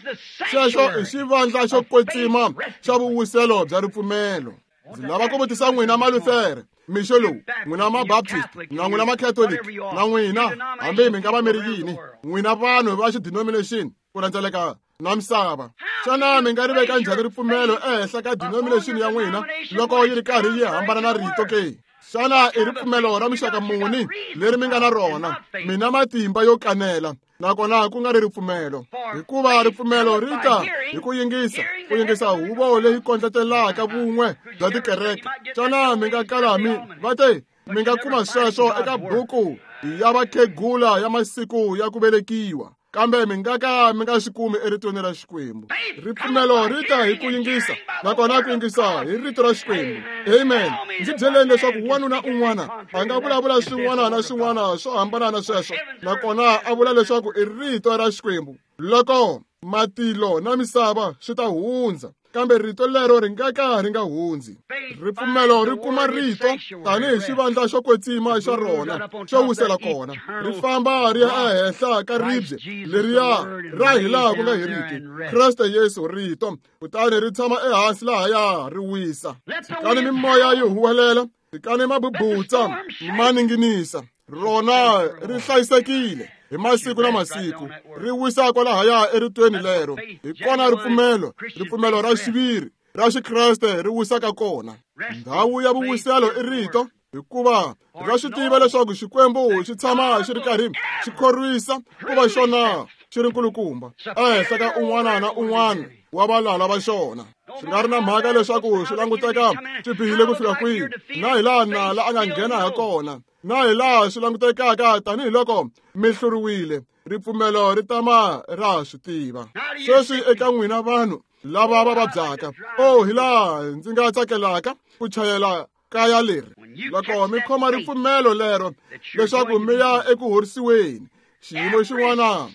Xexo i xivandla xo kwetsima xa vuwiselo bya ripfumelo. Ndzi lava ku vutisa n'wina Malutere mixo lowu, n'wina Mabaptist na n'wina Macatholic na n'wina hambi mi nga va mi ri yini, n'wina vanhu va xidenomination ku rhendzeleka na misava, xana mi nga ri veka njhani ripfumelo ehenhla ka denomination ya n'wina loko yi ri karhi yi hambana na rito ke? Xana i ripfumelo ra muxaka muni leri mi nga na rona? Mina matimba yo kanela, nakona ku nga ri ripfumelo, hikuva ripfumelo ri ta hi ku yingisa, ku yingisa huvo leyi kondletelaka vun'we bya tikereke. Xana mi nga kala mi va te mi nga kuma sweswo eka buku ya vakhegula ya masiku ya ku velekiwa, kambe mi nga ka mi nga swi kumi eritweni ra Xikwembu. Ripfumelo ri ta hi ku yingisa, nakona ku yingisa hi rito ra Xikwembu. Amen. Ndzi byeleni leswaku wanuna un'wana a nga vulavula swin'wana na swin'wana swo hambana na sweswo, nakona a vula leswaku i rito ra Xikwembu. Loko matilo na misava swi ta hundza, kambe rito lero ri nga ka ri nga hundzi. Ripfumelo ri kuma rito tanihi xivandla xo kwetsima xa rona xo wisela kona, ri famba ri ya ehenhla ka ribye leriya ra hilaha ku nga heriki, Kreste Yesu rito, kutani ri tshama ehansi lahaya ri wisa. Tshikani mimoya yi huwelela, tshikani mabubutsa ma ninginisa, rona ri hlayisekile hi masiku na masiku, ri wisa kwalahaya eritweni lero. Hi kona ripfumelo, ripfumelo ra xiviri ra Xikreste ri wisaka kona. Ndhawu ya vuwiselo i rito, hikuva ra swi tiva leswaku Xikwembu xi tshama xi ri karhi xi khorwisa ku va xona xi ri nkulukumba ehenhla ka un'wana na un'wana wa valala va xona. Swi nga ri na mhaka leswaku swi languteka swi bihile ku fika kwihi, na hi laha nala a nga nghena ha kona, na hi laha swi langutekaka tanihiloko mi hluriwile, ripfumelo ri tama ra swi tiva. Sweswi eka n'wina vanhu lava va vabyaka, oh, hi laha ndzi nga tsakelaka ku chayela kaya leri, loko mi khoma ripfumelo lero leswaku mi ya eku horisiweni, xiyimo xin'wana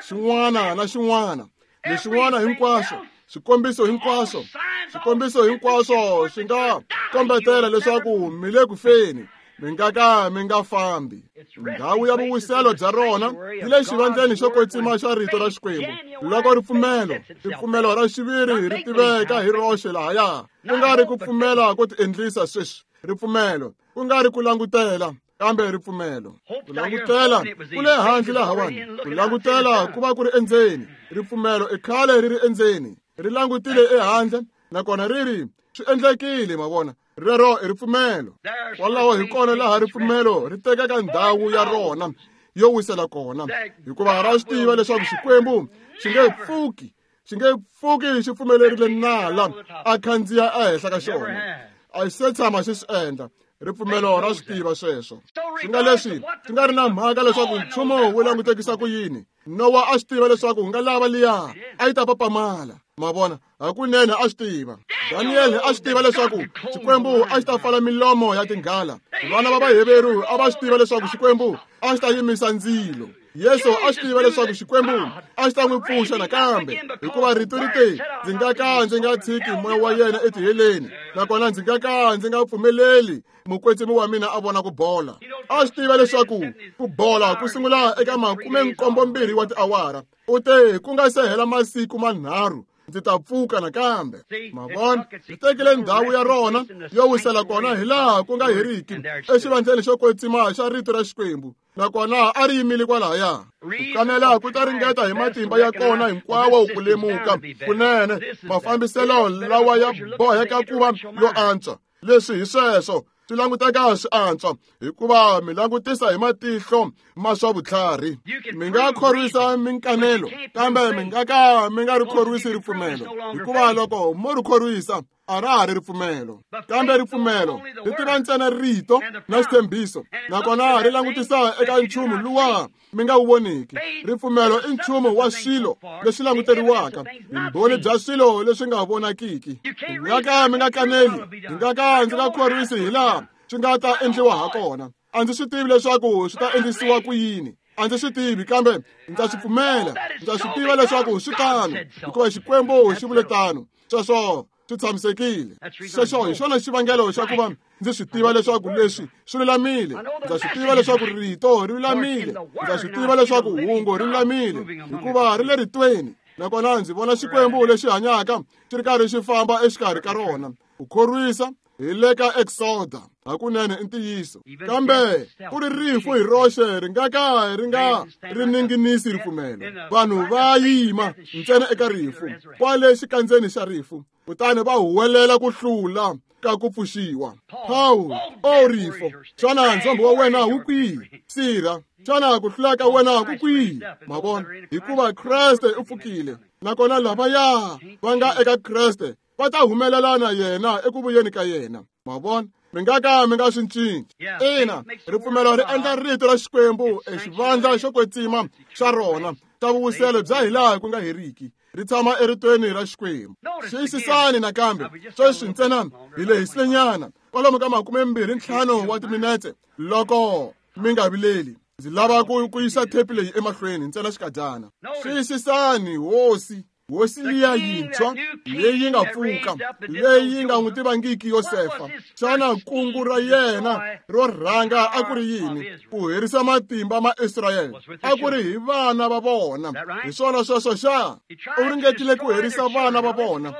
xin'wana na xin'wana, leswin'wana hinkwaswo, swikombiso hinkwaswo, swikombiso hinkwaswo swi nga kombetela leswaku mi le ku feni, mi nga ka mi nga fambi. Ndhawu ya vuwiselo bya rona yi le xivandleni xo kwetsima xa rito ra Xikwembu. Loko ripfumelo, ripfumelo ra xiviri ri tiveka hi roxe lahaya, ku nga ri ku pfumela ko tiendlisa sweswi, ripfumelo, ku nga ri ku langutela, kambe ripfumelo. Ku langutela ku le handle lahawani, ku langutela ku va ku ri endzeni. Ripfumelo i khale ri ri endzeni, ri langutile ehandle, nakona ri ri swi endlekile. Ma vona, rero i ripfumelo. Kwalaho hi kona laha ripfumelo ri tekaka ndhawu ya rona yo wisela kona, hikuva ra swi tiva leswaku Xikwembu xi nge pfuki, xi nge pfuki xi pfumelerile nala a khandziya ehenhla ka xona. A xi se tshama xi swi endla. Ripfumelo ra swi tiva sweswo. Swi nga leswi swi nga ri na mhaka leswaku nchumu wu langutekisa ku yini, Nowa a swi tiva leswaku nga lava liya a yi ta papamala. Ma vona, hakunene a swi tiva. Daniel a swi tiva leswaku Xikwembu a xi ta pfala milomo ya tinghala. Vana va Vaheveru a va swi tiva leswaku Xikwembu a xi ta yimisa ndzilo. Yesu a swi tiva leswaku Xikwembu a xi ta n'wi pfuxa nakambe, hikuva rito ri te, ndzi nga ka ndzi nga tshiki moya wa yena etiheleni, nakona ndzi nga ka ndzi nga pfumeleli mukwetsimi wa mina a vona ku bola. A swi tiva leswaku ku bola ku sungula eka 72 wa tiawara. U te ku nga se hela masiku manharhu ndzi ta pfuka nakambe. Ma vona, ri tekile ndhawu ya rona yo wisela kona hilaha ku nga heriki exivandleni xo kwetsima xa rito ra Xikwembu, nakona a ri yimile kwalahaya. Ku kanela ku ta ringeta hi matimba ya kona hinkwawo ku lemuka kunene mafambiselo lawa ya boheka ku va yo antswa. Leswi hi sweswo swi languteka swi antswa, hikuva mi langutisa hi matihlo ma swa vutlhari. Mi nga khorwisa minkanelo, kambe mi nga ka mi nga ri khorwisi ripfumelo, hikuva loko mo ri khorwisa A ra ha ri ripfumelo, kambe ripfumelo ri tiva ntsena rito na xitshembiso, nakona ri langutisa eka nchumu luwa mi nga wu voniki. Ripfumelo i nchumu wa swilo leswi languteriwaka, vumbhoni bya swilo leswi nga vonakiki. Hi nga ka mi nga kaneli, hi nga ka ndzi nga khorwisi hi laha swi nga ta endliwa ha kona. A ndzi swi tivi leswaku swi ta endlisiwa ku yini, a ndzi swi tivi, kambe ndza swi pfumela, ndza swi tiva leswaku swi tano, hikuva Xikwembu xi vule tano. Sweswo swi tshamisekile. Sweswo hi xona xivangelo xa ku va ndzi swi tiva leswaku leswi swi lulamile. Ndza swi tiva leswaku rito ri lulamile. Ndza swi tiva leswaku hungu ri lulamile, hikuva ri le ritweni. Nakona ndzi vona Xikwembu lexi hanyaka xi ri karhi xi famba exikarhi ka rona. Ku khorwisa hi le ka Exoda, hakunene i ntiyiso. Kambe ku ri rifu hi roxe ri nga ka ri nga ri ninginisi ripfumelo. Vanhu va yima ntsena eka rifu, kwale xikandzeni xa rifu, kutani va huwelela ku hlula ka ku pfuxiwa. Paul, o rifo, xana ndzhombo wa wena wu kwihi? Sirha, xana ku hlula ka wena ku kwihi? Ma vona, hikuva Kreste u pfukile, nakona lavaya va nga eka Kreste va ta humelela na yena eku vuyeni ka yena. Ma vona, mi nga ka mi nga swi cinci. Ina, ripfumelo ri endla rito ra Xikwembu exivandla xo kwetsima xa rona xa vuwiselo bya hilaha ku nga heriki, ri tshama eritweni ra Xikwembu. Xiyisisani nakambe sweswi ntsena hi lehisilenyana kwalomu ka 25 wa timinetse loko mi nga vileli. Ndzi lava ku yisa thepi leyi emahlweni ntsena xikadyana. Xiyisisani hosi, hosi liya yintshwa leyi nga pfuka, leyi nga n'wi tivangiki Yosefa. Xana kungu ra yena ro rhanga a ku ri yini? Ku herisa matimba ma Israyele. A ku ri hi vana va vona. Hi swona sweswo xa? U ringetile ku herisa vana va vona.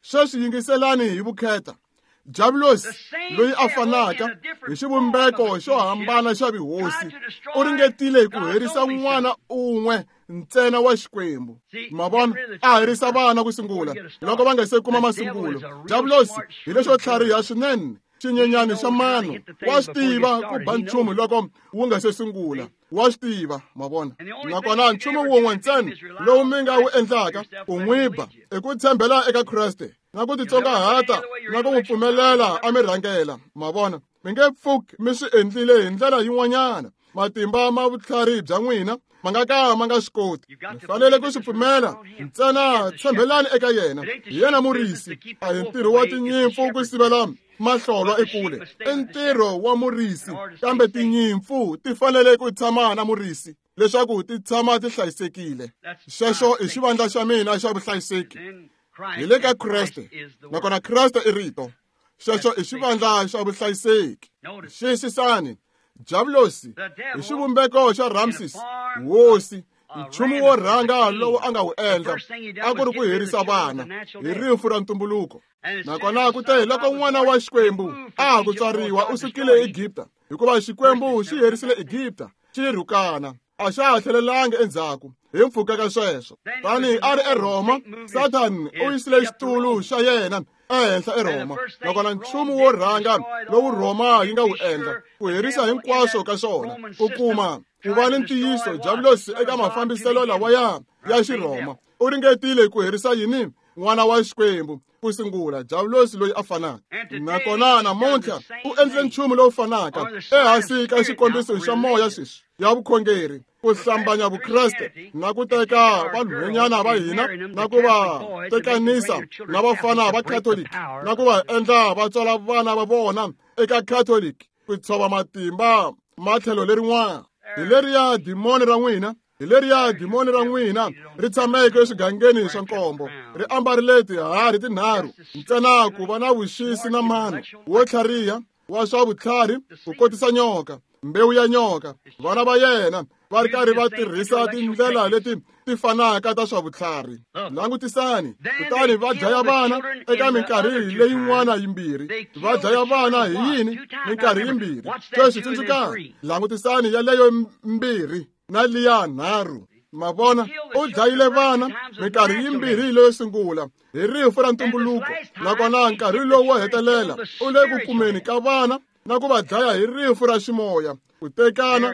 Sweswi yingiselani hi vukheta. Diabulosi loyi a fanaka hi xivumbeko xo hambana xa vuhosi u ringetile ku herisa n'wana un'we ntsena wa Xikwembu. Ma vona, a herisa vana ku sungula loko va nga se kuma masungulo. Diabulosi hi lexo tlhariha swinene, xinyenyani xa mano, wa swi tiva ku ba nchumu loko wu nga se sungula. Wa swi tiva, ma vona. Nakona nchumu wun'we ntsena lowu mi nga wu endlaka ku n'wi ba i ku tshembela eka Kreste na ku titsongahata na ku n'wi pfumelela a mi rhangela. Ma vona, mi nge pfuki mi swi endlile hi ndlela yin'wanyana. Matimba ma vutlhari bya n'wina ma nga ka ma nga swi koti. Mi fanele ku swi pfumela ntsena, tshembelani eka yena. Hi yena murisi. A hi ntirho wa tinyimpfu ku sivela mahlolwa ekule, i ntirho wa murisi. Kambe tinyimpfu ti fanele ku tshama na murisi leswaku ti tshama ti hlayisekile. Xexo i xivandla xa mina xa vuhlayiseki. Hi le ka Kreste, nakona Kreste i rito. Xexo i xivandla xa vuhlayiseki. Xiyisisani, Diabulosi hi xivumbeko xa Ramses, hosi, nchumu wo rhanga lowu a nga wu endla a ku ri ku herisa vana hi rifu ra ntumbuluko. Nakona ku te loko n'wana wa Xikwembu a ha ku tswariwa, u sukile Egipta, hikuva Xikwembu xi herisile Egipta, xi rhukana, a xa ha tlhelelanga endzhaku hi mpfhuka ka sweswo. Tani a ri eRhoma, Satan u yisile xitulu xa yena ehenhla eRhoma, nakona nchumu wo rhanga lowu Rhoma yi nga wu endla ku herisa hinkwaswo ka swona, ku kuma ku va ni ntiyiso. Diabulosi eka mafambiselo lawaya ya Xirhoma u ringetile ku herisa yini? N'wana wa Xikwembu ku sungula, Diabulosi loyi a fanaka. Nakona namuntlha u endle nchumu lowu fanaka ehansi ka xikombiso xa moya sweswi ya vukhongeri, ku hlambanya Vukreste na ku teka vanhwanyana va hina na ku va tekanisa na vafana va Catholic na ku va endla va tswala vana va vona eka Catholic, ku tshova matimba matlhelo lerin'wana. Hi leriya dimoni ra n'wina, hi leriya dimoni ra n'wina ri tshameke eswigangeni swa nkombo, ri ambarile tiharhi tinharhu ntsena ku va na vuxisi na mano wo tlhariha wa swa vutlhari ku kotisa nyoka, mbewu ya nyoka. Vana va yena va ri karhi va tirhisa tindlela leti ti fanaka ta swa vutlhari. Langutisani, kutani va dlaya vana eka minkarhi leyin'wana yimbirhi. Va dlaya vana hi yini? Minkarhi yimbirhi. Sweswi tsundzukani, langutisani yaleyo mbirhi na liya nharhu. Ma vona, u dlayile vana minkarhi yimbirhi leyo sungula hi rifu ra ntumbuluko, nakona nkarhi lowu wo hetelela u le ku kumeni ka vana na ku va dlaya hi rifu ra ximoya, ku tekana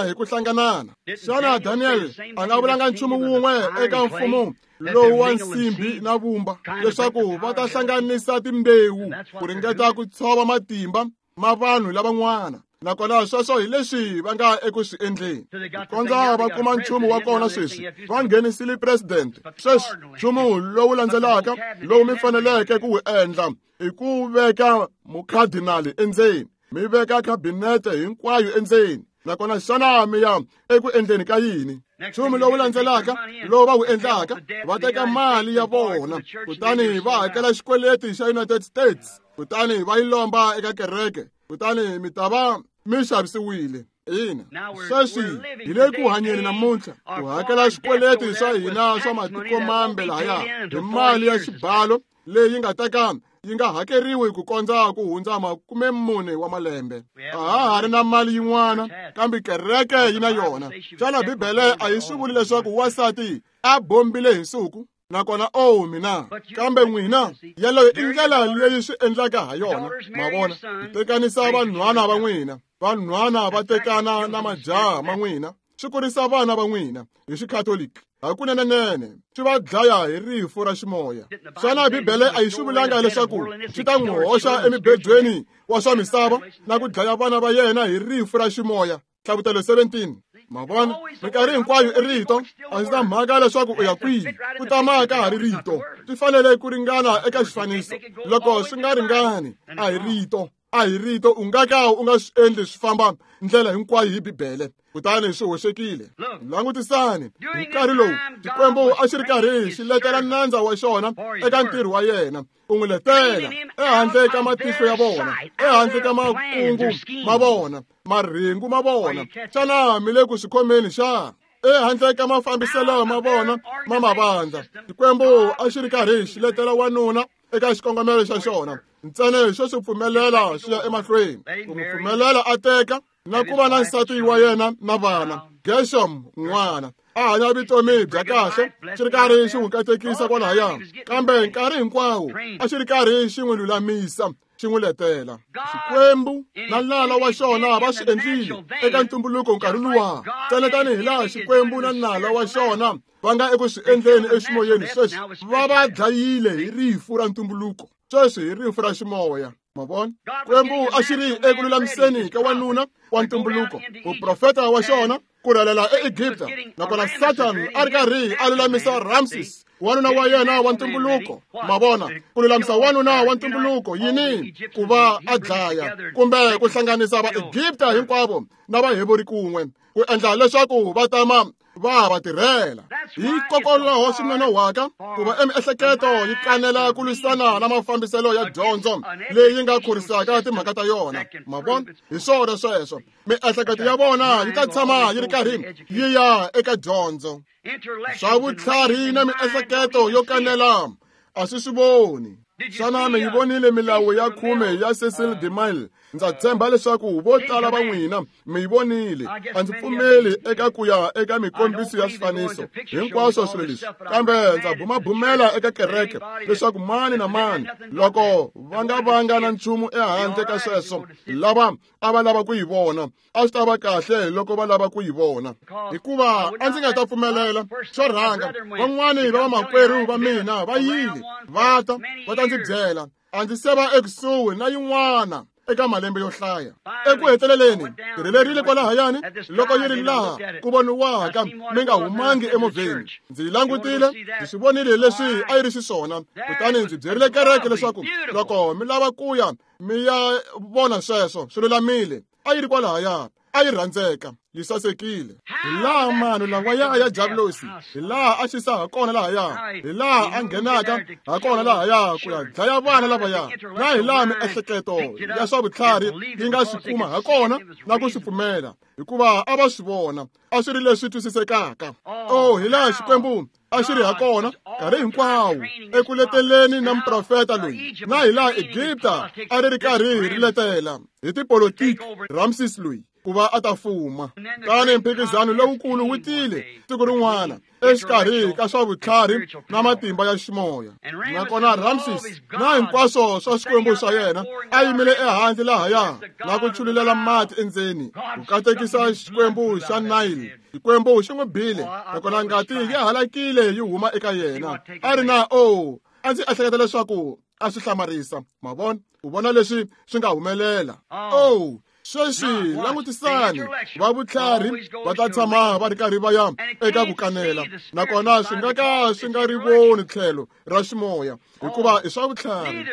hi ku hlanganana. Xana Daniel a nga vulanga nchumu wun'we eka mfumo lowu wa nsimbi na vumba leswaku va ta hlanganisa timbewu ku ringeta ku tshova matimba ma vanhu lavan'wana? Nakona sweswo hi leswi va nga eku swi endleni. Kondza va kuma nchumu wa kona sweswi, va nghenisile president. Sweswi nchumu lowu landzelaka lowu mi faneleke ku wu endla i ku veka mukhadinali endzeni, mi veka khabinete hinkwayo endzeni. Nakona xana mi ya eku endleni ka yini? Nchumu lowu landzelaka lowu va wu endlaka, va teka mali ya vona kutani va hakela xikweleti xa United States, kutani va yi lomba eka kereke, kutani mi ta va mi xavisiwile. Ina, sweswi hi le ku hanyeni namuntlha ku hakela xikweleti swa hina swa matiko mambe lahaya hi mali ya xibalo leyi nga ta ka yi nga hakeriwi ku kondza ku hundza 40 wa malembe. A ha ha ri na mali yin'wana, kambe kereke yi na yona. Xana Bibele a yi swi vuli leswaku wansati a bombile hi nsuku? Nakona o mina, kambe n'wina, yeleyo i ndlela leyi swi endlaka ha yona. Ma vona, ku tekanisa vanhwana va n'wina, vanhwana va tekana na majaha ma n'wina, swi kurisa vana va n'wina hi xikhatoliki. Hakunenenene swi va dlaya hi rifu ra ximoya. Xana Bibele a yi swi vulanga leswaku swi ta n'wi hoxa emibedweni wa swa misava na ku dlaya vana va yena hi rifu ra ximoya? Hlavutelo 17. Ma vona, minkarhi hinkwayo i rito. A ndzi na mhaka leswaku u ya kwihi, ku tama ka ha ri rito. Swi fanele ku ringana eka xifaniso. Loko swi nga ringani, a hi rito. A hi rito, u nga ka u nga swi endli swi famba ndlela hinkwayo hi Bibele. Kutani swi hoxekile. Langutisani, hi nkarhi lowu Xikwembu a xi ri karhi xi letela nandza wa xona eka ntirho wa yena, ku n'wi letela ehandle ka matihlo ya vona, ehandle ka makungu ma vona, marhengu ma vona. Xana mi le ku swi khomeni xa? Ehandle ka mafambiselo ma vona ma mavandla, Xikwembu a xi ri karhi xi letela wanuna eka xikongomelo xa xona ntsena xo swi pfumelela swi ya emahlweni, ku n'wi pfumelela a teka na ku va na nsati wa yena na vana. Gershom n'wana a hanya vutomi bya kahle, xi ri karhi xi n'wi katekisa kwalahaya, kambe nkarhi hinkwawo a xi ri karhi xi n'wi lulamisa, xi n'wi letela. Xikwembu na nala wa xona va swi endlile eka ntumbuluko nkarhi luwa, ntsena tanihi laha Xikwembu na nala wa xona va nga eku swi endleni eximoyeni sweswi, va va dlayile hi rifu ra ntumbuluko, sweswi hi rifu ra ximoya. Ma vona, Xikwembu a xi ri eku lulamiseni ka wanuna wa ntumbuluko, muprofeta wa xona, ku rhelela eEgipta. Nakona Satan a ri karhi a lulamisa Ramses, wanuna wa yena wa ntumbuluko. Ma vona, ku lulamisa wanuna wa ntumbuluko yini? Ku va a dlaya kumbe ku hlanganisa Vaegipta hinkwavo na Vaheberi kun'we, ku endla leswaku va tama va va tirhela. Hikokwalaho swi nonohwaka ku va emiehleketo yi kanela ku lwisana na mafambiselo ya dyondzo leyi nga khorisaka timhaka ta yona. Ma vona, hi swona sweswo. Miehleketo ya vona yi ta tshama yi ri karhi yi ya eka dyondzo. Swa vutlhari na miehleketo yo kanela a swi swi voni. Xana mi yi vonile milawu ya 10 ya Cecil DeMille? Ndza tshemba leswaku vo tala va n'wina mi yi vonile. A ndzi pfumeli eka ku ya eka mikombiso ya swifaniso hinkwaswo swilo leswi, kambe ndza bumabumela eka kereke leswaku mani na mani loko va nga vanga na nchumu ehandle ka sweswo, lava a va lava ku yi vona, a swi ta va kahle loko va lava ku yi vona, hikuva a ndzi nga ta pfumelela xo rhanga. Van'wani va vamakwerhu va mina va yile va ta va ta ndzi byela, a ndzi se va ekusuhi na yin'wana eka malembe yo hlaya. Eku heteleleni ndzi rhelerile kwalahayani loko yi ri laha ku voniwaka mi nga humangi emovheni. Ndzi yi langutile, ndzi swi vonile leswi a yi ri xiswona, kutani ndzi byerile kereke leswaku loko mi lava ku ya mi ya vona sweswo, swi lulamile. A yi ri kwalahaya, a yi rhandzeka, yi sasekile. Hi laha mano lawaya ya Diablosi, hi laha a xisa ha kona lahaya, hi laha a nghenaka ha kona lahaya ku ya dlaya vana lavaya, na hi laha miehleketo ya swa vutlhari yi nga swi kuma ha kona na ku swi pfumela, hikuva a va swi vona a swi ri leswi twisisekaka. Oh, hi laha Xikwembu a xi ri ha kona nkarhi hinkwawo eku leteleni na muprofeta loyi, na hi laha Egipta a ri ri karhi ri letela hi tipolotiki Ramses loyi. ku va a ta fuma. Tani mphikizano lowukulu wu tile siku rin'wana exikarhi ka swa vutlhari na matimba ya ximoya. Nakona Ramses na hinkwaswo swa xikwembu xa yena a yimile ehandle lahaya na ku chululela mati endzeni ku katekisa xikwembu xa Nile. Xikwembu xi n'wi bile, nakona ngati yi halakile yi huma eka yena. A ri na a ndzi ehleketa leswaku a swi hlamarisa. Ma vona, u vona leswi swi nga humelela. Sweswi langutisani, va vutlhari va ta tshama va ri karhi va ya eka ku kanela, nakona swi nga ka swi nga ri voni tlhelo ra ximoya, hikuva i swa vutlhari.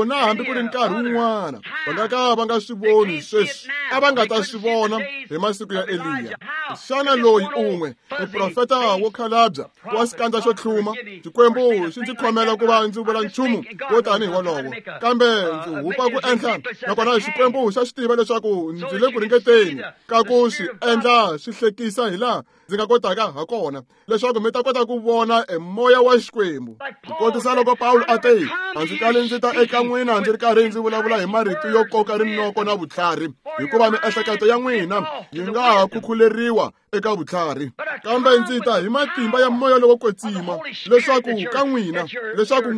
Na hambi ku ri nkarhi wun'wana va nga ka va nga swi voni sweswi, a va nga ta swi vona hi masiku ya Eliya. Xana loyi un'we muprofeta wo khalabya wa xikandza xo tlhuma, Xikwembu xi ndzi khomela ku va ndzi vula nchumu wo tanihi wolowo, kambe ndzi hupa ku endla, nakona Xikwembu xa swi tiva leswaku ndzi le ku ringeteni ka ku swi endla swi hlekisa hi laha ndzi nga kotaka ha kona, leswaku mi ta kota ku vona e moya wa Xikwembu. Ku kotisa loko Pawulo a te, a ndzi kali ndzi ta eka n'wina ndzi ri karhi ndzi vulavula hi marito yo koka rinoko na vutlhari, hikuva miehleketo ya n'wina yi nga ha khukhuleriwa eka vutlhari, kambe ndzi ta hi matimba ya moya lowo kwetsima, leswaku ka n'wina, leswaku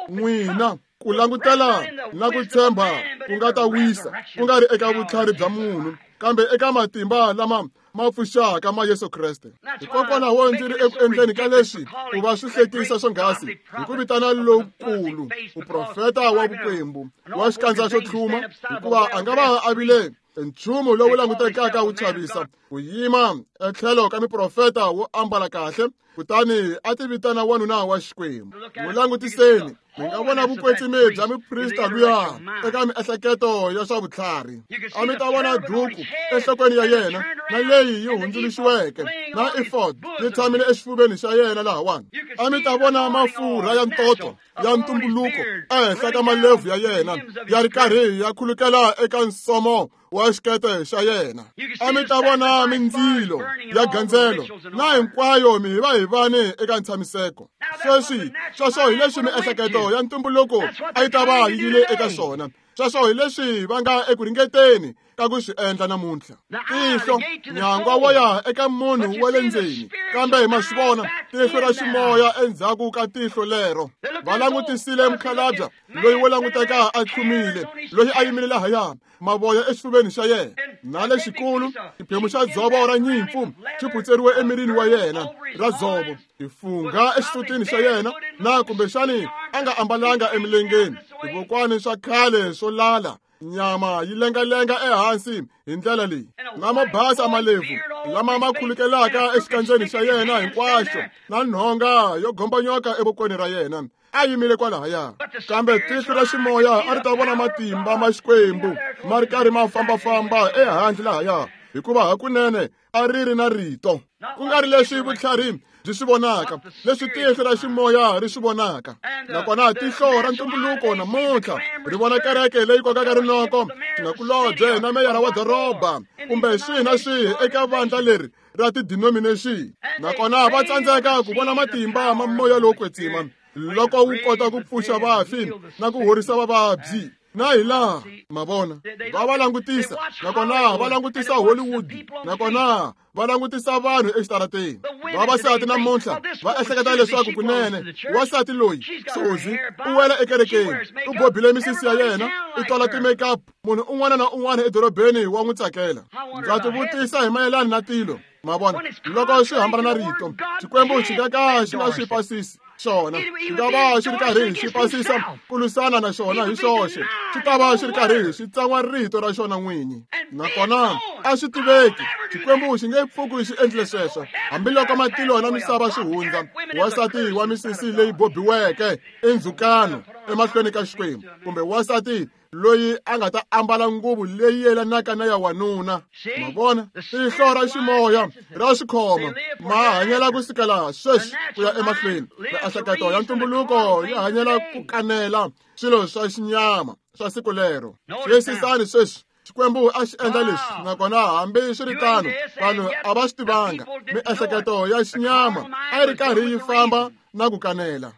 n'wina ku langutela na ku tshemba ku nga ta wisa, ku nga ri eka vutlhari bya munhu, kambe eka matimba lama ma pfuxaka ma Yesu Kreste. Hikokwalaho ndzi ri eku endleni ka leswi ku va swi hlekisa swonghasi hi ku vitana lowukulu muprofeta wa vukwembu wa xikandza xo tlhuma, hikuva a nga va a vile nchumu lowu langutekaka wu chavisa ku yima etlhelo ka miprofeta wo ambala kahle, kutani a ti vitana wanuna wa Xikwembu. N'wi langutiseni, mi nga vona vukwetsimi bya muprista luya eka miehleketo ya swa vutlhari. A mi ta vona duku enhlokweni ya yena na leyi yi hundzuluxiweke na efod yi tshamile exifuveni xa yena lahawani. A mi ta vona mafurha ya ntoto ya ntumbuluko ehenhla ka malebvu ya yena ya ri karhi ya khulukela eka nsomo wa xikete xa yena. A mi ta vona mindzilo ya gandzelo na hinkwayo mihivahivani eka ntshamiseko. Sweswi sweswo hi leswi miehleketo ya ntumbuluko a yi ta va yi yile eka swona. Sweswo hi leswi va nga eku ringeteni ka ku swi endla namuntlha. Tihlo nyangwa wo ya eka munhu wa le ndzeni, kambe ma swi vona tihlo ra ximoya endzhaku ka tihlo lero. Va langutisile mukhalabya loyi wo languteka a tlhumile, loyi a yimile lahaya, mavoya exifuveni xa yena, na lexikulu xiphemu xa dzovo ra nyimpfu xi phutseriwe emirini wa yena ra dzovo, tifungha exisutini xa yena, na kumbexani a nga ambalanga emilengeni, tivokwani swa khale swo lala, nyama yi lengalenga ehansi hi ndlela leyi, na mabasa malebvu lama ma khulukelaka exikandzeni xa yena hinkwaxo, na nhonga yo gombanyoka evokweni ra yena. A yimile kwalahaya, kambe tihlo ra ximoya a ri ta vona matimba ma Xikwembu ma ri karhi ma fambafamba ehandle lahaya, hikuva hakunene a ri ri na rito, ku nga ri leswi vutlhari byi swi vonaka, leswi tihlo ra ximoya ri swi vonaka. Nakona tihlo ra ntumbuluko namuntlha ri vona kereke leyi kokaka rinoko, xinakulobye na meyara wa doroba, kumbe swihi na swihi eka vandla leri ra ti-denomination. Nakona va tsandzeka ku vona matimba ma moya lowo kwetsima loko wu kota ku pfuxa vafi na ku horisa vavabyi. Na hi laha ma vona va va langutisa, nakona va langutisa Hollywood, nakona va langutisa vanhu exitarateni. Vavasati namuntlha va ehleketa leswaku kunene wansati loyi Suzy u wela ekerekeni, u bobile misisi ya yena, u tola ti-makeup, munhu un'wana na un'wana edorobeni wa n'wi tsakela. Ndza tivutisa hi mayelana na tilo. Ma vona, loko swi hambana na rito, Xikwembu xi nga ka xi nga swi pasisi xona, xi nga va xi ri karhi xi pasisa ku lwisana na xona hi xoxe, xi ta va xi ri karhi xi tsan'wa rito ra xona n'winyi. Nakona a swi tiveki, Xikwembu xi nge pfuki xi endlile sweswo, hambiloko matilo na misava swi hundza. Wansati wa misisi leyi bobiweke i ndzhukano emahlweni ka Xikwembu, kumbe wansati loyi a nga ta ambala nguvu leyi yelanaka na ya wanuna. Ma vona, tihlo ra ximoya ra swikhoma ma hanyela ku sukela sweswi ku ya emahlweni. Miehleketo ya ntumbuluko yi hanyela ku kanela swilo swa xinyama swa siku lero. Xiyisisani sweswi, Xikwembu a xi endla leswi, nakona hambi swi ri tano vanhu a va swi tivanga. Miehleketo ya xinyama a yi ri karhi yi famba na ku kanela.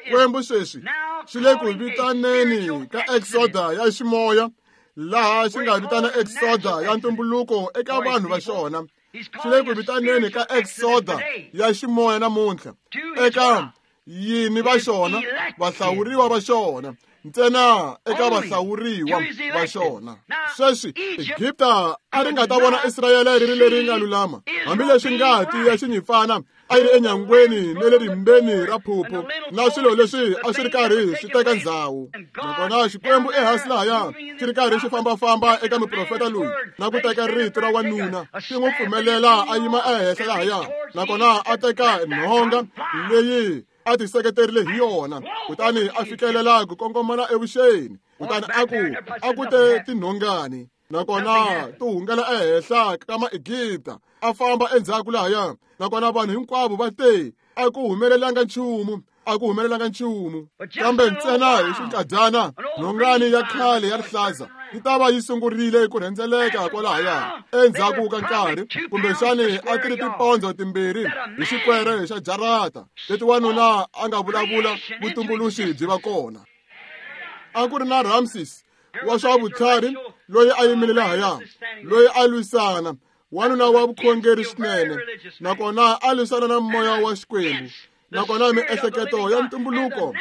Xikwembu sweswi xi le ku vitaneni ka exoda ya ximoya Laha xi nga vitana exoda ya ntumbuluko eka vanhu va xona, xi le ku vitaneni ka exoda ya ximoya namuntlha eka yini va xona, vahlawuriwa va xona, ntsena eka vahlawuriwa va xona. Sweswi Egipta a ri nga ta vona Israyele ri ri leri nga lulama, hambileswi ngati ya xinyimpfana a yi ri enyangweni ne le rimbeni ra phuphu na swilo leswi a swi ri karhi swi teka ndzhawu. Nakona Xikwembu ehansi lahaya xi ri karhi xi fambafamba eka muprofeta loyi na ku teka rito ra wanuna, xi n'wi pfumelela a yima ehenhla lahaya, nakona a teka nhonga leyi a ti seketerile hi yona, kutani a fikelela ku kongomana evuxeni, kutani a ku te tinhongani, nakona ti hungela ehenhla ka Maegipta, a famba endzhaku lahaya, nakona vanhu hinkwavo va te a ku humelelanga nchumu, a ku humelelanga nchumu. Kambe ntsena hi xinkadyana nhongani ya khale ya rihlaza yi ta va yi sungurile ku rhendzeleka kwalahaya endzhaku ka nkarhi, kumbexani a ti ri tipondzo timbirhi hi xikwere xa jarata leti wanuna a nga vulavula vutumbuluxi byi va kona. A ku ri na Ramses wa swa vutlhari loyi a yimile lahaya, loyi a lwisana, wanuna wa vukhongeri swinene, nakona a lwisana na moya wa Xikwembu, nakona miehleketo ya ntumbuluko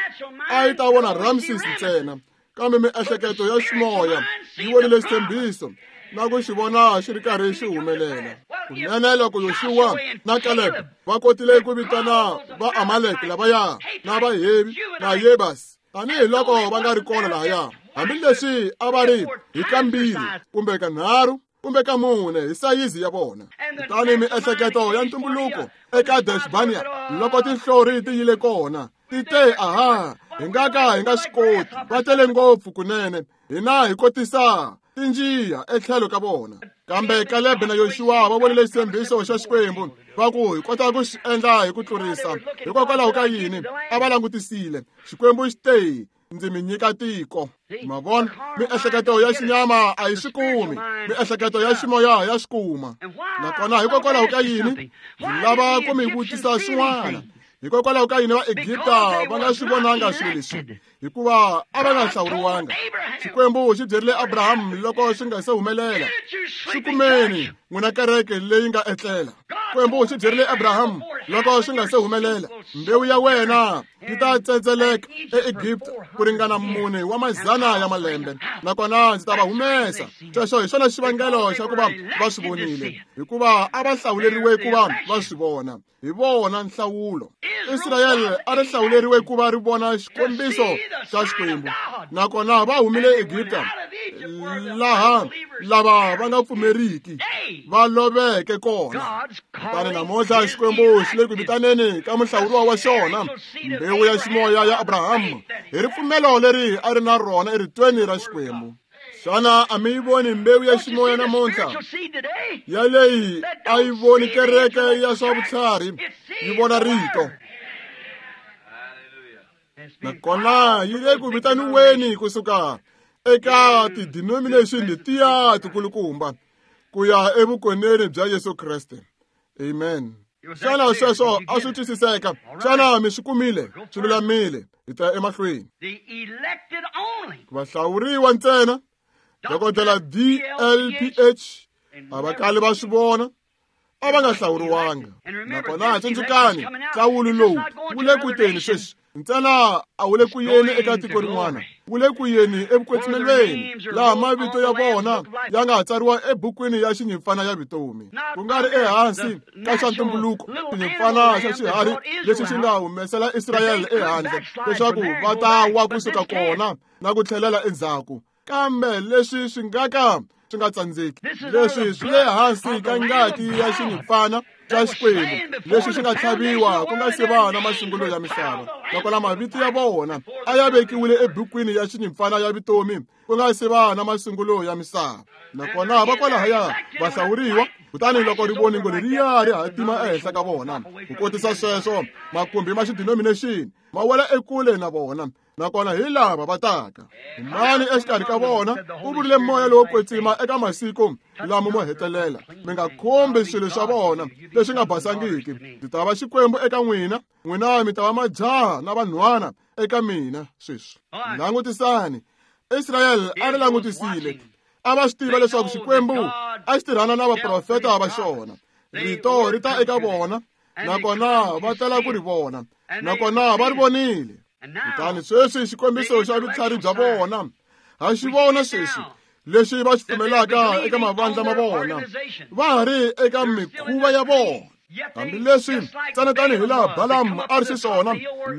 a yi ta vona Ramses ntsena, kambe miehleketo ya ximoya yi vonile xitshembiso na ku xi vona xi ri karhi xi humelela. Kunene loko Yoxuwa na Caleb va kotile ku vitana va Amalek lavaya na va Hevi na Yebas tanihiloko va nga ri kona lahaya, hambileswi a va ri hi kambirhi kumbe kanharhu kumbe ka mune hi sayizi ya vona. Kutani miehleketo ya ntumbuluko eka Deshbania loko tinhlori ti yile kona, ti te aha, hi nga ka hi nga swi koti, va tele ngopfu kunene, hina hi kotisa tinjiya etlhelo ka vona. Kambe Caleb na Yoxuwa va vonile xitshembiso xa Xikwembu, va ku hi kota ku xi endla hi ku tlurisa. Hikokwalaho ka yini a va langutisile? Xikwembu xi te, ndzi mi nyika tiko. Ma vona, miehleketo ya xinyama a yi swi kumi, miehleketo ya ximoya ya swi kuma. Nakona hikokwalaho ka yini ndzi lava ku mi vutisa swin'wana? Hikokwalaho ka yini Vaegipta va nga swi vonanga swilo leswi? Hikuva a va nga hlawuriwanga. Xikwembu xi byerile Abraham loko swi nga se humelela, swi kumeni n'wina kereke leyi nga etlela. Xikwembu xi byerile Abraham loko swi nga se humelela, mbewu ya wena yi ta tsendzeleka eEgipta ku ringana 4 wa mazana ya malembe, nakona ndzi ta va humesa. Sweswo hi xona xivangelo xa ku va va swi vonile, hikuva a va hlawuleriwe ku va va swi vona. Hi vona nhlawulo. Israyele a ri hlawuleriwe ku va ri vona xikombiso xa Xikwembu, nakona va humile Egipta laha lava va nga pfumeriki va loveke kona. Kutani namuntlha Xikwembu xi le ku vitaneni ka muhlawuriwa wa xona, mbewu ya ximoya ya Abraham, hi ripfumelo leri a ri na rona eritweni ra Xikwembu. Xana a mi yi voni mbewu ya ximoya namuntlha? Ya leyi a yi voni kereke ya swa vutlhari, yi vona rito. Nakona yi le ku vitaniweni kusuka eka ti-denomination letiya tikulukumba ku ya evukoneni bya Yesu Kreste. Amen. Xana sweswo a swi twisiseka? Xana mi swi kumile? Swi lulamile. Hi ta ya emahlweni. Vahlawuriwa ntsena, dokodela DLPH a va kali va swi vona, a va nga hlawuriwanga. Nakona tsundzukani, nhlawulo lowu wu le ku teni sweswi, ntsena a wu le ku yeni eka tiko rin'wana, wu le ku yeni evukwetsimelweni, laha mavito ya vona ya nga tsariwa ebukwini ya xinyimpfana ya vutomi, ku nga ri ehansi ka xa ntumbuluko, xinyimpfana xa xiharhi lexi xi nga humesela Israyele ehandle leswaku va ta wa kusuka kona na ku tlhelela endzhaku. Kambe leswi swi nga ka swi nga tsandzeki, leswi swi le hansi ka ngati ya xinyimpfana xa Xikwembu lexi xi nga tlhaviwa ku nga se va na masungulo ya misava, nakona mavito ya vona a ya vekiwile ebukwini ya xinyimpfana ya vutomi ku nga se va na masungulo ya misava. Nakona va kwalahaya va hlawuriwa, kutani loko rivoningo leriya ri hatima ehenhla ka vona, ku kotisa sweswo makumbi ma xidenomination ma wela ekule na vona, nakona hi lava va taka. Mani exikarhi ka vona u vurile moya lowo kwetsima eka masiku lama mo hetelela, mi nga khumbi swilo swa vona leswi nga basangiki. Ndzi ta va Xikwembu eka n'wina, n'wina mi ta va majaha na vanhwana eka mina. Sweswi langutisani, Israyele a ri langutisile. A va swi tiva leswaku Xikwembu a xi tirhana na vaprofeta va xona. Rito ri ta eka vona, nakona va tala ku ri vona, nakona va ri vonile. Kutani sweswi xikombiso xa vutlhari bya vona ha xi vona sweswi lexi va xi pfumelaka eka mavandla ma vona, va ha ri eka mikhuva ya vona. Hambileswi ntsena tanihi laha Balamu a ri xiswona,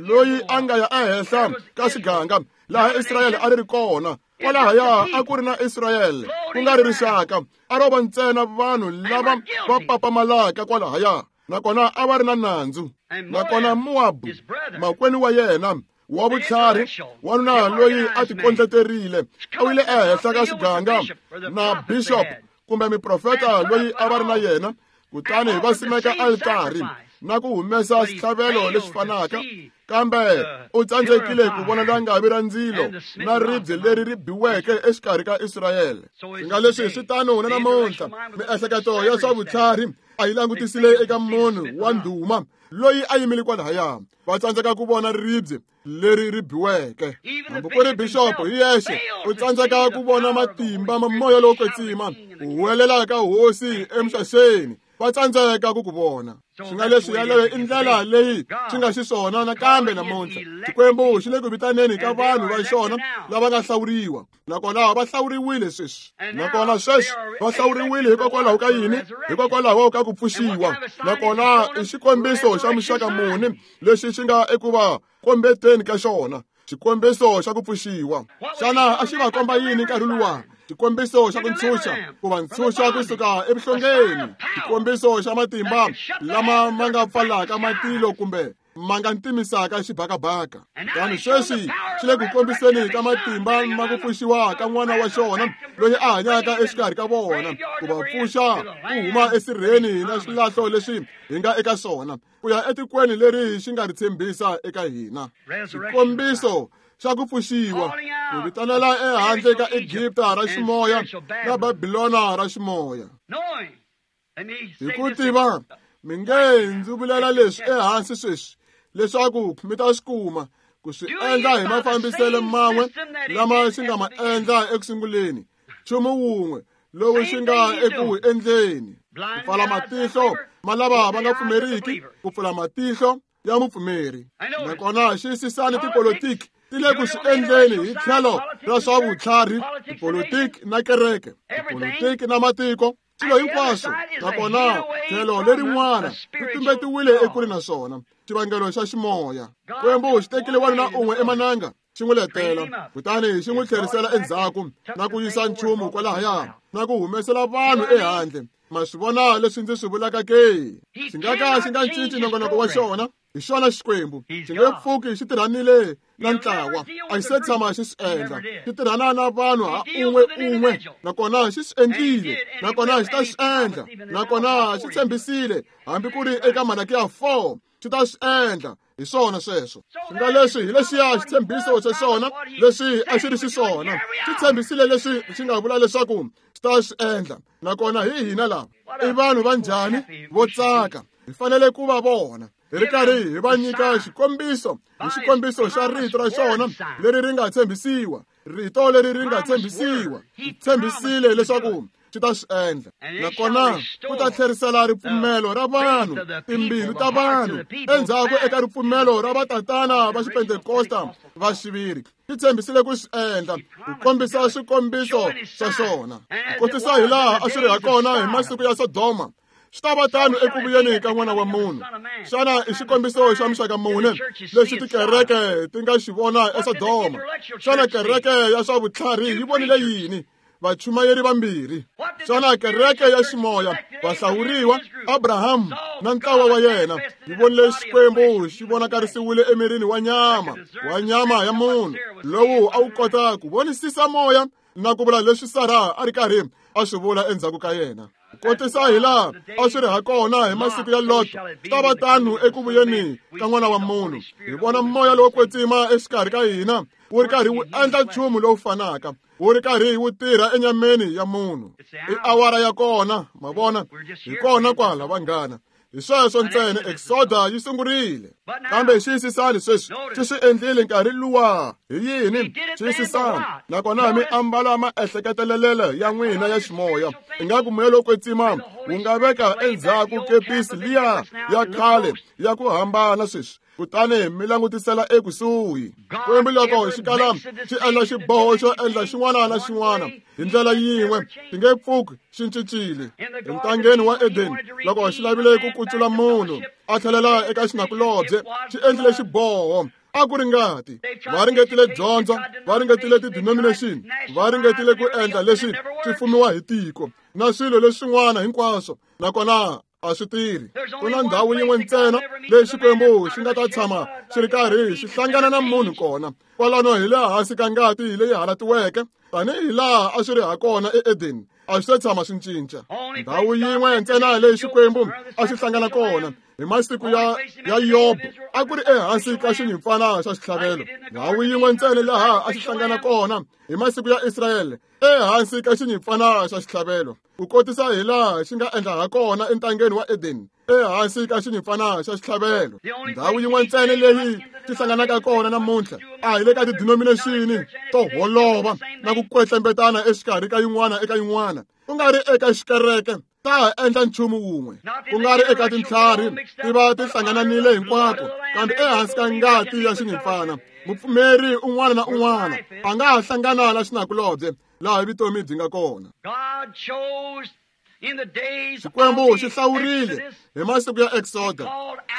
loyi a nga ya ehenhla ka xiganga laha Israyele a ri ri kona, kwalahaya a ku ri na Israyele ku nga ri rixaka, a ro va ntsena vanhu lava va papamalaka kwalahaya, nakona a va ri na nandzu. Nakona Mowabu, makwenu wa yena wa vutlhari, wanuna loyi a tikondleterile, a wile ehenhla ka xiganga na bishop kumbe miprofeta loyi a va ri na yena, kutani va simeka altari na ku humesa xitlhavelo lexi fanaka, kambe u tsandzekile ku vona langavi ra ndzilo na ribye leri ri biweke exikarhi ka Israyele. Swi nga leswi swi tano na namuntlha, miehleketo ya swa vutlhari a yi langutisile eka munhu wa ndhuma loyi a yimile kwalahaya, va tsandzeka ku vona ribye leri ri biweke. Hambi ku ri bixopo hi yexe u tsandzeka ku vona matimba ma moya lowo kwetsima ku huwelela ka hosi emixaxeni, va tsandzeka ku ku vona. Swi nga leswi yaleyo i ndlela leyi swi nga xiswona nakambe namuntlha. Xikwembu xi le ku vitaneni ka vanhu va xona lava nga hlawuriwa, nakona va hlawuriwile sweswi. Nakona sweswi va hlawuriwile hikokwalaho ka yini? Hikokwalaho ka ku pfuxiwa. Nakona i xikombiso xa muxaka muni lexi xi nga eku va kombeteni ka xona? Xikombiso xa ku pfuxiwa. Xana a xi va komba yini nkarhi luwa? Xikombiso xa ku ntshunxa, ku va ntshunxa kusuka evuhlongeni. Xikombiso xa matimba lama ma nga pfalaka matilo kumbe ma nga ntimisaka xibakabaka. Kutani sweswi xi le ku kombiseni ka matimba ma ku pfuxiwa ka n'wana wa xona loyi a hanyaka exikarhi ka vona, ku va pfuxa ku huma esirheni na swilahlo leswi hi nga eka swona, ku ya etikweni leri xi nga ri tshembisa eka hina. Xikombiso xa ku pfuxiwa, ku vitanela ehandle ka Egipta ra ximoya na Babilona ra ximoya. Hi ku tiva, mi nge ndzi vulela leswi ehansi sweswi leswaku mi ta swi kuma, ku swi endla hi mafambiselo man'we lama xi nga ma endla ekusunguleni, nchumu wun'we lowu xi nga eku wu endleni, ku pfala matihlo ma lava va nga pfumeriki, ku pfula matihlo ya mupfumeri. Nakona xiyisisani tipolitiki ti le ku swi endleni hi tlhelo ra swa vutlhari, tipolitiki na kereke, tipolitiki na matiko, swilo hinkwaswo. Nakona tlhelo lerin'wana ri tumbetiwile ekule na swona, xivangelo xa ximoya. Xikwembu xi tekile wanuna un'we emananga, xi n'wi letela, kutani xi n'wi tlherisela endzhaku na ku yisa nchumu kwalahaya na ku humesela vanhu ehandle. Ma swi vona leswi ndzi swi vulaka ke? Xi nga ka xi nga cinci nongonoko wa xona. Hi xona Xikwembu. Xi nge pfuki xi tirhanile na ntlawa, a xi se tshama xi swi endla. Xi tirhana na vanhu ha un'we un'we, nakona xi swi endlile, nakona xi ta swi endla, nakona xi tshembisile hambi ku ri eka Malakiya 4 xi ta swi endla. Hi swona sweswo. Swi nga leswi hi lexiya xitshembiso xa xona leswi a xi ri xiswona. Xi tshembisile leswi xi nga vula leswaku xi ta swi endla, nakona hi hina lava. I vanhu va njhani vo tsaka hi fanele ku va vona, hi ri karhi hi va nyika xikombiso hi xikombiso xa rito ra xona leri ri nga tshembisiwa, rito leri ri nga tshembisiwa. Tshembisile leswaku xi ta swi endla, nakona ku ta tlherisela ripfumelo ra vanhu, timbilu ta vanhu endzhaku eka ripfumelo ra vatatana va xipentekosta va xiviri. Xi tshembisile ku swi endla, ku kombisa swikombiso swa xona, ku kotisa hi laha a swi ri ha kona hi masiku ya Sodoma, swi ta va tano eku vuyeni ka n'wana wa munhu. Xana i xikombiso xa muxaka mune lexi tikereke ti nga xi vona eSodoma? Xana kereke ya swa vutlhari yi vonile yini? Vachumayeri vambirhi. Xana kereke ya ximoya, vahlawuriwa, Abraham na ntlawa wa yena, yi vonile Xikwembu xi vonakarisiwile emirini wa nyama, wa nyama ya munhu, lowu a wu kota ku vonisisa moya na ku vula leswi Sara a ri karhi a swi vula endzhaku ka yena. Kotisa hi laha a swi ri ha kona hi masiku ya Lot, swi ta va tano eku vuyeni ka n'wana wa munhu. Hi vona moya lowo kwetsima exikarhi ka hina wu ri karhi wu endla nchumu lowu fanaka, wu ri karhi wu tirha enyameni ya munhu. I awara ya kona, ma vona, hi kona kwala vanghana. Hi sweswo ntsena Exoda yi sungurile. Kambe xiyisisani sweswi, xi swi endlile nkarhi luwa. Hi yini? Xiyisisani. Nakona mi ambala maehleketelelelo ya n'wina ya ximoya. Ingaku moya lowo kwetsima wu nga veka endzhaku kepisi liya ya khale ya ku hambana sweswi. Kutani mi langutisela ekusuhi. Xikwembu loko xi kala xi endla xiboho xo endla xin'wana na xin'wana hi ndlela yin'we, xi nge pfuki xi cincile. Entangeni wa Edeni, loko xi lavile ku kutsula munhu a tlhelela eka xinakulobye, xi endlile xiboho. A ku ri ngati. Va ringetile dyondzo, va ringetile ti-denomination, va ringetile ku endla leswi swi fumiwa hi tiko na swilo leswin'wana hinkwaswo, nakona a swi tirhi. Ku na ndhawu yin'we ntsena leyi Xikwembu xi nga ta tshama xi ri karhi xi hlangana na munhu kona. Kwalano hi le hansi ka ngati leyi halatiweke, tanihi laha a swi ri ha kona eEdeni, a swi se tshama swi cinca. Ndhawu yin'we ntsena leyi Xikwembu a xi hlangana kona hi masiku ya Yobo a ku ri ehansi ka xinyimpfana xa xitlhavelo. Ndhawu yin'we ntsena laha a xi hlangana kona hi masiku ya Israyele ehansi ka xinyimpfana xa xitlhavelo. Ku kotisa hi laha xi nga endla ha kona entangeni wa Edeni ehansi ka xinyimpfana xa xitlhavelo. Ndhawu yin'we ntsena leyi xi hlanganaka kona namuntlha a hi le ka ti-denomination to holova na ku kwetlembetana exikarhi ka yin'wana eka yin'wana, ku nga ri eka xikereke ta ha endla nchumu wun'we, ku nga ri eka tintlhari ti va ti hlangananile hinkwato, kambe ehansi ka ngati ya xinyimpfana mupfumeri un'wana na un'wana a nga ha hlangana na xinakulobye laha vutomi byi nga kona. Xikwembu xi hlawurile hi masiku ya Exoda,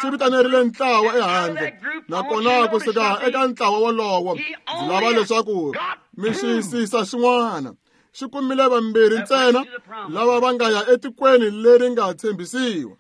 xi vitanerile ntlawa ehandle, nakona kusuka eka ntlawa wolowo ndzi lava leswaku mi xiyisisa xin'wana. Xi kumile vambirhi ntsena lava va nga ya etikweni leri nga tshembisiwa.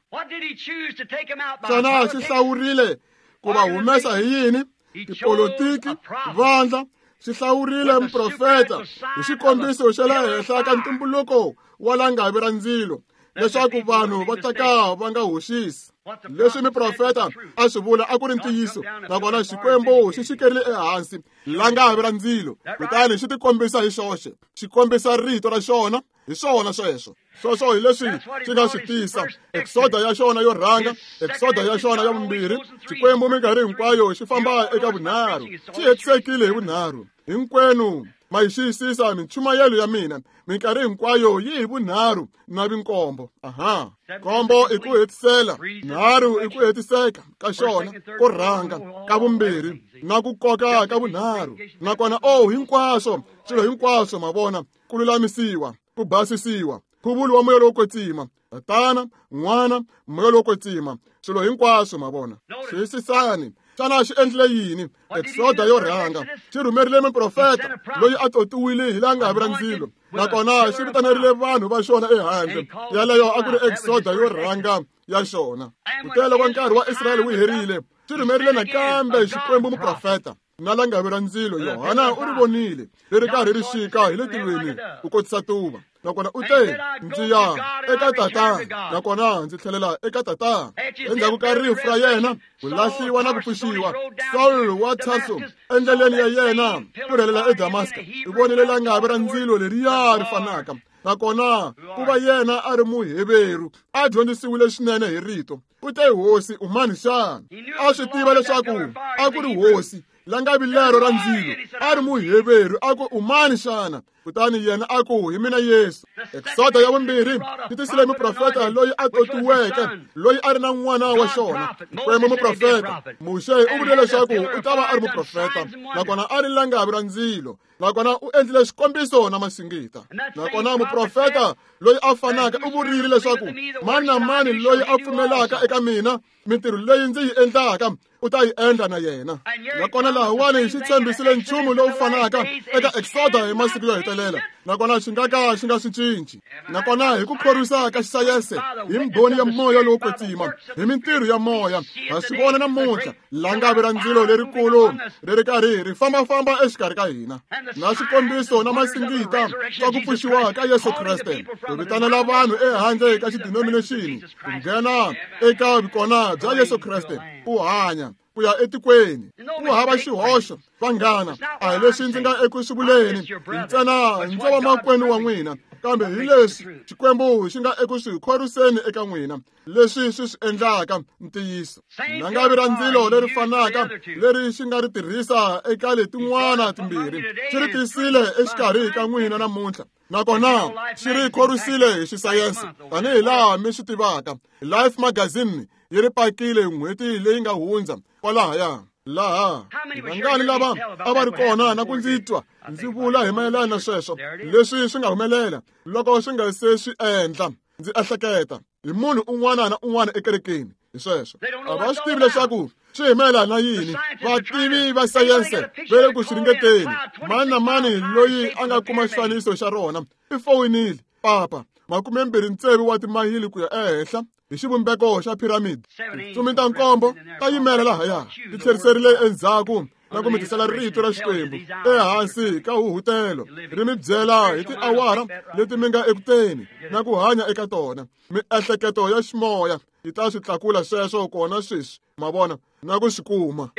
Xana xi hlawurile ku va humesa hi yini? Tipolotiki, vandla. Xi hlawurile muprofeta hi xikombiso xa le henhla ka ntumbuluko wa langavi ra ndzilo, leswaku vanhu va ta ka va nga hoxisi. Leswi muprofeta a swi vula a ku ri ntiyiso, nakona Xikwembu xi xikerile ehansi langavi ra ndzilo, kutani xi tikombisa hi xoxe, xi kombisa rito ra xona. Hi swona sweswo. Sweswo hi leswi xi nga swi tisa. Exoda ya xona yo rhanga, Exoda ya xona ya vumbirhi. Xikwembu minkarhi hinkwayo xi famba eka vunharhu, xi hetisekile hi vunharhu. Hinkwenu ma yi xiyisisa minchumayelo ya mina, minkarhi hinkwayo yi hi vunharhu na vinkombo. Aha, nkombo i ku hetisela, nharhu i ku hetiseka ka xona ko rhanga, ka vumbirhi na ku koka ka vunharhu. Nakona hinkwaswo swilo hinkwaswo ma vona, ku lulamisiwa, ku basisiwa, nkhuvulo wa moya lowo kwetsima, Tatana, N'wana, moya lowo kwetsima, swilo hinkwaswo ma vona. Xiyisisani, xana xi endlile yini? Exoda yo rhanga xi rhumerile muprofeta loyi a totiwile hi langavi ra ndzilo, nakona xi vitanerile vanhu va xona ehandle. Yaleyo a ku ri Exoda yo rhanga ya xona. Kutani loko nkarhi wa Israyele wu herile, xi rhumerile nakambe Xikwembu muprofeta na langavi ra ndzilo. Yohana u ri vonile ri ri karhi ri xika hi le tilweni ku kotisa tuva, nakona u te, ndzi ya eka Tatana, nakona ndzi tlhelela eka Tatana. Endzhaku ka rifu ra yena, ku lahliwa na ku pfuxiwa, Saul wa Tarso endleleni ya yena ku rhelela eDamaska, u vonile langavi ra ndzilo leriya ri fanaka, nakona ku va yena a ri Muheveru, a dyondzisiwile swinene hi rito. U te, Hosi, u mani xana? A swi tiva leswaku a ku ri Hosi, langavi lero ra ndzilo, a ri Muheveru. A ku, u mani xana? Kutani yena a ku, hi mina Yesu. Exoda ya vumbirhi yi tisile muprofeta loyi a totiweke, loyi a ri na n'wana wa xona, Xikwembu muprofeta. Muxe u vule leswaku u ta va a ri muprofeta, nakona a ri langavi ra ndzilo, nakona u endlile xikombiso na masingita. Nakona muprofeta loyi a fanaka u vurile leswaku mani na mani loyi a pfumelaka eka mina, mintirho leyi ndzi yi endlaka u ta yi endla na yena. Nakona lahawani xi tshembisile nchumu lowu fanaka eka Exoda hi masiku yo hetelela, nakona xi nga ka xi nga swi cinci. Nakona hi ku khorwisa ka xisayense, hi mbhoni ya moya lowo kwetsima, hi mintirho ya moya, ha swi vona namuntlha langavi ra ndzilo lerikulu ri ri karhi ri fambafamba exikarhi ka hina, na swikombiso na masingita swa ku pfuxiwa ka Yesu Kreste, ku vitanela vanhu ehandle ka xidenomination ku nghena eka vukona bya Yesu Kreste, ku hanya ku ya etikweni. Ku hava xihoxo, vanghana, a hi leswi ndzi nga eku swi vuleni, ntsena ndzo va makwenu wa n'wina. Kambe hi leswi Xikwembu xi nga eku swi khorwiseni eka n'wina, leswi swi swi endlaka ntiyiso. Langavi ra ndzilo leri fanaka leri xi nga ri tirhisa eka letin'wana timbirhi, xi ri tisile exikarhi ka n'wina namuntlha. Nakona xi ri khorwisile hi xisayense, tanihi laha mi swi tivaka. Life Magazine yi ri pakile n'hweti leyi nga hundza kwalahaya. Laha vangani lava a va ri kona na ku ndzi twa ndzi vula hi mayelana na sweswo, leswi swi nga humelela loko swi nga se swi endla. Ndzi ehleketa hi munhu un'wana na un'wana ekerekeni hi sweswo. A va swi tivi leswaku swi hi mayelana na yini. Vativi va sayense va le ku swi ringeteni. Mani na mani loyi a nga kuma xifaniso xa rona i foyinile papa 26 wa timayili ku ya ehenhla hi xivumbeko xa piramidi. Tintsumi ta nkombo ta yimela lahaya, ti tlheriserile endzhaku na ku mi tisela rito ra Xikwembu ehansi ka huhutelo, ri mi byela hi tiawara leti mi nga ekuteni na ku hanya eka tona. Miehleketo ya ximoya yi ta swi tlakula sweswo kona sweswi, ma vona, na ku swi kuma.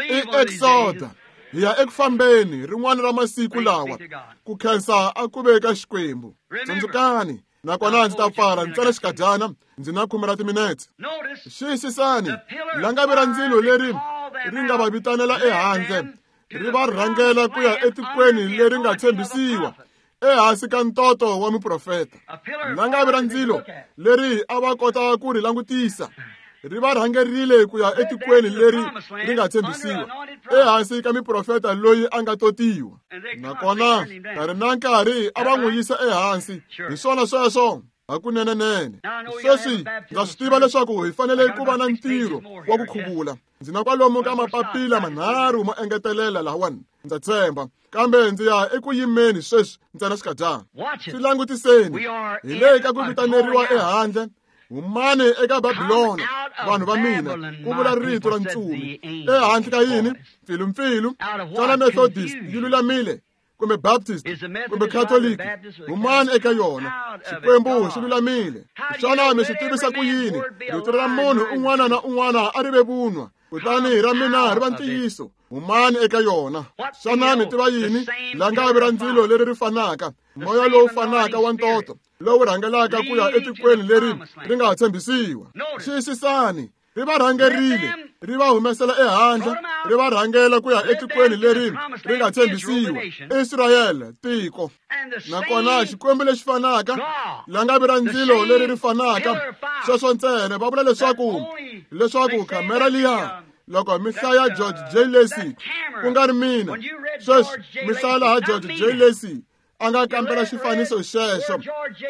I exoda, hi ya eku fambeni rin'wana ra masiku lawa. Ku khensa a ku ve ka Xikwembu. Tsundzukani, nakona ndzi ta pfala ntsena xikadyana, ndzi na 10 ra timinetse. Xiyisisani, langavi ra ndzilo leri ri nga va vitanela ehandle, ri va rhangela ku ya etikweni leri nga tshembisiwa, ehansi ka ntoto wa muprofeta. Langavi ra ndzilo leri a va kota ku ri langutisa, ri va rhangerile ku ya etikweni leri ri nga tshembisiwa, ehansi ka muprofeta loyi a nga totiwa. Nakona nkarhi na nkarhi a va n'wi yisa ehansi. Hi swona sweswo hakunenenene. Sweswi ndza swi tiva leswaku hi fanele ku va na ntirho wa ku khuvula. Ndzi na kwalomu ka mapapila manharhu mo engetelela lahawani, ndza tshemba. Kambe ndzi ya eku yimeni sweswi ntsena xikadyana. Swi langutiseni. Hi le ka ku vitaneriwa ehandle. Humani eka Babilona, vanhu va mina, ku vula rito ra ntsumi. Ehandle ka yini? Mpfilumpfilu. Xana Methodist yi lulamile? Kumbe Baptist, kumbe Catholic? Humani eka yona. Xikwembu xi lulamile. Xana mi swi tivisa ku yini? Rito ra munhu un'wana na un'wana a ri ve vunwa, kutani ra mina ri va ntiyiso. Humani eka yona. Xana mi tiva yini? Langavi ra ndzilo leri ri fanaka, moya lowu fanaka wa ntoto lowu rhangelaka ku ya etikweni leri ri nga tshembisiwa. Xiyisisani, ri va rhangerile, ri va humesela ehandle, ri va rhangela ku ya etikweni leri ri nga tshembisiwa. Israyele, tiko. Nakona Xikwembu lexi fanaka, langavi ra ndzilo leri ri fanaka, sweswo ntsena. Va vula leswaku khamera liya, loko mi hlaya George J. Lacy, ku nga ri mina, sweswi mi hlaya laha George J. Lacy a nga kambela xifaniso xexo,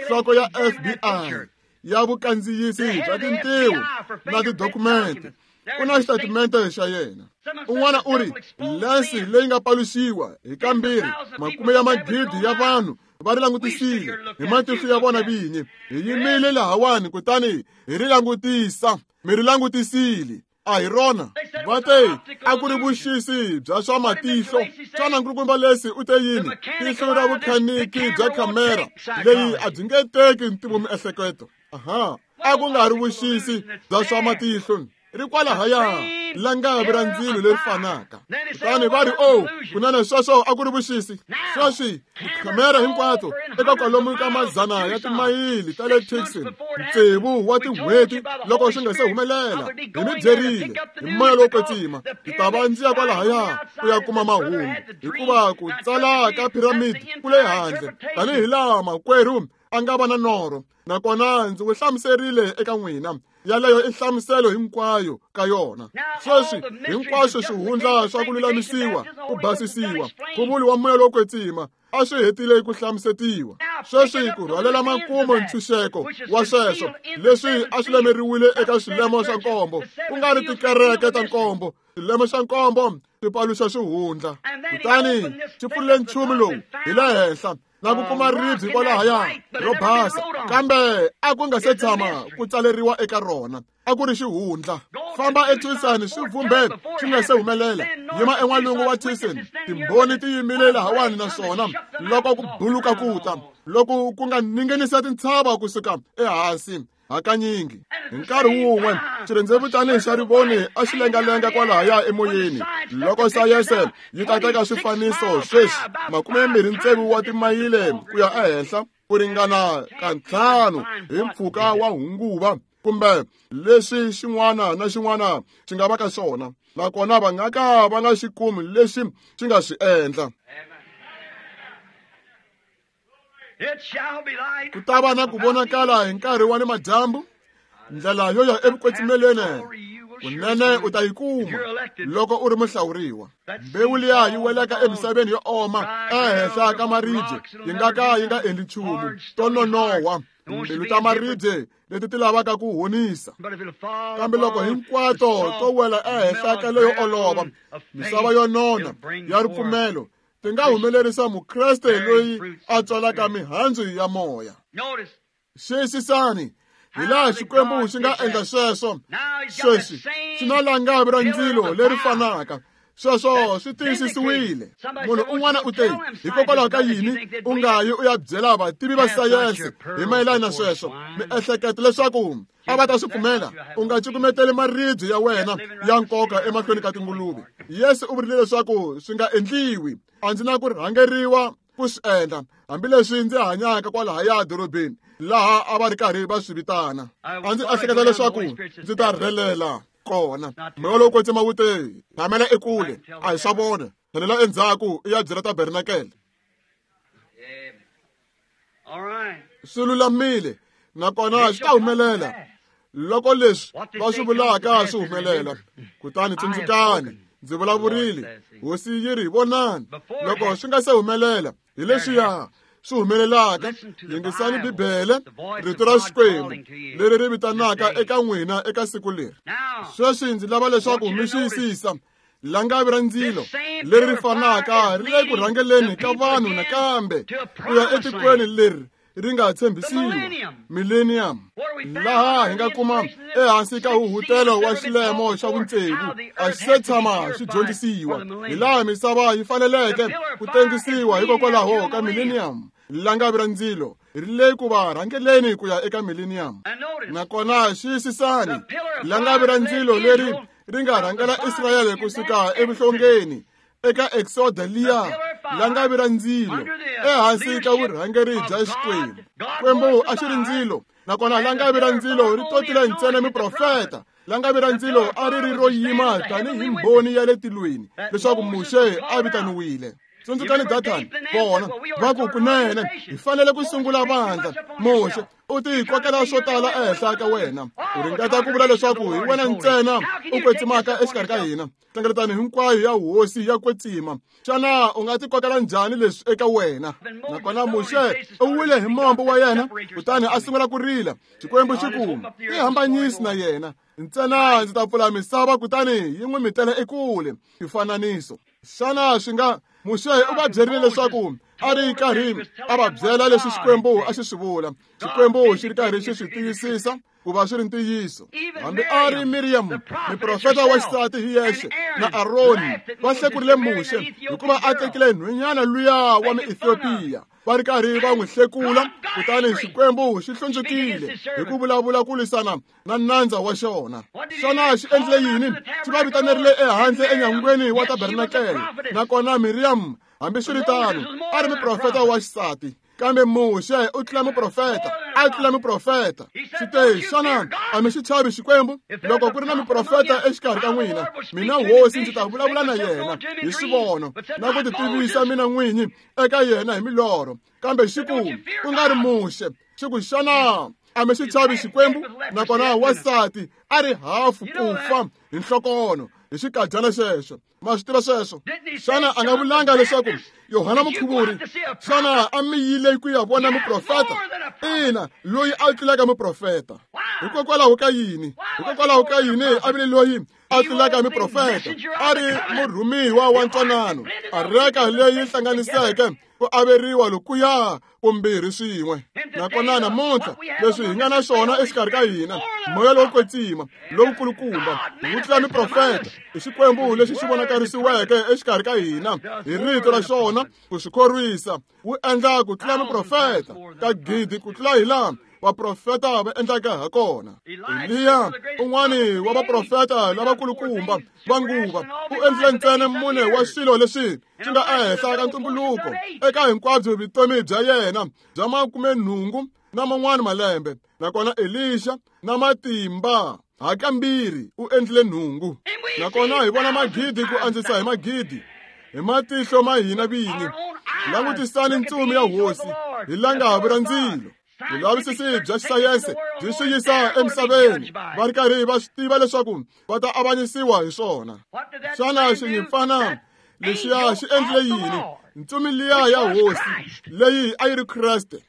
nhloko ya FBI ya vukandziyisi bya tintiho na tidokumente, ku na xitatimende xa yena. Un'wana u ri lense leyi nga paluxiwa hi kambirhi, makume ya magidi ya vanhu va ri langutisile hi matihlo ya vona vinyi. Hi yimile lahawani kutani hi ri langutisa. Mi ri langutisile. A hi rona. Va te a ku ri vuxisi bya swa matihlo. Xana nkulukumba Lesi u te yini? Tihlo ra vukhaniki bya khamera leyi a byi nge teki ntivomiehleketo. Aha, a ku nga ri vuxisi bya swa matihlo. Ri kwalahaya, langavi ra ndzilo leri fanaka. Kutani va ri, oh, kunene sweswo a ku ri vuxisi. Sweswi tikhamera hinkwato eka kwalomu ka mazana ya timayili ta le Tucson, tsevu wa tin'hweti loko swi nga se humelela, hi mi byerile hi moya lowo kwetsima, ndzi ta va ndzi ya kwalahaya ku ya kuma mahungu, hikuva ku tsala ka piramidi ku le handle, tanihi laha makwerhu a nga va na norho. Nakona ndzi wu hlamuserile eka n'wina. Yaleyo i nhlamuselo hinkwayo ka yona. Sweswi hinkwaswo swihundla swa ku lulamisiwa, ku basisiwa, nkhuvulo wa moya lowo kwetsima a swi hetile ku hlamusetiwa. Sweswi ku rhwalela makumu ntshunxeko wa sweswo leswi a swi lemeriwile eka swilemo swa nkombo, ku nga ri tikereke ta nkombo. Swilemo swa nkombo swi paluxa swihundla. Kutani xi pfurile nchumu lowu hi le henhla na ku kuma ribye kwalahaya ro basa, kambe a ku nga se tshama ku tsaleriwa eka rona. A ku ri xihundla. Famba eTucson swi vhumbe swi nga se humelela. Yima en'walungu wa Tucson, timbhoni ti yimile lahawani naswona loko ku buluka ku ta, loko ku nga ninginisa tintshava kusuka ehansi. Hakanyingi hi nkarhi wun'we xirhendzevutani xa rivoni a xi lengalenga kwalahaya emoyeni. Loko sayense yi ta teka swifaniso sweswi 26 wa timayile ku ya ehenhla ku ringana ka 5 hi mpfhuka wa hunguva kumbe leswi xin'wana na xin'wana xi nga va ka xona, nakona va nga ka va nga xi kumi lexi xi nga swi endla. Ku ta va na ku vonakala hi nkarhi wa ni madyambu, ndlela yo ya evukwetsimelweni kunene u ta yi kuma loko u ri muhlawuriwa. Mbewu liya yi welaka emisaveni yo oma ehenhla ka maribye yi nga ka yi nga endli nchumu, to nonohwa timbilu ta maribye leti ti lavaka ku honisa. Kambe loko hinkwato to wela ehenhla ka leyo olova, misava yo nona ya ripfumelo, ti nga humelerisa mukreste loyi a tswalaka mihandzu ya moya. Xiyisisani hi laha Xikwembu xi nga endla sweswo. Sweswi xi na langavi ra ndzilo leri fanaka. Sweswo swi tiyisisiwile. Munhu un'wana u te, hikokwalaho ka yini u nga yi u ya byela vativi va sayense hi mayelana na sweswo? Miehleketo leswaku a va ta swi pfumela. U nga cukumeteli maribye ya wena ya nkoka emahlweni ka tinguluve. Yesu u vurile leswaku swi nga endliwi. A ndzi na ku rhangeriwa ku swi endla, hambileswi ndzi hanyaka kwalahaya dorobeni laha a va ri karhi va swi vitana. A ndzi ehleketa leswaku ndzi ta rhelela kona. Moya lowo kwetsima wu te, tshamela ekule, a hi swa vona, tlhelela endzhaku i ya byela tabernakele. Swi lulamile, nakona swi ta humelela loko leswi va swi vulaka swi humelela. Kutani tsundzukani, ndzi vulavurile, Hosi yi ri, vonani, loko swi nga se humelela, hi leswiya swi humelelaka. Yingisani Bibele, rito ra Xikwembu leri ri vitanaka eka n'wina eka siku leri. Sweswi ndzi lava leswaku mi xiyisisa langavi ra ndzilo leri ri fanaka ri le ku rhangeleni ka vanhu nakambe ku ya etikweni leri ri nga tshembisiwa, millennium, laha hi nga kuma ehansi ka huhutelo wa xilemo xa vutsevu. A xi se tshama xi dyondzisiwa hi laha misava yi faneleke ku tengisiwa hikokwalaho ka millennium. Langavi ra ndzilo ri le ku va rhangeleni ku ya eka millennium. Nakona xiyisisani, langavi ra ndzilo leri ri nga rhangela Israyele kusuka evuhlongeni eka Exoda liya, langavi ra ndzilo ehansi ka vurhangeri bya Xikwembu. Xikwembu a xi ri ndzilo, nakona langavi ra ndzilo ri totile ntsena miprofeta. Langavi ra ndzilo a ri ri ro yima tanihi mbhoni ya le tilweni leswaku Muxe a vitaniwile. Tsundzukani Dathani, vona va ku kunene hi fanele ku sungula vandla. Muxe u ti kokela swo tala ehenhla ka wena, u ringeta ku vula leswaku hi wena ntsena u kwetsimaka exikarhi ka hina. Hlengeletano hinkwayo ya hosi ya kwetsima. Xana u nga ti kokela njhani leswi eka wena? Nakona Muxe u wile hi mombo wa yena, kutani a sungula ku rila. Xikwembu xi ku, ti hambanyisi na yena ntsena, ndzi ta pfula misava kutani yi n'wi mitela ekule. Xifananiso. Xana swi nga Muxe u va byerile leswaku a ri karhi a va byela leswi Xikwembu a xi swi vula. Xikwembu xi ri karhi xi swi tiyisisa ku va swi ri ntiyiso. Hambi a ri Miriam, muprofeta wa xisati hi yexe, na Aroni va hlekurile Muxe hikuva a tekile nhwenyana luya wa Muethiopia, va ri karhi va n'wi hlekula. Kutani Xikwembu xi hlundzukile hi ku vulavula ku lwisana na nandza wa xona. Xana xi endlile yini? Xi va vitanerile ehandle enyangweni wa tabernakele. Nakona Miriam, hambiswiritano, a ri muprofeta wa xisati, kambe Muxe u tlula muprofeta, a tlula muprofeta. Xi te, xana a mi xi chavi Xikwembu? Loko ku ri na muprofeta exikarhi ka n'wina, mina hosi ndzi ta vulavula na yena hi swivono na ku titivisa mina n'winyi eka yena hi milorho. Kambe xi ku, ku nga ri Muxe. Xi ku, xana a mi xi chavi Xikwembu? Nakona wansati a ri hafu ku fa hi nhlokono hi xikadyana xexo. Ma swi tiva sweswo? Xana a nga vulanga leswaku Yohana Mukhuvuri, xana a mi yile ku ya vona muprofeta? Ina, loyi a tlulaka muprofeta. Hikokwalaho ka yini? Hikokwalaho ka yini a vile loyi a tlulaka muprofeta? A ri murhumiwa wa ntwanano, areka leyi hlanganiseke ku averiwa lokuya kumbirhi swin'we. Nakona namuntlha leswi hi nga na swona exikarhi ka hina, moya lowo kwetsima lowukulukumba wu tlula miprofeta, i Xikwembu lexi xi vonakarisiweke exikarhi ka hina hi rito ra xona ku swi khorwisa, wu endla ku tlula miprofeta ka gidi ku tlula hi laha vaprofeta va endlaka ha kona. Eliya, un'wani wa vaprofeta lavakulukumba va nguva, u endlile ntsena mune wa swilo leswi swi nga ehenhla ka ntumbuluko eka hinkwabyo vutomi bya yena bya 80 na man'wana malembe. Nakona Elisha na matimba hakambirhi u endlile nhungu. Nakona hi vona magidi ku andzisa hi magidi hi matihlo ma hina vinyi. Langutisani ntsumi ya hosi hi langavi ra ndzilo. Vulavisisi bya xisayense byi swi yisa emisaveni va ri karhi va swi tiva leswaku va ta avanyisiwa hi swona. Xana xinyimpfana lexiya xi endlile yini? Ntsumi liya ya hosi leyi a yi ri Kreste.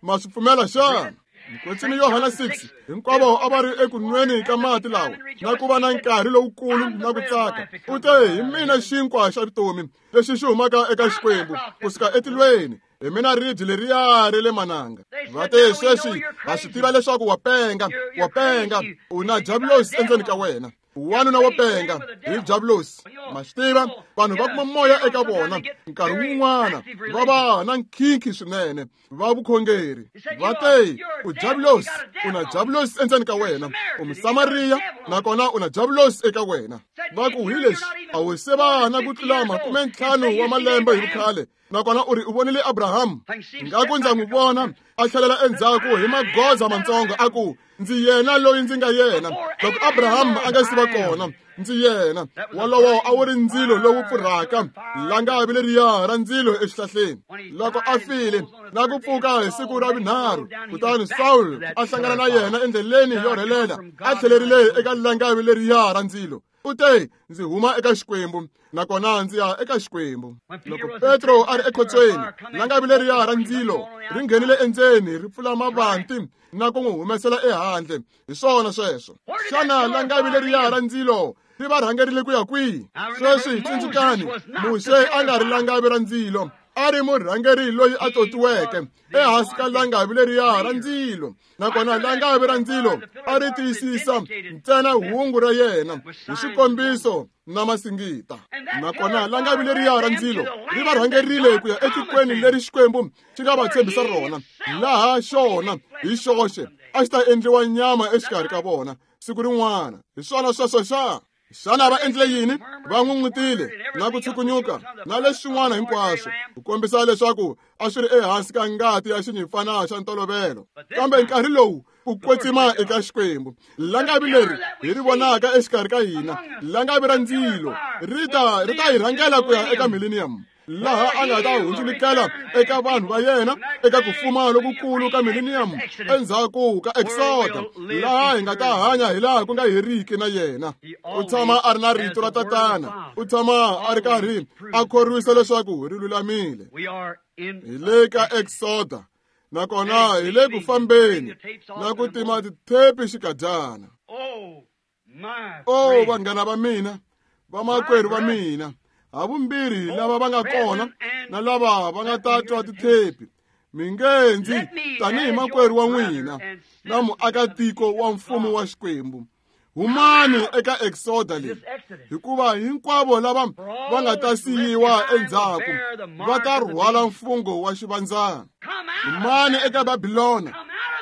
Ma swi pfumela xana? Mukwetsimi Yohana 6, hinkwavo a va ri eku nweni ka mati lawa na ku va na nkarhi lowukulu na ku tsaka. U te, hi mina xinkwa xa vutomi lexi xi humaka eka Xikwembu kusuka etilweni. Hi mina ribye leriya ra le mananga. Va te, sweswi ha swi tiva leswaku wa penga, wa penga, u na diabulosi endzeni ka wena. Wanuna wo penga hi diabulosi. Ma swi tiva, vanhu va kuma moya eka vona nkarhi wun'wana va va na nkhinkhi swinene va vukhongeri. Va te, u diabulosi, u na diabulosi endzeni ka wena, u Musamariya nakona u na diabulosi eka wena. Va ku, hi leswi a wu se va na ku tlula 50 wa malembe hi vukhale, nakona u ri u vonile Abraham. Ngaku ndza n'wi vona a tlhelela endzhaku hi magoza mantsongo a ku, ndzi yena loyi ndzi nga yena. Loko Abraham a nga si va kona, ndzi yena. Wolowo a wu ri ndzilo lowu pfurhaka, langavi leriya ra ndzilo exihlahleni. Loko a file na ku pfuka hi siku ra vunharhu, kutani Saul a hlangana na yena endleleni yo rhelela, a tlhelerile eka langavi leriya ra ndzilo. U te, ndzi huma eka Xikwembu nakona ndzi ya eka Xikwembu. Loko Petro a ri ekhotsweni, langavi leriya ra ndzilo ri nghenile endzeni ri pfula mavanti na ku n'wi humesela ehandle. Hi swona sweswo. Xana langavi leriya ra ndzilo ri va rhangerile ku ya kwihi? Sweswi tsundzukani, Muxe a nga ri langavi ra ndzilo, a ri murhangeri loyi a totiweke ehansi ka langavi leriya ra ndzilo. Nakona langavi ra ndzilo a ri tiyisisa ntsena hungu ra yena hi swikombiso na masingita. Nakona langavi leriya ra ndzilo ri va rhangerile ku ya etikweni leri Xikwembu xi nga va tshembisa rona, laha xona hi xoxe a xi ta endliwa nyama exikarhi ka vona siku rin'wana. Hi swona sweswo xa? Xana va endlile yini? Va n'un'utile na ku tshukunyuka na leswin'wana hinkwaswo ku kombisa leswaku a swi ri ehansi ka ngati ya xinyimpfana xa ntolovelo. Kambe nkarhi lowu ku kwetsima eka Xikwembu, langavi leri hi ri vonaka exikarhi ka hina, langavi ra ndzilo, ri ta hi rhangela ku ya eka millennium, laha a nga ta hundzulukela eka vanhu va yena eka ku fuma lokukulu ka millennium endzhaku ka Exoda, laha hi nga ta hanya hi laha ku nga heriki na yena. U tshama a ri na rito ra Tatana, u tshama a ri karhi a khorwisa leswaku ri lulamile. Hi le ka Exoda, nakona hi le ku fambeni na ku tima tithepi xikadyana. O vanghana va mina, vamakwerhu va mina, havumbirhi lava va nga kona na lava va nga ta twa tithepi, mi nge ndzi tanihi makwerhu wa n'wina na muakatiko wa mfumo wa Xikwembu, humani eka Exoda leyi, hikuva hinkwavo lava va nga ta siyiwa endzhaku va ta rhwala mfungho wa xivandzana. Humani eka Babilona,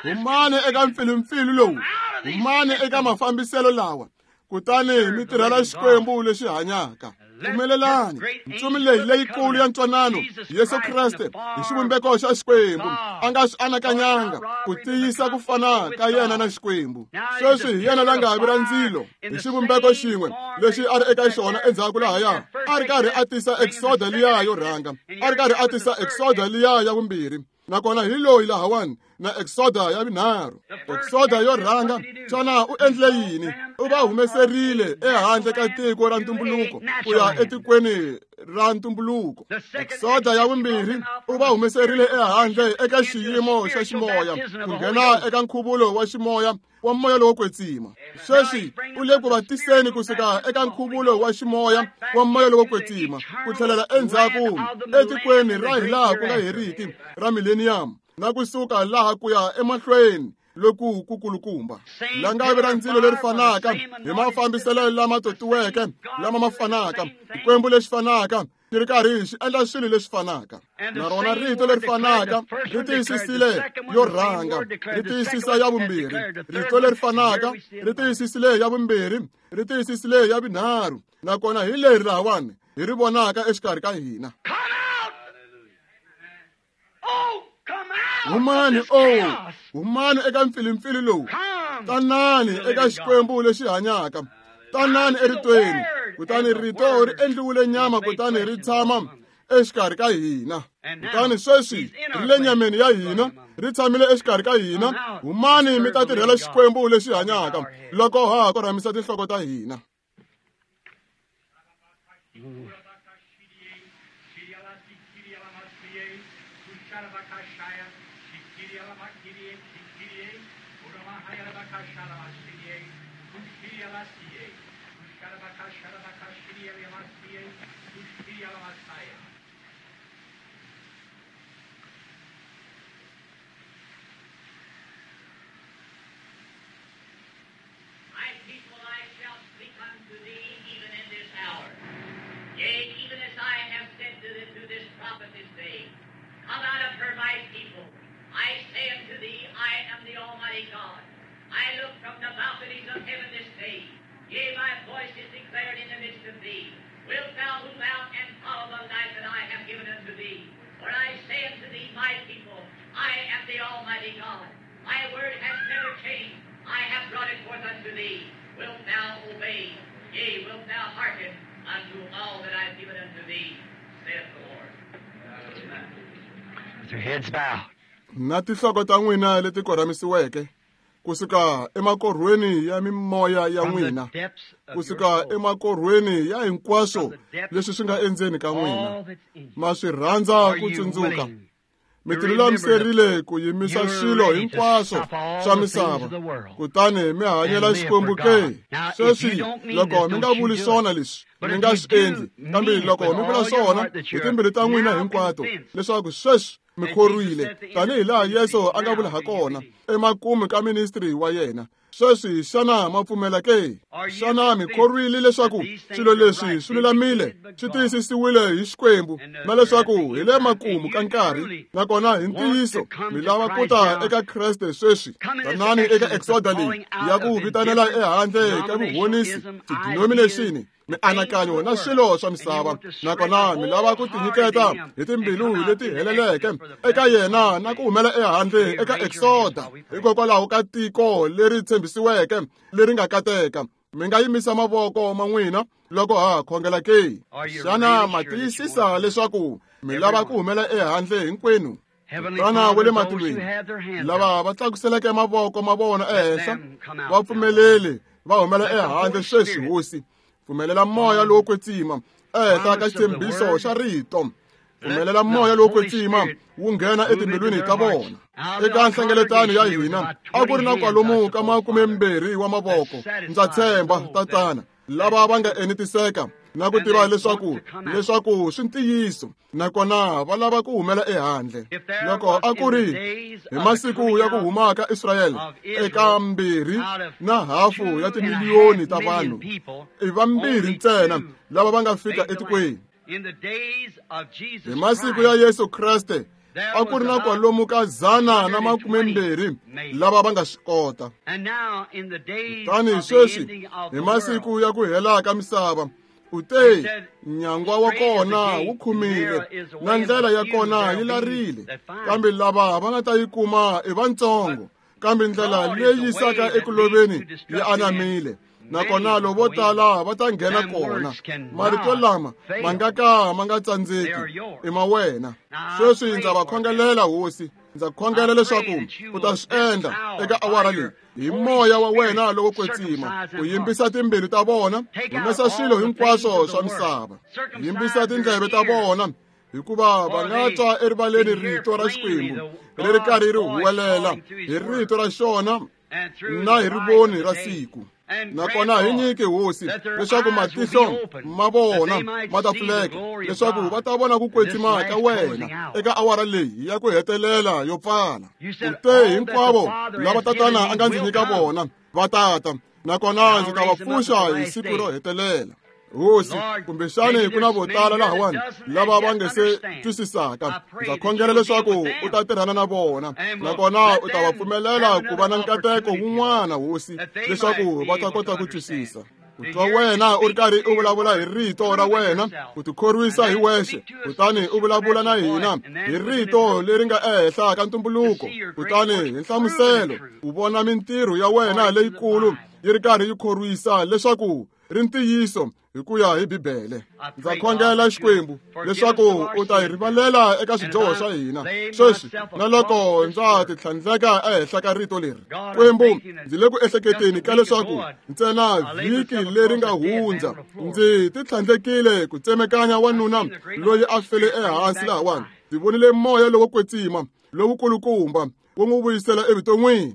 humani eka mpfilumpfilu lowu, humani eka mafambiselo lawa, kutani mi tirhela Xikwembu lexi hanyaka. Pfumelelani ntsumi leyi leyikulu ya ntwanano, Yesu Kreste, hi xivumbeko xa Xikwembu, a nga swi anakanyanga ku tiyisa ku fana ka yena na Xikwembu. Sweswi hi yena langavi ra ndzilo hi xivumbeko xin'we lexi a ri eka xona endzhaku lahaya, a ri karhi a tisa Exoda liya yo rhanga, a ri karhi a tisa Exoda liya ya vumbirhi. Nakona hi loyi lahawani na Exoda ya vunharhu. Exoda yo rhanga, xana u endlile yini? U va humeserile ehandle ka tiko ra ntumbuluko ku ya etikweni ra ntumbuluko. Exoda ya vumbirhi, u va humeserile ehandle eka xiyimo xa ximoya ku nghena eka nkhuvulo wa ximoya wa moya lowo kwetsima. Sweswi u le ku va tiseni kusuka eka nkhuvulo wa ximoya wa moya lowo kwetsima ku tlhelela endzhaku etikweni ra hilaha ku nga heriki ra millennium, na kusuka laha ku ya emahlweni loku kukulukumba. Langavi ra ndzilo leri fanaka hi mafambiselo lama totiweke lama ma fanaka, Xikwembu lexi fanaka. xi ri karhi xi endla swilo leswi fanaka. Na rona rito leri fanaka ri tiyisisile yo rhanga, ri tiyisisa ya vumbirhi. Rito leri fanaka ri tiyisisile ya vumbirhi, ri tiyisisile ya vunharhu. Nakona hi leri lahawani hi ri vonaka exikarhi ka hina. Humani, o humani eka mpfilimpfili lowu. Tanani eka Xikwembu lexi hanyaka. Tanani eritweni. Kutani rito ri endliwile nyama kutani ri tshama exikarhi ka hina. Kutani sweswi ri le nyameni ya hina, ri tshamile exikarhi ka hina. Humani mi ta tirhela Xikwembu lexi hanyaka loko ha ha korhamisa tinhloko ta hina. My people, I shall speak unto thee even in this hour. Yea, even as I have said to this prophet this day, come out of her, my people. I say unto thee, I am the Almighty God. I look from the balconies of heaven this day. Yea, my voice is declared in the midst of thee. Wilt thou move out and follow the light that I have given unto thee? For I say unto thee, my people, I am the Almighty God. My word has never changed. I have brought it forth unto thee. Wilt thou obey? Yea, wilt thou hearken unto all that I have given unto thee, saith the Lord. With your heads bowed. Na tinhloko ta n'wina leti korhamisiweke, kusuka emakorhweni ya mimoya ya n'wina, kusuka emakorhweni ya hinkwaswo leswi swi nga endzeni ka n'wina, ma swi rhandza ku tsundzuka. Mi tilulamiserile ku yimisa swilo hinkwaswo swa misava, kutani mi hanyela Xikwembu ke. Sweswi loko mi nga vuli swona leswi, mi nga swi endli, kambe loko mi vula swona hi timbilu ta n'wina hinkwato, leswaku sweswi mi khorwile, tanihi laha Yesu a nga vula ha kona emakumu ka ministry wa yena. Sweswi xana ma pfumela ke? Xana mi khorwile leswaku swilo leswi swi lulamile, swi tiyisisiwile hi Xikwembu, na leswaku hi le makumu ka nkarhi, nakona hi ntiyiso mi lava ku ta eka Kreste sweswi? Tanani eka exoda leyi ya ku vitanela ehandle ka vuhonisi, tidenomination, mianakanyo na swilo swa misava, nakona mi lava ku tinyiketa hi timbilu leti heleleke eka yena na ku humela ehandle eka exoda hikokwalaho ka tiko leri tshembisiweke leri nga kateka. Mi nga yimisa mavoko ma n'wina loko ha khongela ke? Xana ma tiyisisa leswaku mi lava ku humela ehandle hinkwenu? Tana wa le matilweni, lava va tlakuseleke mavoko ma vona ehenhla, va pfumeleli va humela ehandle sweswi, Hosi. Pfumelela moya lowo kwetsima ehenhla ka xitshembiso xa rito. Pfumelela moya lowo kwetsima wu nghena etimbilwini ta vona. Eka nhlengeletano ya hina a ku ri na kwalomu ka 20 wa mavoko, ndza tshemba, tatana, lava va nga enetiseka na ku tiva leswaku swi ntiyiso, nakona va lava ku humela ehandle. Loko a ku ri hi masiku ya ku huma ka Israyele eka 2.5 ya timiliyoni ta vanhu, i vambirhi ntsena lava va nga fika etikweni. Hi masiku ya Yesu Kreste a ku ri na kwalomu ka 120 lava va nga swi kota. Kutani sweswi hi masiku ya ku hela ka misava, u te nyangwa wa kona wu khumile na ndlela ya kona yi larile, kambe lava va nga ta yi kuma i vantsongo, kambe ndlela leyi yisaka eku loveni yi anamile, nakona lovo tala va ta nghena kona. Marito lama ma nga ka ma nga tsandzeki i ma wena. Sweswi ndza va khongelela, Hosi. Ndza khongela leswaku u ta swi endla eka awara leyi hi moya wa wena lowo kwetsima, u yimbisa timbilu ta vona, humesa swilo hinkwaswo swa misava, yimbisa tindleve ta vona, hikuva va nga twa erivaleni rito ra Xikwembu ri ri karhi ri huwelela hi rito ra xona na hi rivoni ra siku. Nakona hi nyike, Hosi, leswaku matihlo ma vona ma ta pfuleka, leswaku va ta vona ku kwetsima ka wena eka awara leyi ya ku hetelela yo pfala. U te hinkwavo lava tatana a nga ndzi nyika vona va tata, nakona ndzi ta va pfuxa hi siku ro hetelela. Hosi, kumbexani ku na vo tala lahawani lava va nge se twisisaka. Ndza khongela leswaku u ta tirhana na vona, nakona u ta va pfumelela ku va na nkateko wun'wana, Hosi, leswaku va ta kota ku twisisa. Ku twa wena u ri karhi u vulavula hi rito ra wena, ku tikhorwisa hi wexe, kutani u vulavula na hina hi rito leri nga ehenhla ka ntumbuluko, kutani hi nhlamuselo u vona mintirho ya wena leyikulu yi ri karhi yi khorwisa leswaku ri ntiyiso hi ku ya hi Bibele. Ndza khongela, Xikwembu, leswaku u ta hi rivalela eka swidyoho swa hina sweswi na loko ndza titlhandleka ehenhla ka rito leri. Xikwembu, ndzi le ku ehleketeni ka leswaku ntsena vhiki leri nga hundza ndzi titlhandlekile ku tsemekanya wanuna loyi a fele ehansi lahawani. Ndzi vonile moya lowo kwetsima lowukulukumba wu n'wi vuyisela evuton'wini.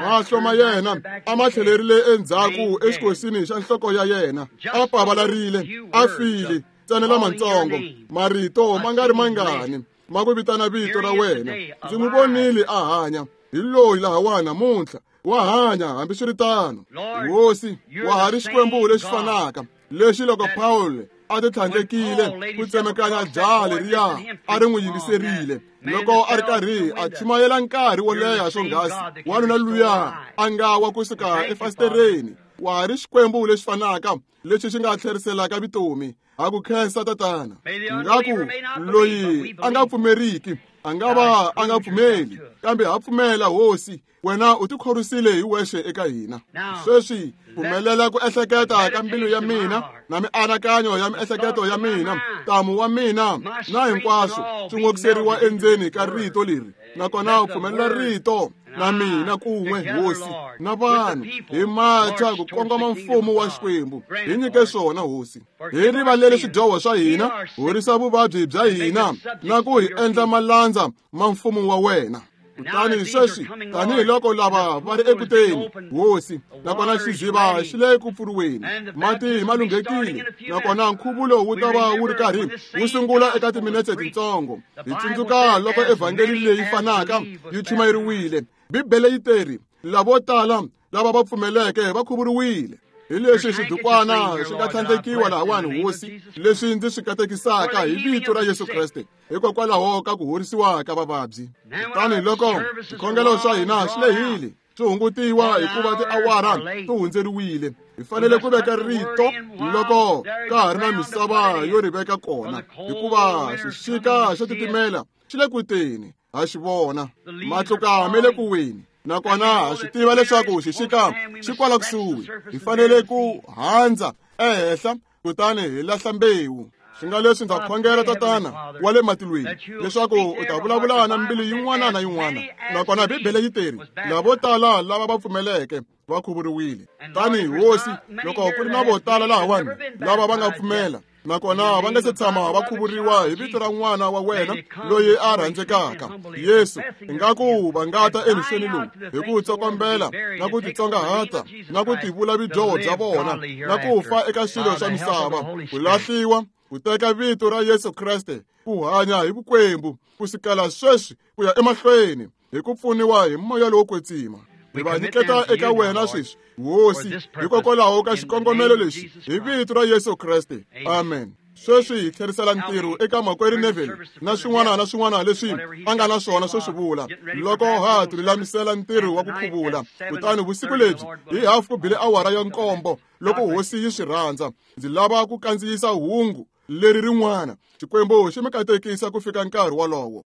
Mahlo ma yena a ma tlhelerile endzhaku exikosini xa nhloko ya yena, a pavalarile, a file, ntsena lamatsongo marito ma nga ri mangani ma ku vitana vito ra wena. Ndzi n'wi vonile a hanya. Hi loyi lahawani namuntlha, wa hanya hambiswiritano. Hosi, wa ha ri Xikwembu lexi fanaka lexi loko Paul a titlhandlekile ku tsemekanya jaha leriya a ri n'wi yingiserile loko a ri karhi a chumayela nkarhi wo leha swonghasi, wanuna luya a nga wa kusuka efasitereni. Wa ha ri Xikwembu lexi fanaka lexi xi nga tlheriselaka vutomi. Ha ku khensa, Tatana. Ngaku loyi a nga pfumeriki a nga va a nga pfumeli, kambe ha pfumela, Hosi, wena u tikhorwisile hi wexe eka hina. Sweswi pfumelela ku ehleketa ka mbilu ya mina na mianakanyo ya miehleketo ya mina, ntamu wa mina na hinkwaswo swi n'okiseriwa endzeni ka rito leri, nakona u pfumelela rito na mina kun'we, Hosi, na vanhu hi macha ku kongoma mfumo wa Xikwembu. Hi nyike swona, Hosi. Hi rivalele swidyoho swa hina, horisa vuvabyi bya hina na ku hi endla malandza ma mfumo wa wena. Kutani sweswi, tanihiloko lava va ri ekuteni, Hosi, nakona xiziva xi le ku pfuriweni, mati ma lunghekile, nakona nkhuvulo wu ta va wu ri karhi wu sungula eka timinetse tintsongo. Hi tsundzuka loko evhangeli leyi fanaka yi chumayeriwile, Bibele yi teri, lavo tala lava va pfumeleke va khuvuriwile. Hi leswi swidukwana swi nga tlhandlekiwa lahawani, Hosi, leswi ndzi swi katekisaka hi vito ra Yesu Kreste, hikokwalaho ka ku horisiwa ka vavabyi. Kutani loko swikhongelo swa hina swi lehile, swi hungutiwa hikuva tiawara ti hundzeriwile, hi fanele ku veka rito loko ka ha ri na misava yo ri veka kona, hikuva xixika xo titimela xi le ku teni. Ha xi vona matluka ma le ku weni, nakona ha swi tiva leswaku xixika xi kwala kusuhi. Hi fanele ku handza ehenhla kutani hi lahla mbewu. Swi nga leswi ndza khongela, Tatana wa le matilweni, leswaku u ta vulavula na mbilu yin'wana na yin'wana. Nakona Bibele yi teri, lavo tala lava va pfumeleke va khuvuriwile. Tani, Hosi, loko ku ri na vo tala lahawani lava va nga pfumela nakona va nga se tshama va khuvuriwa hi vito ra n'wana wa wena loyi a rhandzekaka Yesu, ingaku va nga ta emixeni lowu hi ku tsokombela na ku titsongahata na ku tivula vidyoho bya vona na ku fa eka swilo swa misava, ku lahliwa, ku teka vito ra Yesu Kreste, ku hanya hi vukwembu ku sukela sweswi ku ya emahlweni hi ku pfuniwa hi moya lowo kwetsima. Hi va nyiketa eka wena sweswi, Hosi, hikokwalaho ka xikongomelo lexi, hi vito ra Yesu Kreste, amen. Sweswi hi tlherisela ntirho eka makwerhu Neville na swin'wana na swin'wana leswi a nga na swona swo swi vula loko ha tilulamisela ntirho wa ku khuvula. Kutani vusiku lebyi hi hafu ku bile awara ya 7, loko Hosi yi swi rhandza, ndzi lava ku kandziyisa hungu leri rin'wana. Xikwembu xi mi katekisa ku fika nkarhi wolowo.